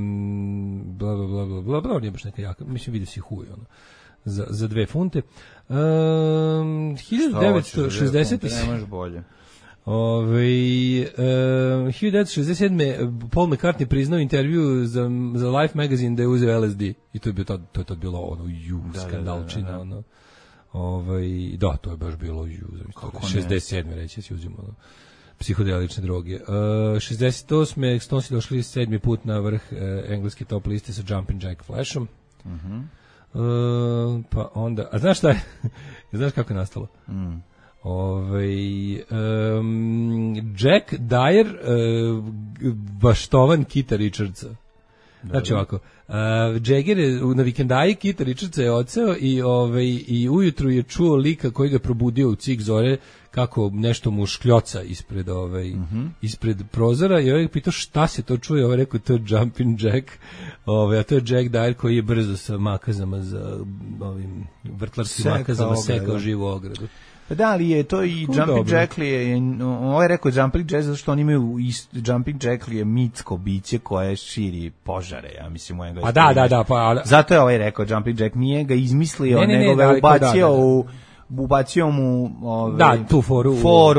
[SPEAKER 6] bla, bla, bla, bla, nije baš neka jaka. Mislim, vidio si Who, za 2 funte. 1960.
[SPEAKER 5] Nemaš bolje.
[SPEAKER 6] 1967. Paul McCartney priznao intervju za Life magazine da je uzeo LSD i to je tad bilo skandalčina. Da, to je baš bilo 67. reći si uzimo psihodelične droge. 68. Stonesi došli 7. put na vrh engleske top liste sa Jumpin' Jack Flashom. Pa onda, a znaš šta je? Znaš kako je nastalo? Jack Dyer baštovan Kita Richardsa. Znači ovako, Jagger je na vikendaji Kita Richardsa je odseo i ujutru je čuo lika koji ga probudio u cik zore kako nešto mu škljoca ispred prozora i ovaj pitao šta se to čuje, ovaj rekao to je Jumpin' Jack, a to je Jack Dyer koji je brzo sa makazama za vrtlarskim makazama sekao živu ogradu.
[SPEAKER 5] Pa da li je to i Jumping Jack li je, ovo je rekao Jumping Jack zato što oni imaju Jumping Jack li je mitsko biće koje širi požare, ja mislim u engleskom.
[SPEAKER 6] A da, pa
[SPEAKER 5] zato je ovaj rekao Jumping Jack, nije ga izmislio, nego ga ubacio mu
[SPEAKER 6] tu foru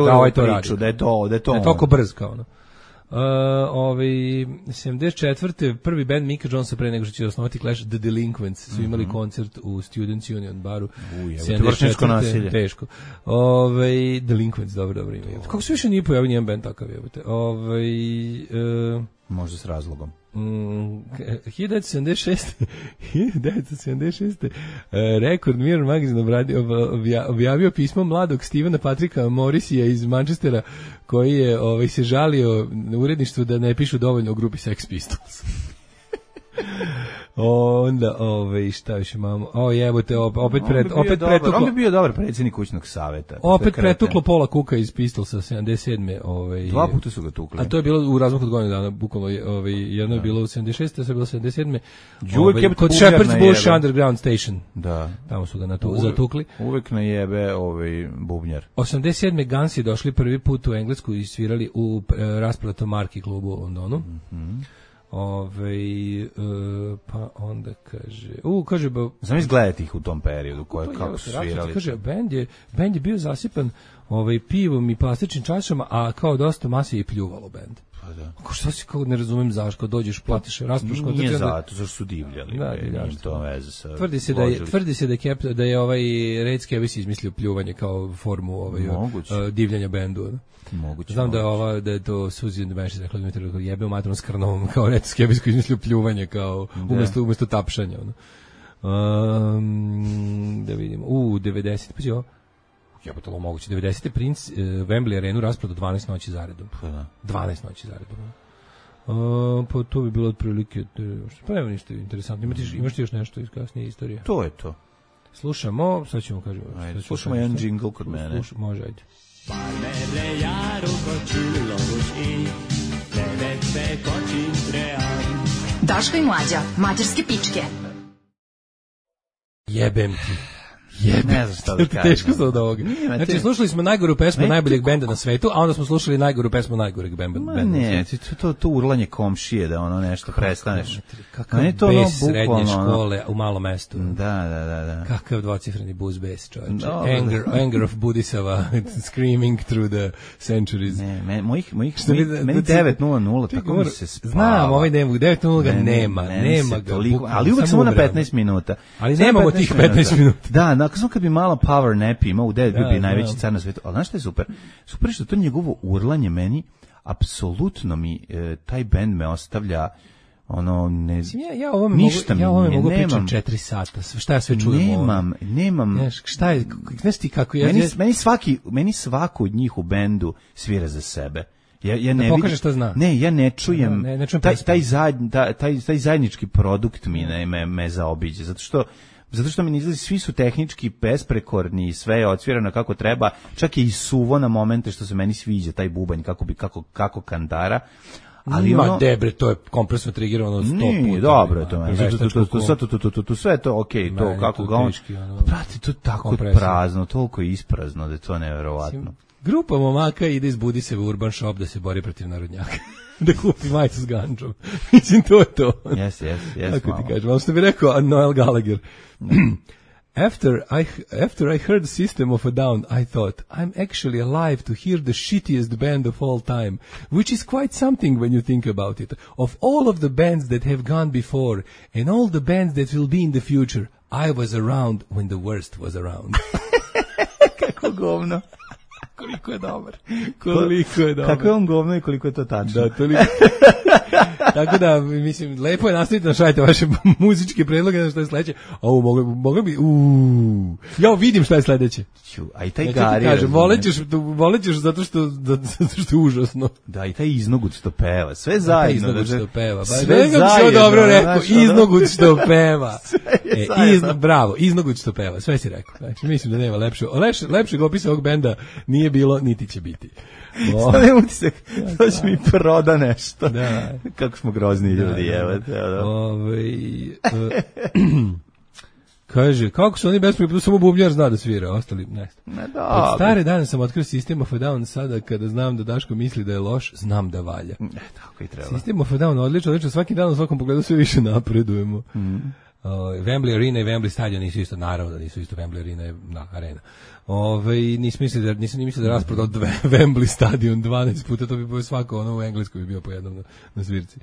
[SPEAKER 5] da ovaj to priču, da je to
[SPEAKER 6] toliko brz kao ono. 74. prvi band Mika Jonesa pre nego što će osnovati Clash, The Delinquents, su imali koncert u Students Union baru.
[SPEAKER 5] 74.
[SPEAKER 6] Teško. Delinquents, dobro ime. Kako se više nije pojavio nijedan band takav jebote.
[SPEAKER 5] Možda s razlogom.
[SPEAKER 6] 1976. Rekord Mirror Magazine objavio pismo mladog Stevena Patricka Morrisija iz Manchestera koji je se žalio na uredništvu da ne pišu dovoljno o grupi Sex Pistols. Onda, šta više imamo? Jebote, opet pretuklo.
[SPEAKER 5] On bi bio dobar predsjednik kućnog saveta.
[SPEAKER 6] Opet pretuklo Paula Cooka iz Pistolsa 77.
[SPEAKER 5] Dva puta su ga tukli.
[SPEAKER 6] A to je bilo u razmaku od godinu dana, bukvalno jedno je bilo u 76. a sve je bilo u 77. Kod Shepherd's Bush Underground Station.
[SPEAKER 5] Da.
[SPEAKER 6] Tamo su ga zatukli.
[SPEAKER 5] Uvek najebe bubnjar.
[SPEAKER 6] 87. Gansi došli prvi put u Englesku i svirali u rasprodatom Marki klubu u Londonu. Pa onda kaže
[SPEAKER 5] znam izgledati ih u tom periodu kako su svirali.
[SPEAKER 6] Kaže bend je bio zasipan pivom i plastičnim čašama, a kao dosta mase i pljuvalo bend.
[SPEAKER 5] Pa da.
[SPEAKER 6] Šta si, kao ne razumem zašto dođeš platiš raspraš kod
[SPEAKER 5] nije zato zašto su divljali.
[SPEAKER 6] Da,
[SPEAKER 5] to veze sa.
[SPEAKER 6] Tvrdi se da je Red Skevis izmislio pljuvanje kao formu divljanja bendu.
[SPEAKER 5] Moguće.
[SPEAKER 6] Znam da je to Suzy and the Banshees rekla da jebe u materom s Krnovom kao Red Skevis koji izmislio pljuvanje kao umjesto tapšanja. Da vidimo. 90. Pa je jebote lo moguće. 90. Prince Wembley arenu rasprodao 12 noći zaredom. 12 noći zaredom. Pa to bi bilo otprilike. Pa nema ništa interesantno. Imaš ti još nešto iz kasnije istorije?
[SPEAKER 5] To je to.
[SPEAKER 6] Slušamo, sad ćemo kažemo.
[SPEAKER 5] Slušamo jedan džingl kod mene.
[SPEAKER 6] Može, ajde.
[SPEAKER 7] Parmele járókat csillagos ég, levette kacsint reál.
[SPEAKER 3] Daško i Mlađa, mađarske pičke.
[SPEAKER 6] Jebem ti.
[SPEAKER 5] Ne znam šta da kažem.
[SPEAKER 6] Teško se od ovoga. Znači, slušali smo najgoru pesmu najboljeg benda na svetu, a onda smo slušali najgoru pesmu najgoreg benda na svetu.
[SPEAKER 5] Ne, to urlanje komšije da ono nešto prestaneš.
[SPEAKER 6] Kakav bes srednje škole u malom mestu.
[SPEAKER 5] Da.
[SPEAKER 6] Kakav dvocifreni buz bes, čovječe. Anger of Budisava screaming through the centuries.
[SPEAKER 5] Ne, meni 9:00, tako mi se spava.
[SPEAKER 6] Znam, ovaj 9:00 ga nema ga.
[SPEAKER 5] Ali uvek samo na 15 minuta.
[SPEAKER 6] Ali nemamo tih 15 minuta.
[SPEAKER 5] Da, kad bi malo power nap imao, u 9 bi najveći car na svetu. Ali znaš što je super? Super što to njegovo urlanje meni, apsolutno mi, taj bend me ostavlja
[SPEAKER 6] ja ovome mogu pričati 4 sata. Šta ja sve čujem?
[SPEAKER 5] Nemam.
[SPEAKER 6] Šta je, znaš ti kako
[SPEAKER 5] meni svako od njih u bendu svira za sebe. Ja ne
[SPEAKER 6] pokaže šta zna.
[SPEAKER 5] Ne, ja ne čujem. Taj zajednički produkt me zaobiđe, zato što mi ne izlazi, svi su tehnički besprekorni, sve je odsvirano kako treba, čak je i suvo na momente što se meni sviđa taj bubanj kako kandara. Ali
[SPEAKER 6] debre, to je kompresno trigirano 100 puta.
[SPEAKER 5] Nije, dobro je to. Sve je to okej, to kako ga on. Prati, to tako prazno, toliko je isprazno da je to neverovatno.
[SPEAKER 6] Grupa momaka ide iz Budiseva u Urban Shop da se bori protiv narodnjaka. Da kupi majicu s ganđom. Mislim, to je to.
[SPEAKER 5] Yes.
[SPEAKER 6] Kako ti kažem, ali što bi rekao Noel Gallagher. After I heard System of a Down, I thought, I'm actually alive to hear the shittiest band of all time, which is quite something when you think about it. Of all of the bands that have gone before, and all the bands that will be in the future, I was around when the worst was around.
[SPEAKER 5] Kako govno.
[SPEAKER 6] Koliko je dobar.
[SPEAKER 5] Kako je on govno i koliko je to tačno.
[SPEAKER 6] Da, toliko. Tako da, mislim, lepo je nastaviti, našajte vaše muzičke predloge, na što je sledeće. Moglo bi, ja vidim šta je sledeće.
[SPEAKER 5] A i taj Gari.
[SPEAKER 6] Volećeš zato što je užasno.
[SPEAKER 5] Da, i taj iznogut što peva, sve zajedno.
[SPEAKER 6] Iznogut što peva. Sve zajedno. Dobro rekao, iznogut što peva. Bravo, iznogut što peva, sve si rekao. Znači, mislim da nema lepšeg opisa ovog benda nije bilo, niti će biti.
[SPEAKER 5] Sada je utisak, to će mi proda nešto. Da. Kako smo grozni ljudi, evo.
[SPEAKER 6] Kaže, kako su oni bespravni, samo bubnjar zna da svira, ostali ne. Od stare dane sam otkrio System of a Down, sada kada znam da Daško misli da je loš, znam da valja.
[SPEAKER 5] Tako i treba.
[SPEAKER 6] System of a Down, odlično, svaki dan u svakom pogledu sve više napredujemo. Wembley Arena i Wembley stadion nisu isto, naravno da nisu isto, Wembley Arena je arena. Nisam ni mislio da rasprodao Wembley stadion 12 puta, to bi bilo svako, ono u Engleskoj bi bio po jednom na svirci.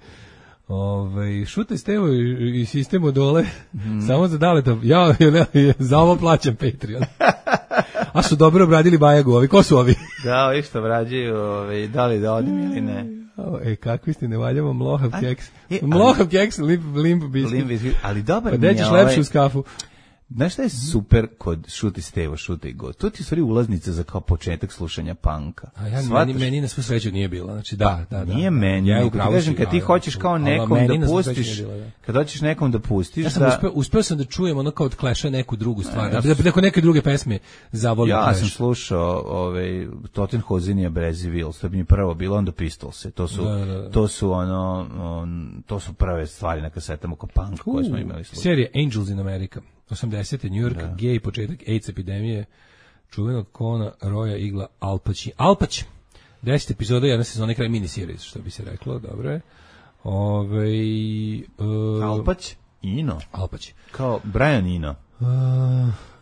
[SPEAKER 6] Šutaj Stevo i Sistemu dole, samo za Daleta, ja za ovo plaćam Patreon. A su dobro obradili Bajagu, ovi, ko su ovi?
[SPEAKER 5] Da, ovi što obrađuju, da li da odim ili ne.
[SPEAKER 6] Kakvi ste, ne valjamo mlohav keks. Mlohav keks, limp biscuit.
[SPEAKER 5] Ali dobar mi
[SPEAKER 6] je. Pa dećeš lepše uz kafu.
[SPEAKER 5] Znaš šta je super kod Šuti Stevo, Šutaj God? To ti u stvari ulaznica za kao početak slušanja panka.
[SPEAKER 6] Meni na svu sreću nije bilo. Znači, da.
[SPEAKER 5] Nije meni. Ja kažem, kad ti hoćeš kao nekom da pustiš, kad hoćeš nekom da pustiš...
[SPEAKER 6] Ja sam uspeo sam da čujem ono kao od Clash-a neku drugu stvar. Da kod neke druge pesme zavolim Clash.
[SPEAKER 5] Ja sam slušao Tottenhausenija Brezivil, što bi mi prvo bilo, onda Pistolse. To su prve stvari na kasetama oko punk koje smo imali slušati.
[SPEAKER 6] Serija Angels in America. 80. New York, gej, početak AIDS epidemije, čuvenog Kona, Roja, Igla, Alpać. 10 epizoda, jedna sezona, kraj miniseries, što bi se reklo, dobro je.
[SPEAKER 5] Alpać? Ino?
[SPEAKER 6] Alpać.
[SPEAKER 5] Kao Brian Ino.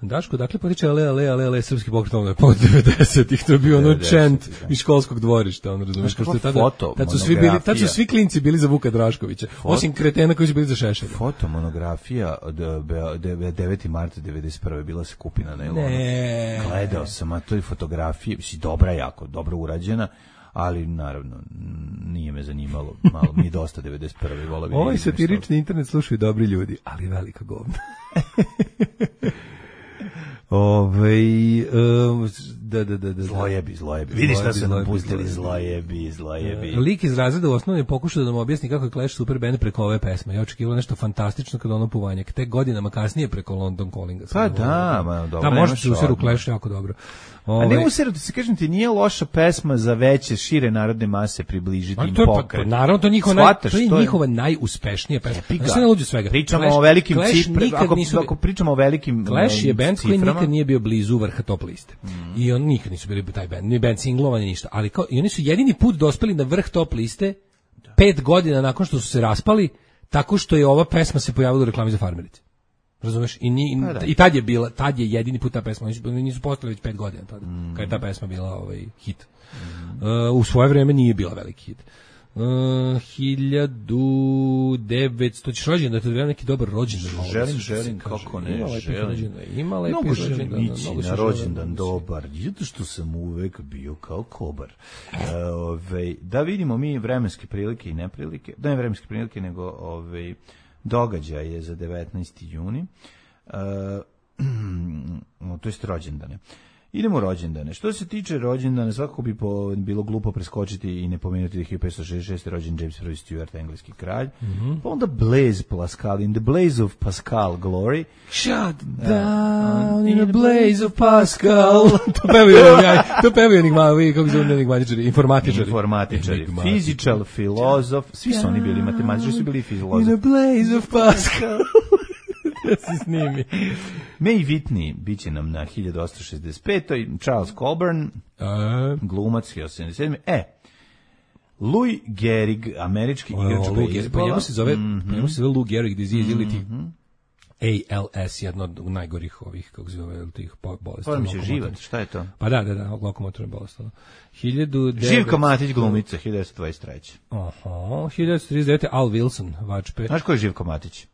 [SPEAKER 6] Daško, dakle potiče ale, srpski pokret ovdje, pod 90-ih, to je bio ono chant iz školskog dvorišta, ono razumiješ, kao što je tad su svi klinci bili za Vuka Draškovića, osim kretena koji su bili za Šešelja.
[SPEAKER 5] Fotomonografija od 9. marta 91. bila se kupi na nailonu. Gledao sam, a to je fotografija, dobra jako, dobro urađena, ali naravno nije me zanimalo, malo mi je dosta 91. Vola bi.
[SPEAKER 6] Ovaj satirični internet slušaju dobri ljudi, ali velika govna.
[SPEAKER 5] Zlojebi. Vidiš šta su nam pustili, zlojebi.
[SPEAKER 6] Lik iz razreda u osnovnoj pokušao da nam objasni kako je Clash super band preko ove pesme. Ja očekivao nešto fantastično kada ono Puvanjak. Tek godinama kasnije preko London Callinga.
[SPEAKER 5] Pa da, dobro.
[SPEAKER 6] Da, možete se usiru Clash jako dobro.
[SPEAKER 5] A ne usiru, ti se kažem ti, nije loša pesma za veće, šire narodne mase približiti im pokret.
[SPEAKER 6] Naravno, to je njihova najuspešnija pesma.
[SPEAKER 5] Pričamo o velikim ciframa. Ako pričamo o velikim
[SPEAKER 6] Clash je band koji nikad nije bio blizu vrha top liste. I oni nikad nisu bili taj band, ni band singlova, ni ništa. Ali i oni su jedini put dospeli na vrh top liste 5 godina nakon što su se raspali, tako što je ova pesma se pojavila u reklami za farmerice. Razumeš? I tad je jedini put ta pesma, oni nisu postali već 5 godina tada, kad je ta pesma bila hit. U svoje vreme nije bila veliki hit. 1900, ćeš rođen da te odvrema neki dobar rođendan.
[SPEAKER 5] Želim, kako ne,
[SPEAKER 6] ima lepi rođendan.
[SPEAKER 5] Mnogo na rođendan dobar, zato što sam uvek bio kao kobar. Da vidimo mi vremenske prilike i neprilike, da ne vremenske prilike, nego događaj je za 19. juni, to jest rođendane. Idemo u rođendane. Što se tiče rođendana, svakako bi bilo glupo preskočiti i ne pomenuti da je 1566. rođen James I. Stuart, engleski kralj. Pa onda Blaise Pascal, in the blaze of Pascal glory.
[SPEAKER 6] Shut down in the blaze of Pascal. To pevaju enigmatičari, kako zove enigmatičari, informatičari.
[SPEAKER 5] Physical, filozof, svi su oni bili matematičari, su bili filozofi.
[SPEAKER 6] In the blaze of Pascal. Da se snimi.
[SPEAKER 5] May Whitney bit će nam na 1865. Charles Coburn, glumac 1877. Louis Gehrig, američki igrač bejzbola.
[SPEAKER 6] Pa njemu se zove Lou Gehrig disease ili ti ALS, jedno od najgorih ovih, kako zove, tih bolesti.
[SPEAKER 5] Pa mi će živat, šta je to?
[SPEAKER 6] Pa da, lokomotorne bolesti.
[SPEAKER 5] Živka Matić, glumica, 1923.
[SPEAKER 6] 1939. Al Wilson, vačpe.
[SPEAKER 5] Znaš ko je Živka Matić?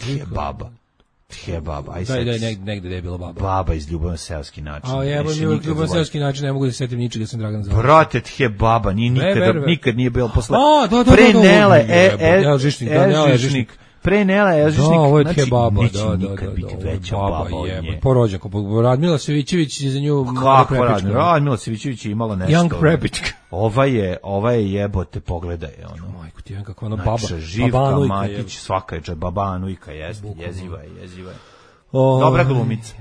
[SPEAKER 5] Je baba.
[SPEAKER 6] Negde je bila baba.
[SPEAKER 5] Baba iz Ljubav na seoski način.
[SPEAKER 6] Ljubav na seoski način, ne mogu da se setim ničega, sam Dragan Zavović.
[SPEAKER 5] Brate, tje baba, nikad nije bilo posle. Pre Nele, Elžišnik. Pre Nela Elžišnik.
[SPEAKER 6] Da, ovo je tje baba.
[SPEAKER 5] Neće nikad biti veća baba od nje.
[SPEAKER 6] Porođenko, Radmila Savićević za nju.
[SPEAKER 5] Kako Radmila Savićević je imala nešto.
[SPEAKER 6] Young Prepička.
[SPEAKER 5] Ova je jebote, pogledaj.
[SPEAKER 6] Majko ti, kako ona baba.
[SPEAKER 5] Živka Matić, svaka je baba Anujka, jeziva je. Dobra glumica.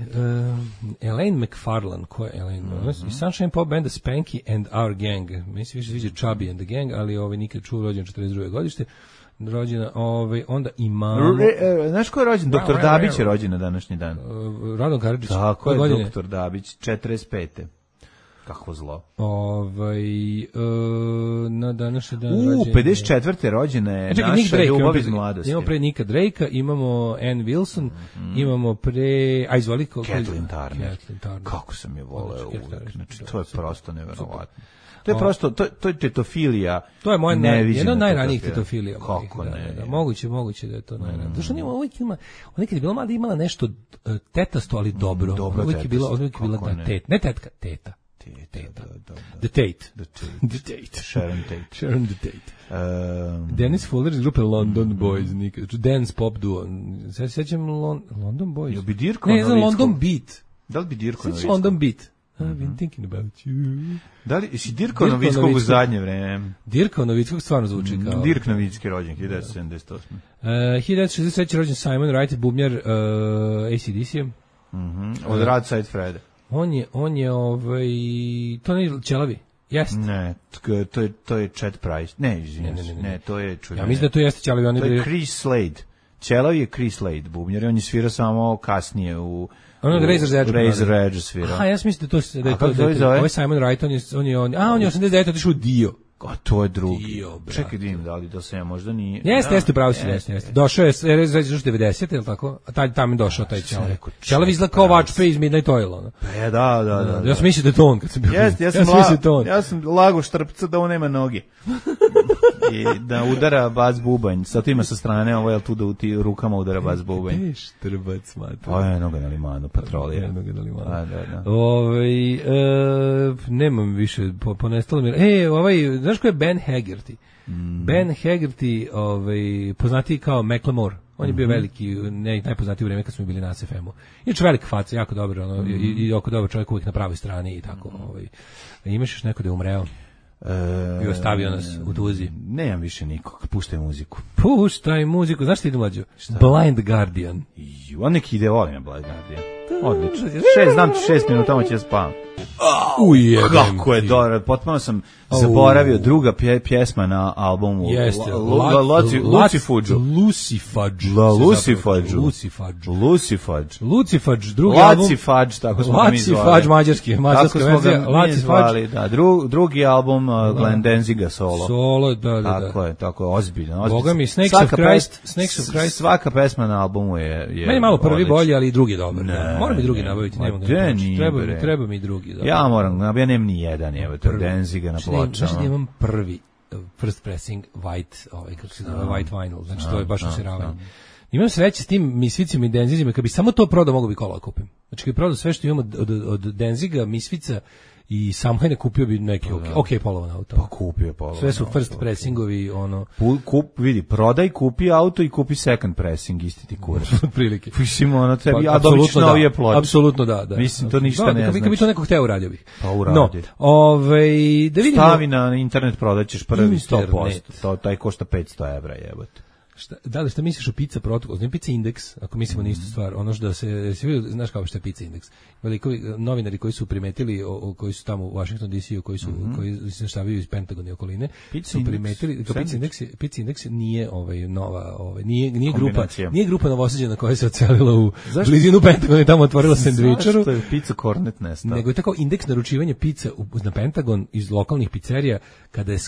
[SPEAKER 6] Elaine McFarlane, ko je Elaine? I Sunshine Pop banda Spanky and Our Gang. Meni se više sviđa Chubby and the Gang, ali nikad čuo, rođen 42. godište. rođena, onda imamo...
[SPEAKER 5] Znaš ko je rođen? Doktor Dabić je rođen na današnji dan.
[SPEAKER 6] Radon Karadžić.
[SPEAKER 5] Tako je, doktor Dabić, 45. Kako zlo.
[SPEAKER 6] Na današnji dan...
[SPEAKER 5] 54. rođena je naša ljubav iz mladosti.
[SPEAKER 6] Imamo pre Nika Drakea, imamo Ann Wilson, imamo pre... izvoli...
[SPEAKER 5] Kathleen Turner. Kako sam je voleo uvek. Znači, to je prosto neverovatno. To je prosto, to je tetofilija.
[SPEAKER 6] To je moja jedna od najranijih tetofilija.
[SPEAKER 5] Kako ne?
[SPEAKER 6] Moguće da je to najranije. Zašto nima uvijek ima, ona kad je bila mlada imala nešto tetasto, ali dobro. Uvijek je bila da tet, ne tetka, teta. The Tate.
[SPEAKER 5] Sharon Tate.
[SPEAKER 6] Dennis Fuller iz grupe London Boys, dance pop duo. Sećam London Boys.
[SPEAKER 5] Jel bi Dirko
[SPEAKER 6] ne, znam London Beat.
[SPEAKER 5] Da li bi Dirko Novickog?
[SPEAKER 6] London Beat. I've been thinking about you.
[SPEAKER 5] Da li si Dirko Novickog u zadnje vreme?
[SPEAKER 6] Dirko Novickog stvarno zvuči kao...
[SPEAKER 5] Dirk Novicki rođen, 1978.
[SPEAKER 6] 1963. rođen Simon Wright, bubnjar AC/DC.
[SPEAKER 5] Od Rad Side Freda.
[SPEAKER 6] On je to ne Ćelavi. Jeste.
[SPEAKER 5] Ne, to je Chad Price. Ne, to je čudno.
[SPEAKER 6] Ja mislim da to jeste Ćelavi.
[SPEAKER 5] To je Chris Slade. Ćelavi je Chris Slade, bubnjar, on je svirao samo kasnije u Razor Edge svirao.
[SPEAKER 6] Ja mislim da je to ovaj Simon Wright, on je 89, otišao u Dio.
[SPEAKER 5] A to je drugi. Čekaj da im dali, da se ja možda nije...
[SPEAKER 6] Jeste, pravo si, jeste. Došao je, reći 90, je li tako? A tamo je došao taj Ćelavi. Ćelavi izgleda kao Watch iz Midnight Oil.
[SPEAKER 5] Da.
[SPEAKER 6] Ja sam mislio da je to on kad sam bio.
[SPEAKER 5] Ja sam lago štrpca da on nema noge. I da udara bas bubanj. Sad ima sa strane, ovo je tu da u ti rukama udara bas bubanj.
[SPEAKER 6] Štrbac, mate.
[SPEAKER 5] Pa je noga na limanu, patrolija.
[SPEAKER 6] Da. Nemam više, ponestalo mi. Znaš ko je Ben Haggerty? Ben Haggerty, poznatiji kao Macklemore. On je bio veliki, najpoznatiji u vreme kad smo bili na SFM-u. Inače velika faca, jako dobro, i oko dobar čovjek uvijek na pravoj strani i tako. Imaš još neko da je umreo? I ostavio nas u tuzi.
[SPEAKER 5] Nemam više nikog, puštaj muziku.
[SPEAKER 6] Puštaj muziku, znaš što ide mlađo? Blind Guardian.
[SPEAKER 5] On neki ide, volim je Blind Guardian. Odlično. Znam ti 6 minuta, ovo će spavam. Kako je dobro, potpuno sam zaboravio druga pjesma na albumu.
[SPEAKER 6] Jeste, Lucifudge, drugi album.
[SPEAKER 5] Lucifudge, tako smo ga mi zvali.
[SPEAKER 6] Lucifudge, mađarska verzija.
[SPEAKER 5] Drugi album Glenn Danziga solo.
[SPEAKER 6] Solo, da.
[SPEAKER 5] Tako je, ozbiljno.
[SPEAKER 6] Boga mi, Snakes of Christ.
[SPEAKER 5] Svaka pesma na albumu je
[SPEAKER 6] meni malo prvi bolji, ali i drugi dobar. Moram i drugi nabaviti, treba mi drugi.
[SPEAKER 5] Ja moram, ja nemam ni jedan, Danziga na pločama.
[SPEAKER 6] Znaš da imam prvi first pressing white, kako se zove, white vinyl, znači to je baš usiravanje. Imam sreće s tim Misvicima i Denzigima, kad bi samo to prodao, mogu bi kola kupim. Znači kad bi prodao sve što imamo od Denziga, Misvica i Samhajne, kupio bi neki ok polovan auto.
[SPEAKER 5] Pa kupio polovan.
[SPEAKER 6] Sve su first pressingovi,
[SPEAKER 5] vidi, prodaj, kupi auto i kupi second pressing, isti ti kurac.
[SPEAKER 6] Otprilike.
[SPEAKER 5] Mislim, tebi, a dobić novije ploče.
[SPEAKER 6] Apsolutno da.
[SPEAKER 5] Mislim, to ništa ne znači.
[SPEAKER 6] Kad bi to neko hteo, uradio bih.
[SPEAKER 5] Pa uradio.
[SPEAKER 6] Da vidimo.
[SPEAKER 5] Stavi na internet, prodaćeš prvi 100%. Taj košta 500 evra, jebote.
[SPEAKER 6] Šta misliš o Pizza Protocol? Znači Pizza Index, ako mislimo na istu stvar, ono što da se znaš kao što je Pizza Index. Velikovi novinari koji su primetili, koji su tamo u Washington DC-u, koji se štavaju iz Pentagona i okoline, su primetili da Pizza Index nije nova, nije grupa novosađena koja se odselila u blizinu Pentagona i tamo otvorila sendvičaru.
[SPEAKER 5] Zašto je Pizza Cornet nestao?
[SPEAKER 6] Nego je tako indeks naručivanja pizza na Pentagon iz lokalnih pizzerija,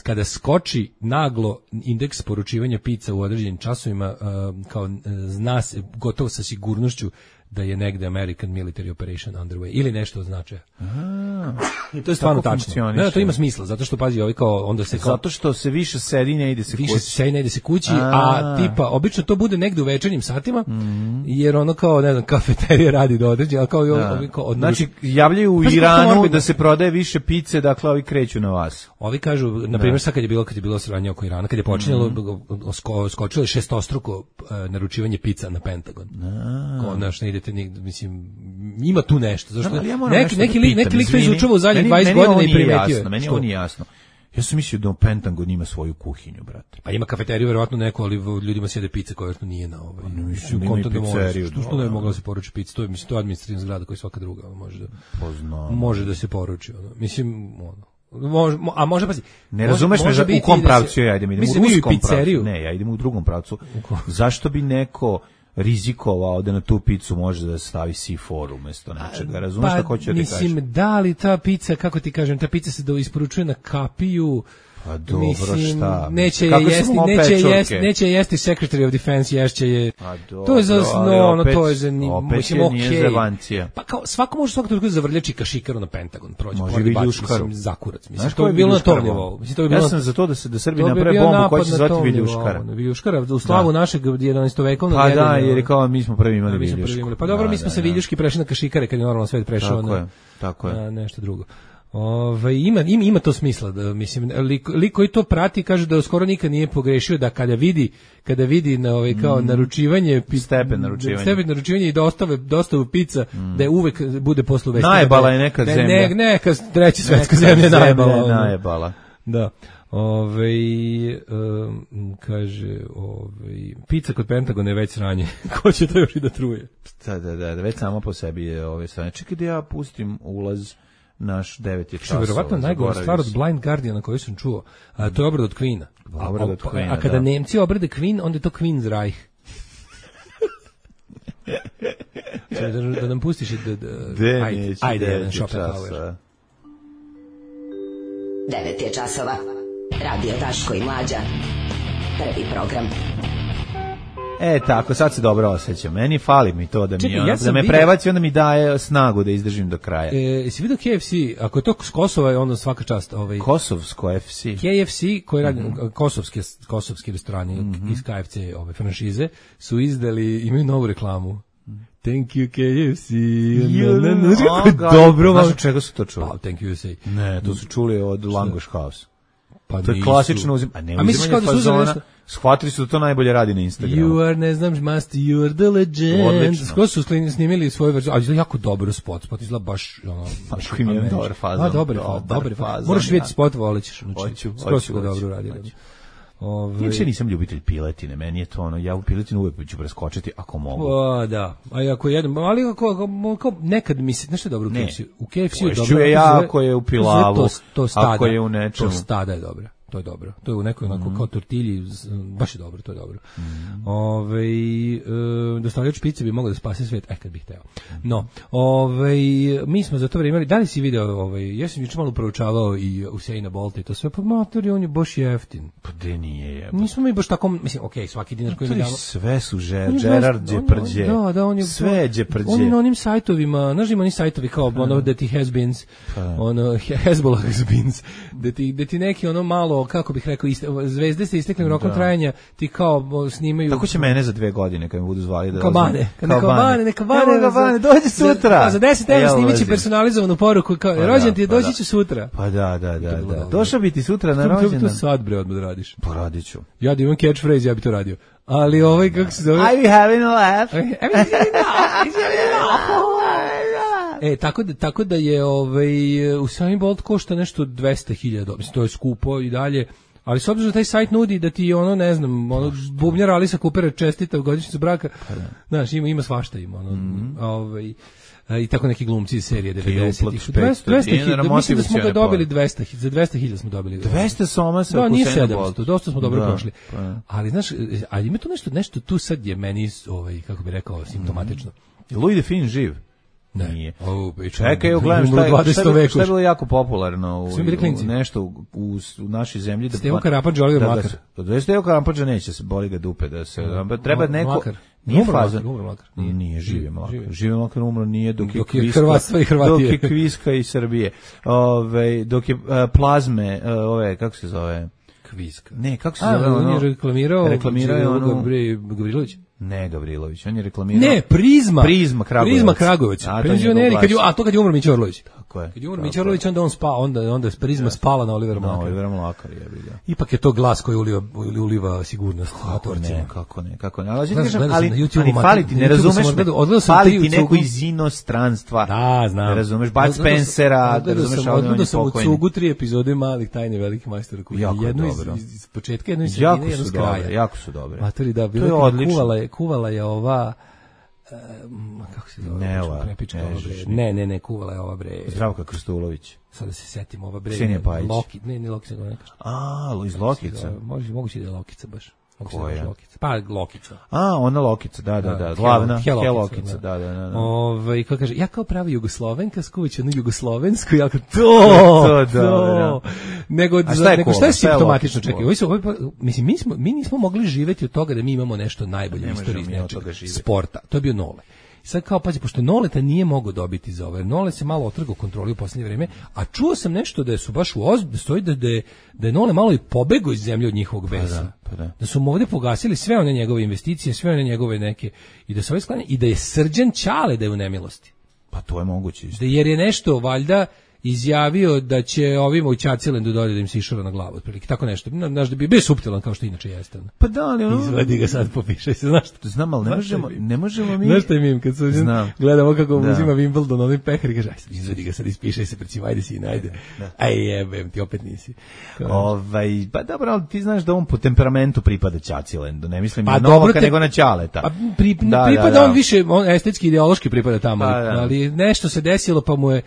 [SPEAKER 6] kada skoči naglo indeks poručivanja pizza u određenim časovima, kao zna se gotovo sa sigurnošću da je negde American Military Operation underway ili nešto od značaja. To je stvarno tačno. Ne, to ima smisla, zato što pazi, onda se
[SPEAKER 5] zato što se više sedi, ne ide se kući.
[SPEAKER 6] Više se sedi, ne ide se kući, a tipa obično to bude negde u večernjim satima, jer ono kao, ne znam, kafeterija radi do određenja, kao
[SPEAKER 5] znači javljaju u Iranu da se prodaje više pice, dakle ovi kreću na vas.
[SPEAKER 6] Ovi kažu, na primjer, sad kad je bilo sranje oko Irana, kad je počinjalo, skočilo je 6-struko naručivanje pizza na Pentagon. Ne idete nigde, mislim, ima tu nešto. Zašto? Neki lik to izučava u zadnjih 20 godina i primetio.
[SPEAKER 5] Meni ovo nije jasno. Ja sam mislio da Pentagon ima svoju kuhinju, brate.
[SPEAKER 6] Pa ima kafeteriju, verovatno neko, ali ljudima sjede pice koja verovatno nije na što ne bi mogla se poruči pica. To je administrativna zgrada koja svaka druga može da se poruči. Mislim, A može pazi.
[SPEAKER 5] Ne razumeš me u kom pravcu ja idem u ruskom pravcu. Ne, ja idem u drugom pravcu. Zašto bi neko rizikovao da na tu picu može da stavi C4 umesto nečega? Razumeš šta hoću da ti kažem?
[SPEAKER 6] Mislim, da li ta pica, kako ti kažem, ta pica se isporučuje na kapiju.
[SPEAKER 5] Pa dobro, šta?
[SPEAKER 6] Neće jesti Secretary of Defense, ješće je. To je
[SPEAKER 5] okej.
[SPEAKER 6] Pa kao svako može svakog trenutka zavrljači kašikaru na Pentagon, prođe
[SPEAKER 5] pored
[SPEAKER 6] Viljuškaru, zakurac. Mislim to bi bilo na tom nivou.
[SPEAKER 5] Ja sam za to da Srbi naprave bombu koja će se zvati Viljuškara.
[SPEAKER 6] Viljuškara u slavu našeg 11-vekovnog.
[SPEAKER 5] Pa da, jer je kao mi smo prvi imali Viljušku.
[SPEAKER 6] Pa dobro, mi smo se Viljuški prešli na kašikare kad je normalno svet prešao
[SPEAKER 5] na
[SPEAKER 6] nešto drugo. Ima to smisla da mislim liko koji to prati kaže da skoro nikad nije pogrešio da kada vidi na kao naručivanje stepen naručivanja i dostavu pica da je uvek bude posle vesti.
[SPEAKER 5] Najbala je neka zemlja.
[SPEAKER 6] Neka treća svetska zemlja
[SPEAKER 5] najbala.
[SPEAKER 6] Da. Kaže, pizza kod Pentagona je već sranje. Ko će to još i da truje?
[SPEAKER 5] Da, već samo po sebi je sranje. Čekaj da ja pustim ulaz naš 9 je časova.
[SPEAKER 6] Verovatno najgora stvar od Blind Guardiana koju sam čuo, to je obrada od Queena. A kada Nemci obrade Queen, onda je to Queen's Reich. Da nam pustiš ajde, jedan Schopenhauer.
[SPEAKER 3] 9 je časova. Radio Daško i Mlađa. Prvi program.
[SPEAKER 5] Tako, sad se dobro osjećam. Meni fali mi to da me prebaci, onda mi daje snagu da izdržim do kraja.
[SPEAKER 6] Jesi vidio KFC? Ako je to s Kosova, onda svaka čast.
[SPEAKER 5] Kosovsko FC.
[SPEAKER 6] KFC, koji radi kosovski restorani iz KFC franšize, su imaju novu reklamu. Thank you KFC. Dobro.
[SPEAKER 5] Znaš od čega su to čuli?
[SPEAKER 6] Pa, thank you USA.
[SPEAKER 5] Ne, to su čuli od Langoš House. To je klasično uzimanje
[SPEAKER 6] fazona.
[SPEAKER 5] Shvatili su da to najbolje radi na Instagramu.
[SPEAKER 6] You are, ne znam, master, you are the legend.
[SPEAKER 5] Odlično.
[SPEAKER 6] Skoro su snimili svoju verziju, ali izgleda jako dobro spot izgleda baš
[SPEAKER 5] imam dobar fazon.
[SPEAKER 6] Dobar fazon. Moraš vidjeti spot, volit ćeš. Skoro su ga dobro uradili.
[SPEAKER 5] Uopće nisam ljubitelj piletine, meni je to ja u piletinu uvijek ću preskočiti ako mogu.
[SPEAKER 6] Da, a ako jedem, ali ako nekad mi se, nešto je dobro u KFC-u je dobro.
[SPEAKER 5] Ako je u pilavu, ako je u nečemu.
[SPEAKER 6] To stada je dobro. To je dobro. To je u nekoj onako kao tortilji, baš je dobro, to je dobro. Dostavljač pice bi mogao da spase svet, kad bih hteo. No, mi smo za to vreme imali, da li si video, ja sam juče malo proučavao i Usaina Bolta i to sve, pa matori, on je baš jeftin.
[SPEAKER 5] Pa de nije je.
[SPEAKER 6] Nismo mi baš tako, mislim, svaki dinar koji mi damo.
[SPEAKER 5] Sve su Gerard Depardieu.
[SPEAKER 6] Da, on je
[SPEAKER 5] sve je Depardieu.
[SPEAKER 6] On je na onim sajtovima, znaš ima oni sajtovi kao da ti has-beens, Hezbollah has-beens, da ti neki malo, kako bih rekao, zvezde sa isteklim rokom trajanja ti kao snimaju.
[SPEAKER 5] Tako će mene za 2 godine kad me budu zvali da
[SPEAKER 6] neka bane,
[SPEAKER 5] dođi sutra.
[SPEAKER 6] Za 10 € snimit će personalizovanu poruku kao rođen ti je, doći ću sutra.
[SPEAKER 5] Pa da. Došao bi ti sutra na rođendan.
[SPEAKER 6] To sad bre odmah da radiš.
[SPEAKER 5] Pa radit ću.
[SPEAKER 6] Ja da imam catchphrase, ja bi to radio. Ali kako se zove?
[SPEAKER 5] I be having a laugh.
[SPEAKER 6] Tako da je Usain Bolt košta nešto 200.000, mislim to je skupo i dalje, ali s obzirom da taj sajt nudi da ti ne znam, bubnjar Alisa Coopera čestita u godišnjicu braka, znaš, ima svašta i tako neki glumci iz serije 90-ih. 200.000, mislim da smo ga dobili 200.000, za 200.000 smo dobili.
[SPEAKER 5] 200 soma sa
[SPEAKER 6] Usaina Bolt. 700, dosta smo dobro prošli. Ali znaš, ima tu nešto tu sad je meni, kako bi rekao, simptomatično.
[SPEAKER 5] Je Louis Define živ?
[SPEAKER 6] Ne.
[SPEAKER 5] Nije. Čekaj, gledam šta je bilo jako popularno nešto u našoj zemlji.
[SPEAKER 6] Stevo Karapadža, Oliver Mlakar.
[SPEAKER 5] Stevo Karapadža neće se boli ga dupe. Treba neko... Nije faza. Nije Žive Mlakar. Žive Mlakar umro nije dok je
[SPEAKER 6] Hrvatstva i Hrvatije.
[SPEAKER 5] Dok je Kviska i Srbije. Dok je Plazme, kako se zove?
[SPEAKER 6] Kviska.
[SPEAKER 5] Ne, kako se zove?
[SPEAKER 6] On je reklamirao Gavrilović.
[SPEAKER 5] Ne, Gavrilović, on je reklamirao...
[SPEAKER 6] Ne, Prizma Kragujevac.
[SPEAKER 5] Prizma Kragujevac.
[SPEAKER 6] Penzioneri, kad je umro Mića Orlović.
[SPEAKER 5] Tako je.
[SPEAKER 6] Kad je umro Mića Orlović, onda on spao, onda je Prizma spala na Olivera Mlakara.
[SPEAKER 5] Na Olivera Mlakara, je vidio.
[SPEAKER 6] Ipak je to glas koji uliva sigurnost.
[SPEAKER 5] Kako ne. Ali fali ti, ne razumeš me, fali ti neko iz inostranstva.
[SPEAKER 6] Da, znam.
[SPEAKER 5] Ne razumeš, Bud Spencera, ne razumeš, ali on je
[SPEAKER 6] sam u
[SPEAKER 5] pokojni.
[SPEAKER 6] Cugu 3 epizode Malih tajni velikih majstora. Jednu iz početka, jednu iz sredine, jednu iz kraja.
[SPEAKER 5] Jako su dobre.
[SPEAKER 6] Matori, da, kuvala je ova kako se zove? Ne, kuvala je ova bre.
[SPEAKER 5] Zdravka Krstulović.
[SPEAKER 6] Sada se setim ova bre.
[SPEAKER 5] Ksenija Pajić.
[SPEAKER 6] Ne, Lokica ga ne kaže.
[SPEAKER 5] Iz Lokica.
[SPEAKER 6] Moguće da je Lokica baš.
[SPEAKER 5] Koja?
[SPEAKER 6] Pa Lokica.
[SPEAKER 5] Ona Lokica, da. Glavna Lokica, da.
[SPEAKER 6] Kako kaže, ja kao prava Jugoslovenka skuvaću jednu jugoslovensku, ja kao to. Nego šta je simptomatično, čekaj, mislim, mi nismo mogli živeti od toga da mi imamo nešto najbolje u istoriji sporta. To je bio Nole. Sad kao, pazi, pošto Noleta nije mogao dobiti za ovo, jer Nole se malo otrgao kontroli u posljednje vreme, a čuo sam nešto da su baš da je Nole malo i pobegao iz zemlje od njihovog besa. Da su mu ovdje pogasili sve one njegove investicije, sve one njegove neke, i da su ovaj sklanje, i da je Srđan Ćale da je u nemilosti.
[SPEAKER 5] Pa to je moguće.
[SPEAKER 6] Jer je nešto, valjda, izjavio da će ovima u Ćacilendu dodati da im se išora na glavu, otprilike, tako nešto. Znaš da bi bio suptilan kao što inače jeste.
[SPEAKER 5] Pa da, ali ono...
[SPEAKER 6] Izvadi ga sad, popišaj se, znaš što?
[SPEAKER 5] Znam, ali ne možemo mi...
[SPEAKER 6] Znaš što je mim, kad se gledamo kako uzima Wimbledon, onaj pehar i kaže, izvadi ga sad, ispišaj se, pred ajde si, najde. Aj jebem, ti opet nisi.
[SPEAKER 5] Pa dobro, ali ti znaš da on po temperamentu pripada Ćacilendu, ne mislim na Novaka, nego na Ćaleta.
[SPEAKER 6] Pripada on više, on estetski, ideološki pripada tamo, ali nešto se desilo, pa mu je...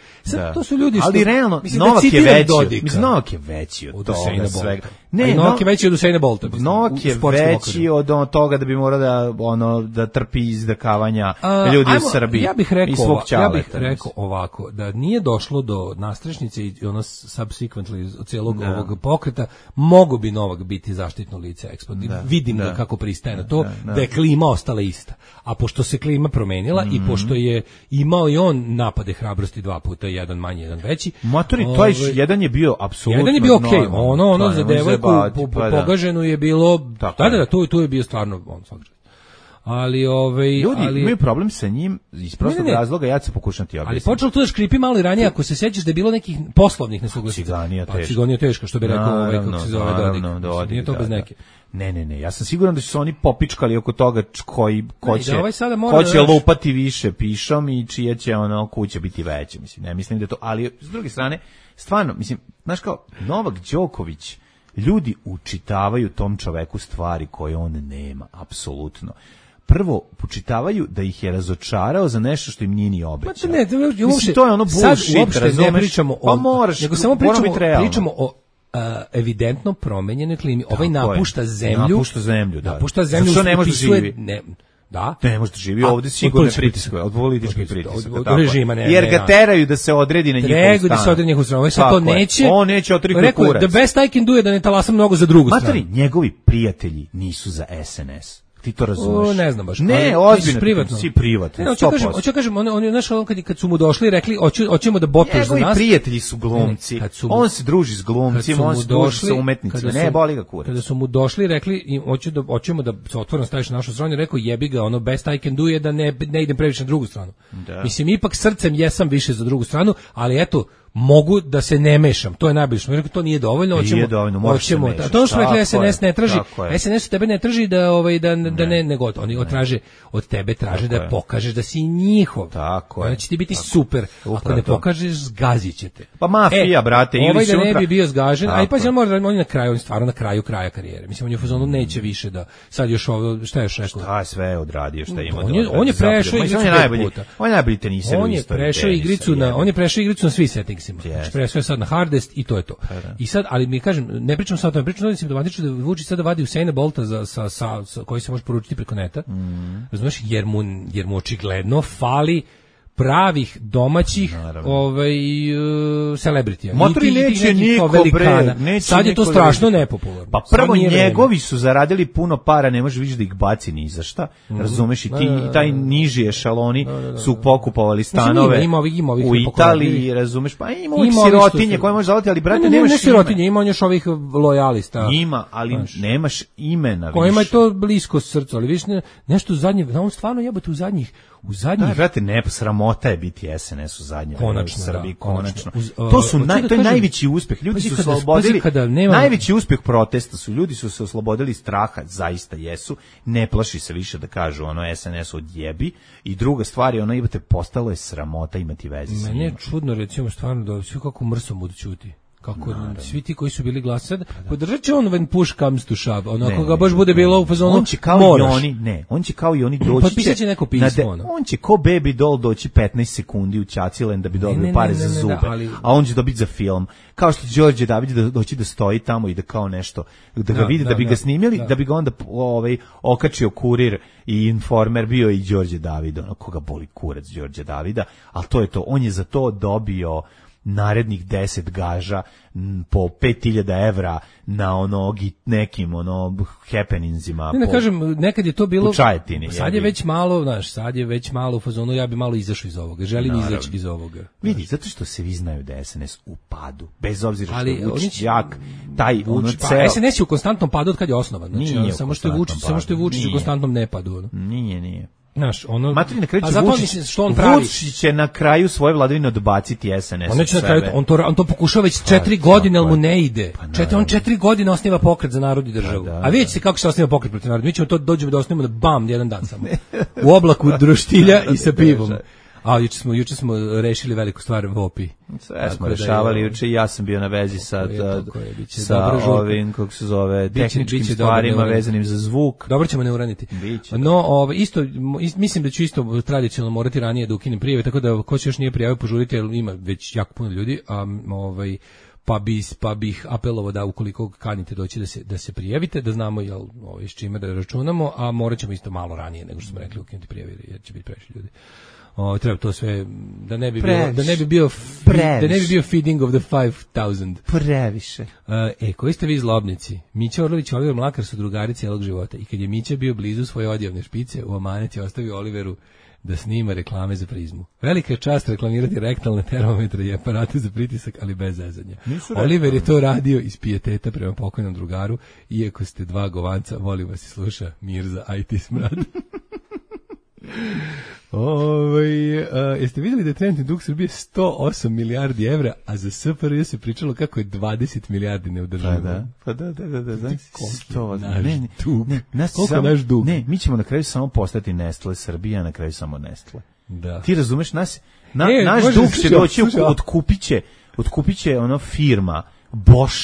[SPEAKER 6] To su ljudi.
[SPEAKER 5] Ali realno, Novak je veći od toga svega.
[SPEAKER 6] Novak je veći od Usaina Bolta.
[SPEAKER 5] Novak je veći od toga da bi morao da trpi izdakavanja ljudi u Srbiji.
[SPEAKER 6] Ja bih rekao ovako, da nije došlo do nastrešnice i ono subsequently od cijelog ovog pokreta, mogo bi Novak biti zaštitno lice Expo. Vidim ga kako pristaje na to, da je klima ostala ista. A pošto se klima promenila i pošto je imao i on napade hrabrosti 2 puta, jedan manji, jedan veći.
[SPEAKER 5] Matori, to jedan je bio apsolutno.
[SPEAKER 6] Jedan je bio okej. Ono za devojku pogaženu je bilo. Da, tu je bio stvarno on svakako. Ali
[SPEAKER 5] ljudi imaju problem sa njim iz prostog razloga, ja ću pokušati objasniti.
[SPEAKER 6] Ali počelo tu da škripi malo i ranije, ako se sećaš da je bilo nekih poslovnih nesuglasica. Ciganija teška, što bi rekao kako se zove Dodik. Nije to bez neke.
[SPEAKER 5] Ne, ja sam siguran da su se oni popičkali oko toga ko će lupati više pišom i čije će kuće biti veće, mislim, ne mislim da je to, ali s druge strane, stvarno, mislim, znaš kao, Novak Đoković, ljudi učitavaju tom čoveku stvari koje on nema, apsolutno. Prvo, počitavaju da ih je razočarao za nešto što im nije ni obećao. Mislim, to je ono bullshit, razumeš?
[SPEAKER 6] Ne pričamo o...
[SPEAKER 5] Pa moraš,
[SPEAKER 6] nego samo pričamo o evidentno promenjenoj klimi. Ovaj napušta zemlju. Napušta zemlju.
[SPEAKER 5] Što ne može da živi?
[SPEAKER 6] Da.
[SPEAKER 5] Ne može da živi ovdje sigurno pritiskuje, od političkih pritisaka.
[SPEAKER 6] Od režima,
[SPEAKER 5] jer ga teraju da se odredi na njihov stan.
[SPEAKER 6] Da se odredi na njihov stan. Sad to neće.
[SPEAKER 5] On neće otriknuti kurac.
[SPEAKER 6] Rekao, the best I can do je da ne talasam mnogo za drugu stranu.
[SPEAKER 5] Materi, njegovi prijatelji nisu za SNS. Ti to razumeš?
[SPEAKER 6] Ne znam baš.
[SPEAKER 5] Ne, ozbiljno. Privatno. Si privatno.
[SPEAKER 6] Hoću kažem, oni znaš, kad su mu došli i rekli, hoćemo da botuješ za nas.
[SPEAKER 5] Njegovi prijatelji su glumci. On se druži s glumcima, on se druži sa umetnicima. Ne, boli ga kurac.
[SPEAKER 6] Kada su mu došli i rekli, hoćemo da se otvoreno staviš na našu stranu, rekao, jebi ga, best I can do je da ne idem previše na drugu stranu. Mislim, ipak srcem jesam više za drugu stranu, ali eto, mogu da se ne mešam, to je najbolje. Rekao, to nije dovoljno, hoćemo. To što rekli SNS ne traži, SNS tebe ne traži da ne gotovo. Oni od tebe traže da pokažeš da si njihov.
[SPEAKER 5] Tako je.
[SPEAKER 6] Onda će ti biti super. Ako ne pokažeš, zgazit će te.
[SPEAKER 5] Pa mafija, brate, ili
[SPEAKER 6] sutra. Ovaj da ne bi bio zgažen, a i pa on je stvarno na kraju kraja karijere. Mislim, on je u fazonu neće više da sad još ovo, šta je još rekao?
[SPEAKER 5] Šta je sve odradio, šta ima.
[SPEAKER 6] On je prešao igricu 5 puta.
[SPEAKER 5] On je najbolji teniser u istoriji.
[SPEAKER 6] On je prešao igricu na svi settingsima. Presve sad na hardest i to je to. I sad, ali mi kažem, ne pričam sad o tome, pričam da simptomatično da Vučić sada vadi Usaina Bolta koji se može poručiti preko neta, razumeš, jer mu očigledno fali pravih domaćih celebritija.
[SPEAKER 5] Motori neće niko, bre.
[SPEAKER 6] Sad je to strašno nepopularno.
[SPEAKER 5] Pa prvo njegovi su zaradili puno para, ne može više da ih baci ni za šta. Razumeš, i taj niži ešaloni su pokupovali stanove u Italiji, razumeš, pa ima ovih sirotinje koje može zavati, ali brate, nemaš
[SPEAKER 6] ne sirotinje, ima on još ovih lojalista.
[SPEAKER 5] Ima, ali nemaš imena više.
[SPEAKER 6] Kojima je to blisko srcu, ali više nešto zadnje, on stvarno jebote u zadnjih.
[SPEAKER 5] Brate, ne, sramota je biti SNS u zadnje
[SPEAKER 6] konačno,
[SPEAKER 5] u Srbiji, konačno. To je najveći uspjeh. Ljudi su se oslobodili, najveći uspjeh protesta su, ljudi su se oslobodili straha, zaista jesu, ne plaši se više da kažu SNS odjebi, i druga stvar je postalo je sramota imati veze s njima.
[SPEAKER 6] Meni je čudno, recimo, stvarno da svi kako mrsom budu ćuti. kako svi ti koji su bili glasali, podržat će on when push comes to shove, ako ga baš bude bilo u fazonu,
[SPEAKER 5] on će kao i oni, on će kao i oni doći
[SPEAKER 6] će neko pismo,
[SPEAKER 5] on će ko Baby Doll doći 15 sekundi u Čacilen da bi dobio pare za zube, a on će dobiti za film, kao što će Đorđe David doći da stoji tamo i da kao nešto, da ga vidi, da bi ga snimili, da bi ga onda okačio Kurir i Informer, bio i Đorđe David, koga boli kurac Đorđe Davida, ali to je to, on je za to dobio narednih 10 gaža po 5.000 evra na nekim happeningsima.
[SPEAKER 6] Ne kažem, nekad je to bilo,
[SPEAKER 5] Čajetini,
[SPEAKER 6] sad je već malo, sad je već malo u fazonu, ja bi malo izašao iz ovoga, želim izaći iz ovoga.
[SPEAKER 5] Vidi, zato što se vi znaju da je SNS u padu, bez obzira što je Vučić jak, taj ceo...
[SPEAKER 6] SNS je u konstantnom padu od kad je osnovan, znači, samo što je Vučić u konstantnom nepadu.
[SPEAKER 5] Nije.
[SPEAKER 6] Znaš,
[SPEAKER 5] Matri na kraju će Vučić će na kraju svoje vladavine odbaciti SNS.
[SPEAKER 6] On će na kraju, on to pokušava već 4 godine, ali mu ne ide. On 4 godine osniva pokret za narod i državu. A vidite se kako se osniva pokret protiv naroda. Mi ćemo to dođemo da osnivamo bam, jedan dan samo. U oblaku droštilja i sa pivom. A juče smo rešili veliku stvar u Opi.
[SPEAKER 5] Sve smo rešavali juče i ja sam bio na vezi sa ovim, kako se zove, tehničkim stvarima vezanim za zvuk.
[SPEAKER 6] Dobro ćemo ne uraniti. No, isto, mislim da ću isto tradicionalno morati ranije da ukinem prijave, tako da ko se još nije prijavio požurite, jer ima već jako puno ljudi, pa bih apelovao da ukoliko kanite doći da se prijavite, da znamo s čime da računamo, a morat ćemo isto malo ranije nego što smo rekli ukinuti prijave, jer će biti previše ljudi. Treba to sve da ne bi bio feeding of the 5000.
[SPEAKER 5] Previše.
[SPEAKER 6] Koji ste vi zlobnici? Mića Orlović i Oliver Mlakar su drugari cijelog života i kad je Mića bio blizu svoje odjavne špice, u amanet je ostavio Oliveru da snima reklame za Prizmu. Velika je čast reklamirati rektalne termometre i aparate za pritisak, ali bez zezanja. Oliver je to radio iz pijeteta prema pokojnom drugaru, iako ste dva govanca, volim vas i sluša Mirza IT Smrad. Jeste vidjeli da je trenutni dug Srbije 108 milijardi evra, a za SFRJ se pričalo kako je 20 milijardi neodrživo.
[SPEAKER 5] Pa da.
[SPEAKER 6] Koliko naš dug?
[SPEAKER 5] Ne, mi ćemo na kraju samo postati Nestle, Srbija na kraju samo Nestle.
[SPEAKER 6] Da.
[SPEAKER 5] Ti razumeš, naš dug će doći, otkupit će firma, Bosch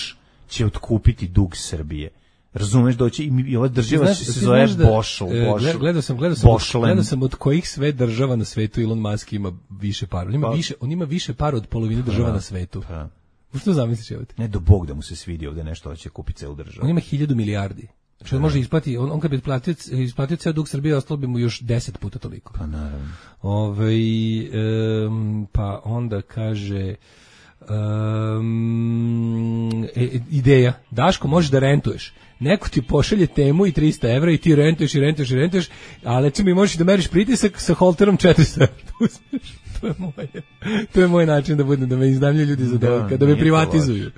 [SPEAKER 5] će otkupiti dug Srbije. Razumeš, doći i ova država se zove Bosch.
[SPEAKER 6] Gledao sam od kojih sve država na svetu Elon Musk ima više para. On ima više para od polovine država na svetu. Što zamisliš?
[SPEAKER 5] Ne, do Bog da mu se svidi ovde nešto, da će kupiti celu državu.
[SPEAKER 6] On ima 1000 milijardi. Što može isplati, on kad bi isplatio ceo dug Srbije, ostalo bi mu još 10 puta toliko.
[SPEAKER 5] Pa naravno.
[SPEAKER 6] Pa onda kaže... ideja, Daško, možeš da rentuješ, neko ti pošalje temu i 300 evra i ti rentuješ, a recimo i možeš da meriš pritisak sa holterom 400 evra. To je moj način da me iznajmljuju ljudi za dojka, da me privatizuju.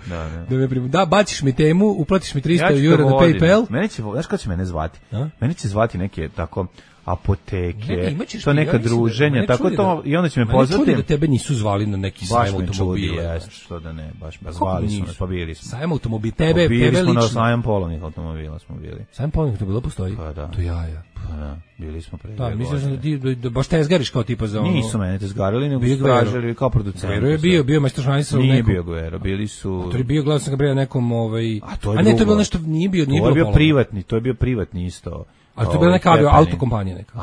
[SPEAKER 6] Da, baciš mi temu, uplatiš mi 300 eura na PayPal.
[SPEAKER 5] Znaš kako će mene zvati? Mene će zvati neke tako apoteke, to neka druženja, tako to, i onda će me pozvati.
[SPEAKER 6] Mene čudi da tebe nisu zvali na neki sajam automobila.
[SPEAKER 5] Što da ne, baš zvali su nas, pa bili smo.
[SPEAKER 6] Sajam automobila, tebe lično.
[SPEAKER 5] Bili smo na sajam polovnih automobila smo bili.
[SPEAKER 6] Sajam polovnih automobila postoji?
[SPEAKER 5] Pa da.
[SPEAKER 6] To jaja.
[SPEAKER 5] Pa da, bili smo pre 2
[SPEAKER 6] godine. Mislim da baš tezgariš kao tipa za ono.
[SPEAKER 5] Nisu mene tezgarili, nego su tražili kao producent.
[SPEAKER 6] Guero je bio majstor šanica.
[SPEAKER 5] Nije bio Guero, bili su...
[SPEAKER 6] To je bio, gledao sam ga bre nekom...
[SPEAKER 5] A
[SPEAKER 6] ne, to je bilo nešto, nije bilo
[SPEAKER 5] privatni, to je bio privatni isto.
[SPEAKER 6] Ali to je bila neka autokompanija neka.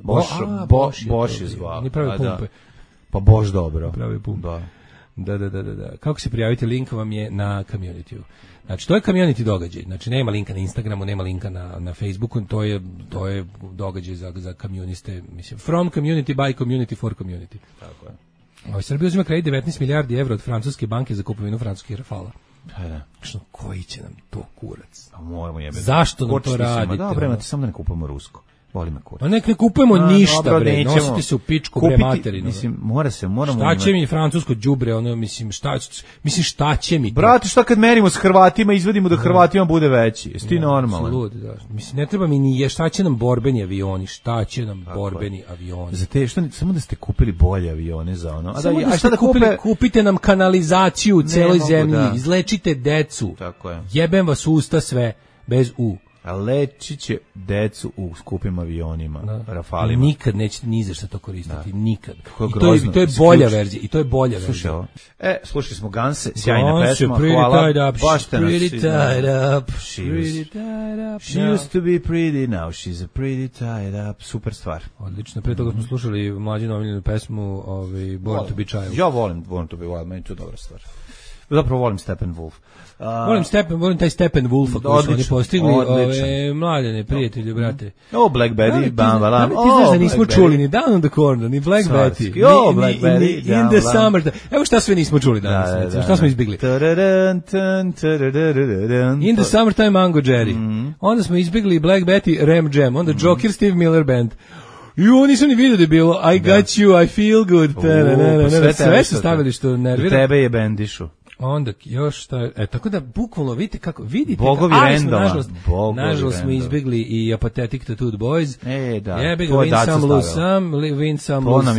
[SPEAKER 5] Bosch. Bosch je zvao.
[SPEAKER 6] Oni pravi pumpe.
[SPEAKER 5] Pa Bosch dobro.
[SPEAKER 6] Pravi pumpe. Da. Kako se prijavite, link vam je na community-u. Znači, to je community događaj. Znači, nema linka na Instagramu, nema linka na Facebooku, to je događaj za communiste, mislim, from community, by community, for community.
[SPEAKER 5] Tako je.
[SPEAKER 6] Srbija uzima kredit 19 milijardi evra od francuske banke za kupovinu francuskih Rafala. Što, koji će nam to kurac? Zašto nam to radite?
[SPEAKER 5] Dobro, imate samo da ne kupujemo rusko. Voli me kurac.
[SPEAKER 6] A nek ne kupujemo ništa, bre, nosite se u pičku, bre, materinu.
[SPEAKER 5] Mislim, moramo...
[SPEAKER 6] Šta će mi francusko đubre, šta će mi to?
[SPEAKER 5] Brate, šta kad merimo s Hrvatima, izvedimo da Hrvatima bude veći? Jesi ti normalan?
[SPEAKER 6] Mislim, ne treba mi ni šta će nam borbeni avioni, Za
[SPEAKER 5] te, samo da ste kupili bolje avione za ono.
[SPEAKER 6] Samo da ste kupite nam kanalizaciju u celoj zemlji, izlečite decu.
[SPEAKER 5] Tako je.
[SPEAKER 6] Jebem vas usta sve, bez u.
[SPEAKER 5] Leči će decu u skupim avionima, Rafalima.
[SPEAKER 6] Nikad nećete ni za šta to koristiti, nikad. I to je bolja verzija,
[SPEAKER 5] Slušaj ovo. Slušali smo Ganse, sjajna pesma, hvala. Baš te nas She used to be pretty, now she's a pretty tied up. Super stvar.
[SPEAKER 6] Odlično, pre toga smo slušali mlađinu omiljenu pesmu Born to be Child.
[SPEAKER 5] Ja volim Born to be Wild, meni to dobra stvar. Zapravo volim Steppenwolf.
[SPEAKER 6] Volim taj Steppenwolfa koji su oni postigli, mladene, prijatelji, brate.
[SPEAKER 5] Black Betty, bam, bam.
[SPEAKER 6] Ti znaš da nismo čuli ni Down on the Corner, ni Black Betty, ni In the Summer. Evo šta sve nismo čuli danas, šta smo izbigli. In the Summertime, Mango Jerry. Onda smo izbigli Black Betty, Ram Jam. Onda Joker, Steve Miller Band. Nisam ni vidio da je bilo I got you, I feel good. Sve su stavili što nervira.
[SPEAKER 5] Tebe je bendišu.
[SPEAKER 6] Onda još tako da bukvalno vidite
[SPEAKER 5] Bogovi rendova.
[SPEAKER 6] Nažalost smo izbjegli i Apathetic Tattooed Boys.
[SPEAKER 5] Da.
[SPEAKER 6] Win some, lose some, win some, lose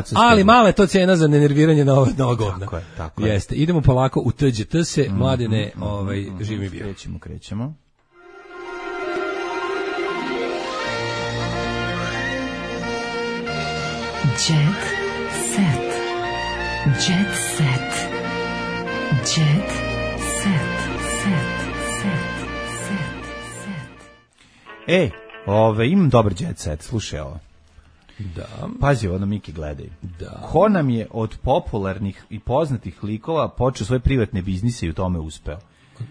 [SPEAKER 6] some. Ali mala je to cena za nenerviranje na ova godina.
[SPEAKER 5] Tako je.
[SPEAKER 6] Jeste. Idemo polako u TGT se, mladene, živi bio.
[SPEAKER 5] Krećemo.
[SPEAKER 3] Jet set. Jet set. Jet set.
[SPEAKER 5] Imam dobar jet set, slušaj ovo.
[SPEAKER 6] Da.
[SPEAKER 5] Pazi, ovo da Miki gledaj.
[SPEAKER 6] Da.
[SPEAKER 5] Ko nam je od popularnih i poznatih likova počeo svoje privatne biznise i u tome uspeo?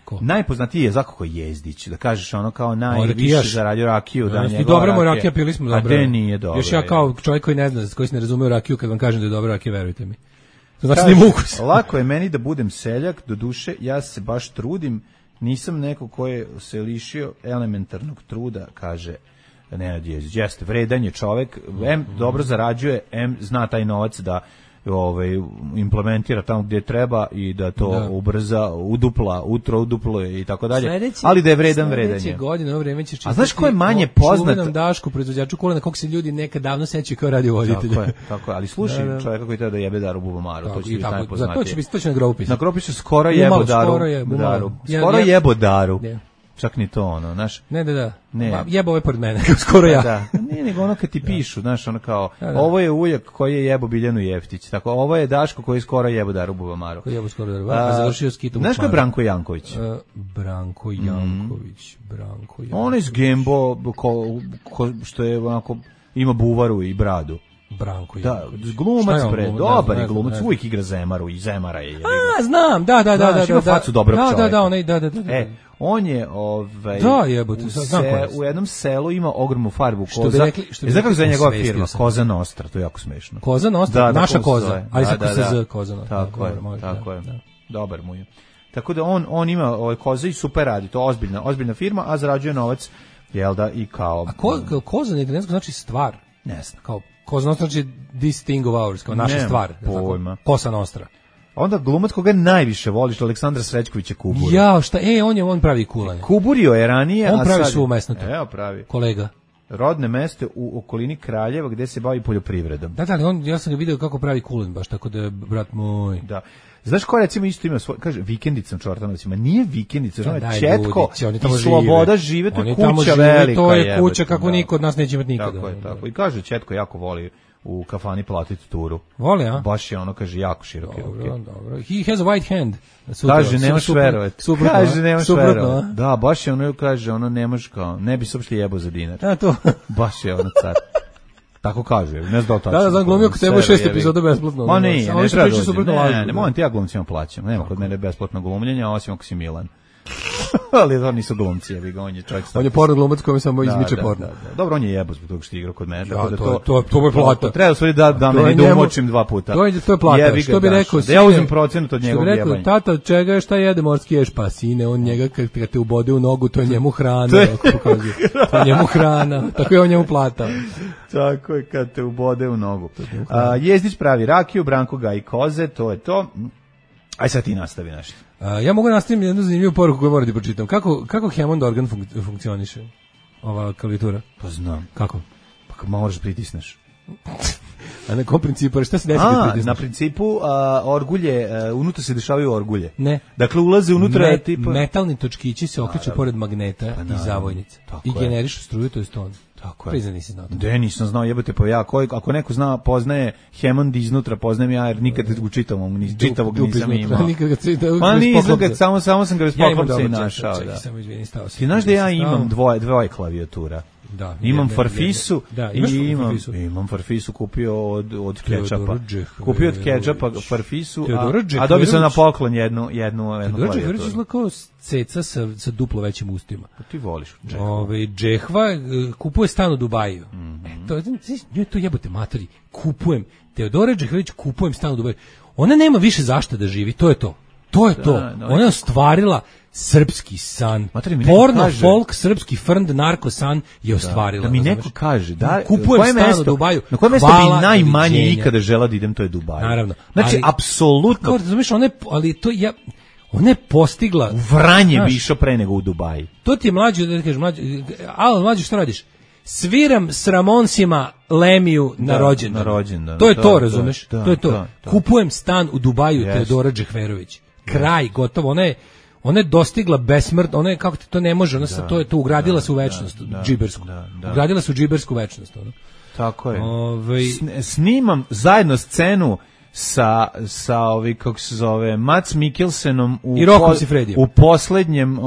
[SPEAKER 5] Ko? Najpoznatiji je Zakako Jezdić, da kažeš ono kao najviše zaradio rakiju.
[SPEAKER 6] I dobra mu rakija, pili smo dobro.
[SPEAKER 5] A de nije dobro.
[SPEAKER 6] Još ja kao čovjek koji ne zna, koji se ne razume u rakiju, kad vam kažem da je dobra rakija, verujte mi. Znači da ima ukus.
[SPEAKER 5] Lako je meni da budem seljak, do duše ja se baš trudim, nisam neko ko je se lišio elementarnog truda, kaže Nenad Jezdić. Jeste, vredan je čovjek, dobro zarađuje, zna taj novac da implementira tamo gdje treba i da to ubrza, uduplo i tako dalje. Ali da je vredan je.
[SPEAKER 6] Sljedeće godine, ovo vreme ćeš čitati.
[SPEAKER 5] A znaš ko je manje poznat?
[SPEAKER 6] Čuvenom Dašku, proizvođaču kulena, kog se ljudi nekad davno sećaju kao radiovoditelji.
[SPEAKER 5] Tako je, ali slušaj čovjeka koji treba da jebe Daru Bubamaru, to će biti najpoznatije.
[SPEAKER 6] To će na groupis.
[SPEAKER 5] Na groupis skoro jebo Daru. Skoro jebo Daru. Čak ni to ono, znaš.
[SPEAKER 6] Ne. Jebo ovaj pored mene, skoro ja.
[SPEAKER 5] Da. Nije nego ono kad ti pišu, znaš, ono kao, ovo je ujak koji je jebo Biljanu Jeftić, tako, ovo je Daško koji je skoro jebo Daru Bubamaru.
[SPEAKER 6] Koji jebo skoro Daru, a završio s Kitom.
[SPEAKER 5] Znaš ko je Branko Janković?
[SPEAKER 6] Branko Janković.
[SPEAKER 5] On je iz Gembo, što je onako, ima buvaru i bradu.
[SPEAKER 6] Branko
[SPEAKER 5] Janković. Da, glumac dobar je glumac, uvijek igra Zemaru i Zemara je.
[SPEAKER 6] Znam, da.
[SPEAKER 5] Ima facu dobrog čovjeka.
[SPEAKER 6] Da.
[SPEAKER 5] On je u jednom selu ima ogromnu farbu koza. Znaš kako zove njegova firma? Koza Nostra, to je jako smešno.
[SPEAKER 6] Koza Nostra, naša koza. Ali se koza Koza Nostra.
[SPEAKER 5] Tako je. Dobar mu je. Tako da on ima koza i super radi, to ozbiljna firma, a zarađuje novac, jel da, i kao...
[SPEAKER 6] A koza na italijanskom znači stvar?
[SPEAKER 5] Ne znam.
[SPEAKER 6] Kao Koza Nostra znači this thing of ours, kao naša stvar.
[SPEAKER 5] Pojma.
[SPEAKER 6] Kosa Nostra.
[SPEAKER 5] Onda glumac koga najviše voliš, Aleksandar Srećković je kubur.
[SPEAKER 6] Jao, šta? On pravi kulanje.
[SPEAKER 5] Kuburio je ranije,
[SPEAKER 6] on pravi svu mesnatu.
[SPEAKER 5] Evo pravi.
[SPEAKER 6] Kolega.
[SPEAKER 5] Rodne mesto u okolini Kraljeva gdje se bavi poljoprivredom.
[SPEAKER 6] Da, ali ja sam ga vidio kako pravi kulen, baš tako da je, brat moj.
[SPEAKER 5] Da. Znaš ko recimo isto ima svoj, kaže Vikendicom Čortanovcima, nije Vikendica, ono je Četko i Sloboda žive, to je kuća velika.
[SPEAKER 6] To je kuća kako niko od nas neće imati nikada.
[SPEAKER 5] Tako. I kaže Četko jako voli u kafani platiti turu.
[SPEAKER 6] Voli, a?
[SPEAKER 5] Baš je ono, kaže, jako široke ruke.
[SPEAKER 6] Dobro. He has a white hand.
[SPEAKER 5] Kaže, nemaš verovati. Kaže, nemaš verovati. Da, baš je ono, kaže, ono, nemaš kao, ne bi se uopšte jebo za dinar.
[SPEAKER 6] A to.
[SPEAKER 5] Baš je ono car. Tako kaže, ne znam tačno.
[SPEAKER 6] Da, znam, glumio kod tebe 6 epizoda besplatno.
[SPEAKER 5] Ma nije, ne treba dođe. Ne, moram ti ja glumcima plaćam. Nema kod mene besplatno glumljenja, osim ako si Milan. Ali to nisu glumci, ja bih on je čovjek.
[SPEAKER 6] On je porno glumac koji samo izmiče porno.
[SPEAKER 5] Dobro, on je jebo zbog toga što igra kod mene, tako da
[SPEAKER 6] to je plata.
[SPEAKER 5] Treba sve da me ne umočim 2 puta.
[SPEAKER 6] To je plata. Što bi rekao,
[SPEAKER 5] da ja uzmem procenat od njegovog jebanja. Što bi rekao,
[SPEAKER 6] tata, čega je, šta jede morski ješ? Pa sine, on njega kad te ubode u nogu, to je njemu hrana, kako pokazuje. To je njemu hrana, tako je on njemu plata.
[SPEAKER 5] Tako je kad te ubode u nogu. Jezdić pravi rakiju, Branko gaji koze, to je to. Aj sad ti nastavi nešto.
[SPEAKER 6] Ja mogu nastaviti jednu zanimljivu poruku koju moram da pročitam. Kako Hammond organ funkcioniše? Ova klavijatura?
[SPEAKER 5] Pa znam.
[SPEAKER 6] Kako?
[SPEAKER 5] Pa kad možeš pritisneš.
[SPEAKER 6] A na kom principu? Šta se desi?
[SPEAKER 5] Na principu orgulje, unutra se dešavaju orgulje.
[SPEAKER 6] Ne.
[SPEAKER 5] Dakle, ulaze unutra tipa...
[SPEAKER 6] Metalni točkići se okreću pored magneta i zavojnice. I generišu struju, to je ton.
[SPEAKER 5] Tako je.
[SPEAKER 6] Prizna nisi znao.
[SPEAKER 5] De, nisam znao, jebate, pa ja, ako neko zna, poznaje Hammond iznutra, poznajem ja, jer nikad u čitavog nisam imao.
[SPEAKER 6] Nikad ga
[SPEAKER 5] pa nisam ga, samo sam ga bez poklopca i našao. Ti znaš da ja imam dvoje klavijatura.
[SPEAKER 6] Da,
[SPEAKER 5] imam Farfisu i imam Farfisu kupio od Kečapa. Kupio od Kečapa Farfisu, a dobio sam na poklon jednu
[SPEAKER 6] klavijaturu. Teodor kao ceca sa duplo većim ustima.
[SPEAKER 5] Ti voliš
[SPEAKER 6] Džehva kupuje stan u Dubaju. To jebote materi. Kupujem. Teodora Džehvić kupujem stan u Dubaju. Ona nema više zašto da živi, to je to. To je to. Ona je ostvarila srpski san. Porno, folk, srpski frnd, narko san je ostvarila.
[SPEAKER 5] Da mi neko kaže, da,
[SPEAKER 6] kupujem stan u Dubaju.
[SPEAKER 5] Na koje mesto bi najmanje ikada žela da idem, to je Dubaj.
[SPEAKER 6] Naravno.
[SPEAKER 5] Znači, apsolutno.
[SPEAKER 6] Razumiješ, ona je postigla...
[SPEAKER 5] U Vranje bi išao pre nego u Dubaji.
[SPEAKER 6] To ti je mlađi, da kažeš, mlađi, što radiš? Sviram s Ramonsima Lemiju na rođendan. To je to, razumeš? To je to. Kupujem stan u Dubaju, Teodora Džehverović. Kraj, gotovo. Ona je dostigla besmrt, ona je, kako ti to ne može, ona to je to, ugradila se u večnost, džibersku. Ugradila se u džibersku večnost.
[SPEAKER 5] Tako je. Snimam zajedno scenu sa kako se zove, Mats Mikkelsenom u poslednjem,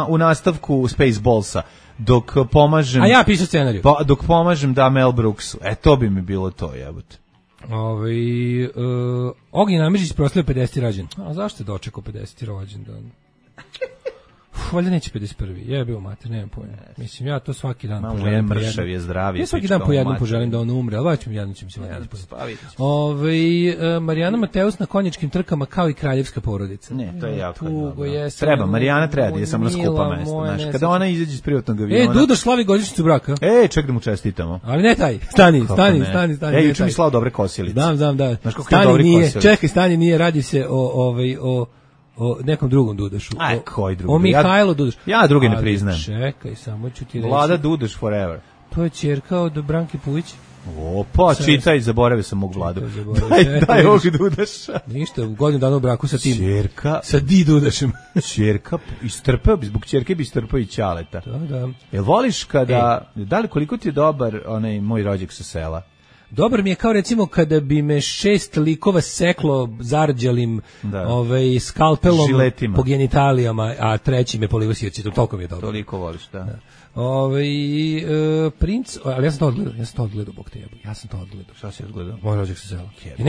[SPEAKER 5] u nastavku Spaceballsa, dok pomažem...
[SPEAKER 6] A ja pisao scenariju.
[SPEAKER 5] Dok pomažem Mel Brooksu. To bi mi bilo to, jebote.
[SPEAKER 6] Ognjen Amidžić proslavio 50. rođendan. A zašto je dočekao 50. rođendan? Valjda neće 51. Je bio mater, nemam pojma. Mislim, ja to svaki dan poželim.
[SPEAKER 5] Mršav je zdraviji.
[SPEAKER 6] Ja svaki dan po jednom poželim da on umre, ali jednom ćemo se Marijana Mateus na konjičkim trkama kao i kraljevska porodica.
[SPEAKER 5] Ne, to je jako dobro. Marijana treba da je samo na skupa mesta. Kada ona izađe iz privatnog aviona...
[SPEAKER 6] Dudoš slavi godišnjicu braka.
[SPEAKER 5] Ček da mu čestitamo.
[SPEAKER 6] Ali ne taj, stani.
[SPEAKER 5] Juče mi slao dobre kosilice.
[SPEAKER 6] Da. Stani nije, čekaj, stani nije, radi se o nekom drugom Dudašu.
[SPEAKER 5] Koji drugi?
[SPEAKER 6] O Mihajlo Dudašu.
[SPEAKER 5] Ja drugi ne priznajem.
[SPEAKER 6] Čekaj, samo ću ti reći.
[SPEAKER 5] Vlada Dudaš forever.
[SPEAKER 6] To je ćerka od Branke Pujić.
[SPEAKER 5] Opa, čitaj, zaboravio sam mog Vladu. Daj ovog Dudaša.
[SPEAKER 6] Ništa, u godinu dana u braku sa tim.
[SPEAKER 5] Ćerka.
[SPEAKER 6] Sa Di Dudašem.
[SPEAKER 5] Ćerka, zbog ćerke bi istrpao i Ćaleta.
[SPEAKER 6] Da.
[SPEAKER 5] Jel voliš kada, da li koliko ti je dobar onaj moj rođak sa sela?
[SPEAKER 6] Dobar mi je kao recimo kada bi me 6 likova seklo zarđalim skalpelom
[SPEAKER 5] žiletima
[SPEAKER 6] po genitalijama, a treći me polivo sirćetom, toliko mi je dobro.
[SPEAKER 5] Toliko voliš, da.
[SPEAKER 6] Princ, ali ja sam to odgledao, bog te jebu. Ja sam to odgledao.
[SPEAKER 5] Šta si odgledao?
[SPEAKER 6] Moj rođak sa sela. I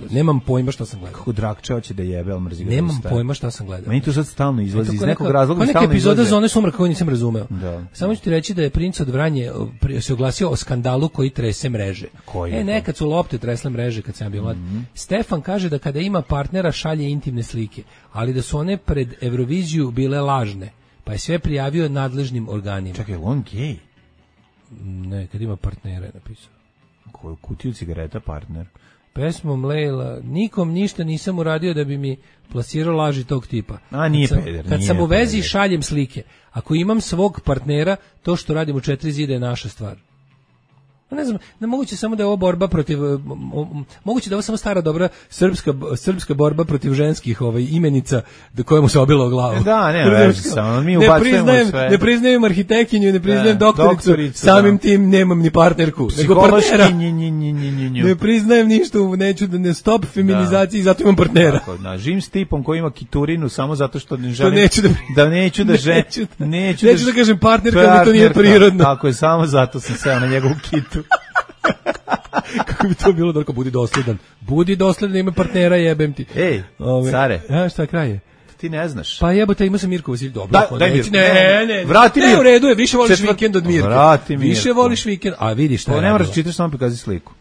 [SPEAKER 6] nemam pojma šta sam gledao.
[SPEAKER 5] Kako Drakče hoće da jebe, ali mrzi ga.
[SPEAKER 6] Nemam pojma šta sam gledao.
[SPEAKER 5] Meni to sad stalno izlazi iz nekog razloga.
[SPEAKER 6] Neka epizoda Zone sumraka koju nisam razumeo. Samo ću ti reći da je princ od Vranje se oglasio o skandalu koji trese mreže. Nekad su lopte tresle mreže kad sam bio mlad. Stefan kaže da kada ima partnera šalje intimne slike, ali da su one pred Euroviziju bile lažne. Pa je sve prijavio nadležnim organima.
[SPEAKER 5] Čekaj, on gej?
[SPEAKER 6] Ne, kad ima partnera je napisao.
[SPEAKER 5] Koju kutiju cigareta partner?
[SPEAKER 6] Pesmom Lejla, nikom ništa nisam uradio da bi mi plasirao laži tog tipa.
[SPEAKER 5] A nije peder.
[SPEAKER 6] Kad sam u vezi šaljem slike. Ako imam svog partnera, to što radim u 4 zida je naša stvar. Ne znam, moguće samo da je ovo borba protiv, moguće da je ovo samo stara dobra srpska borba protiv ženskih imenica kojemu se obilo o glavu.
[SPEAKER 5] Da, ne vezi samo, mi ubacujemo sve.
[SPEAKER 6] Ne priznajem arhitektinju, ne priznajem doktoricu, samim tim nemam ni partnerku, nego partnera. Ne priznajem ništa, neću da ne stop feminizaciji, zato imam partnera.
[SPEAKER 5] Živim s tipom koji ima kiturinu samo zato što ne želim, neću da
[SPEAKER 6] kažem partnerka, mi to nije prirodno.
[SPEAKER 5] Tako je, samo zato sam seo na njegovu kitu.
[SPEAKER 6] Kako bi to bilo, Dorko, budi dosledan, ima partnera, jebem ti.
[SPEAKER 5] Ej, care.
[SPEAKER 6] Šta kraj je?
[SPEAKER 5] Ti ne znaš.
[SPEAKER 6] Pa jebote, imao sam Mirko Vasilj, dobro.
[SPEAKER 5] Daj Mirko.
[SPEAKER 6] Ne.
[SPEAKER 5] Vrati Mirko.
[SPEAKER 6] U redu je, više voliš vikend od Mirka.
[SPEAKER 5] Vrati Mirko.
[SPEAKER 6] Više voliš vikend, a vidiš šta je.
[SPEAKER 5] Ne moraš čitaš, samo prikazi sliku.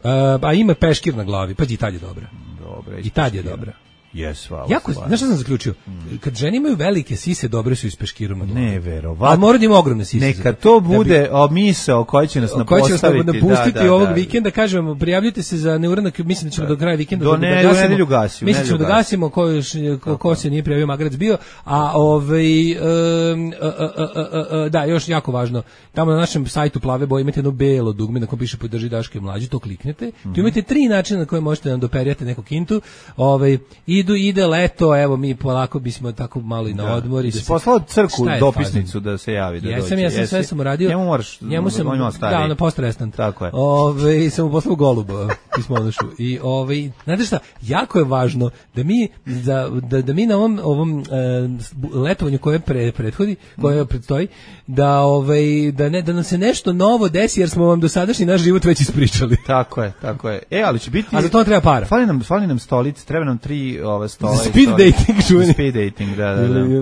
[SPEAKER 6] A ima peškir na glavi, pa i tad je dobra.
[SPEAKER 5] Dobre.
[SPEAKER 6] I tad je dobra.
[SPEAKER 5] Jes, hvala.
[SPEAKER 6] Jako, znaš šta sam zaključio? Kad žene imaju velike sise, dobre su iz peškirom na glavu.
[SPEAKER 5] Ne, verovatno.
[SPEAKER 6] Ali mora da ima ogromne sise.
[SPEAKER 5] Neka to bude misao koja će nas napostaviti.
[SPEAKER 6] Napustiti ovog vikenda, kažemo, prijavljujte se za neuranak, mislim da ćemo do kraja vikenda
[SPEAKER 5] do nedelju gasimo.
[SPEAKER 6] Mislim da ćemo da gasimo ko se nije prijavio, Magrac bio, a da, još jako važno, tamo na našem sajtu Plave boje imate jedno belo dugme na kojem piše podrži Daško i Mlađu, to kliknete. Tu imate 3 načina na koje možete nam doperijati neku kintu. Ide leto, evo mi polako bismo tako malo i na odmor.
[SPEAKER 5] I si poslao crku dopisnicu da se javi, da dođe.
[SPEAKER 6] Ja sam sve sam uradio.
[SPEAKER 5] Njemu sam,
[SPEAKER 6] da, na post-restant.
[SPEAKER 5] Tako je.
[SPEAKER 6] Sam mu poslao goluba, pismonošu. I znate šta, jako je važno da mi, da mi na ovom letovanju koje prethodi, koje predstoji, da nam se nešto novo desi, jer smo vam dosadašnji naš život već ispričali.
[SPEAKER 5] Tako je. Ali će biti...
[SPEAKER 6] A za to treba para.
[SPEAKER 5] Fali nam stolice, treba nam 3 stola.
[SPEAKER 6] Speed dating, čuveni.
[SPEAKER 5] Speed dating, da.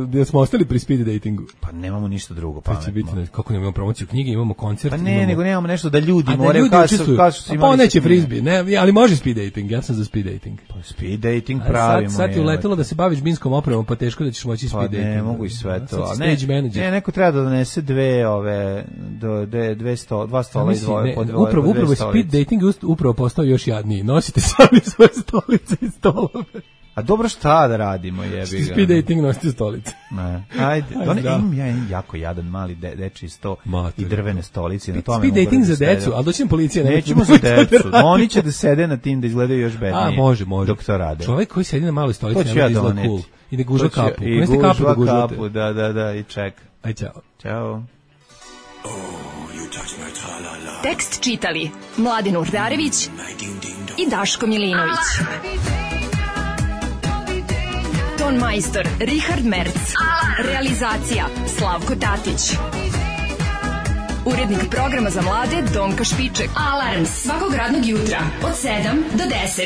[SPEAKER 6] Da smo ostali pri speed datingu.
[SPEAKER 5] Pa nemamo ništa drugo
[SPEAKER 6] pametno. Kako nemamo promociju knjige, imamo koncert.
[SPEAKER 5] Pa ne, nego nemamo nešto da ljudi moraju kažu su imali.
[SPEAKER 6] Pa neće frizbi, ne, ali može speed dating, ja sam za speed dating.
[SPEAKER 5] Pa speed dating pravimo.
[SPEAKER 6] Sad ti uletelo da se baviš binskom opremom, pa teško da ćeš moći speed dating.
[SPEAKER 5] Ne, mogu i sve to.
[SPEAKER 6] Ne,
[SPEAKER 5] neko treba da donese dva stola i dvoje po dvoje.
[SPEAKER 6] Upravo speed dating upravo postao još jadniji. Nosite sami svoje stolice i stolove.
[SPEAKER 5] A dobro, šta da radimo, jebi ga.
[SPEAKER 6] Speed dating nosite stolice.
[SPEAKER 5] Ne. Ajde. Imam ja jako jadan mali dečiji sto i drvene stolice. Na tome
[SPEAKER 6] speed dating za decu, ali doći nam policija.
[SPEAKER 5] Nećemo za decu. Oni će da sede na tim da izgledaju još bednije.
[SPEAKER 6] A, može.
[SPEAKER 5] Dok to rade.
[SPEAKER 6] Čovjek koji sedi na maloj stolici nema da izgleda cool. I da guža kapu.
[SPEAKER 5] I gužva kapu, da, i čeka.
[SPEAKER 6] Aj, čao.
[SPEAKER 5] Ćao.
[SPEAKER 3] Tekst čitali Mladen Urdarević i Daško Milinović. Ton majstor Richard Merc. Realizacija Slavko Tatić. Urednik programa za mlade Donka Špiček. Alarms svakog radnog jutra od 7 do 10.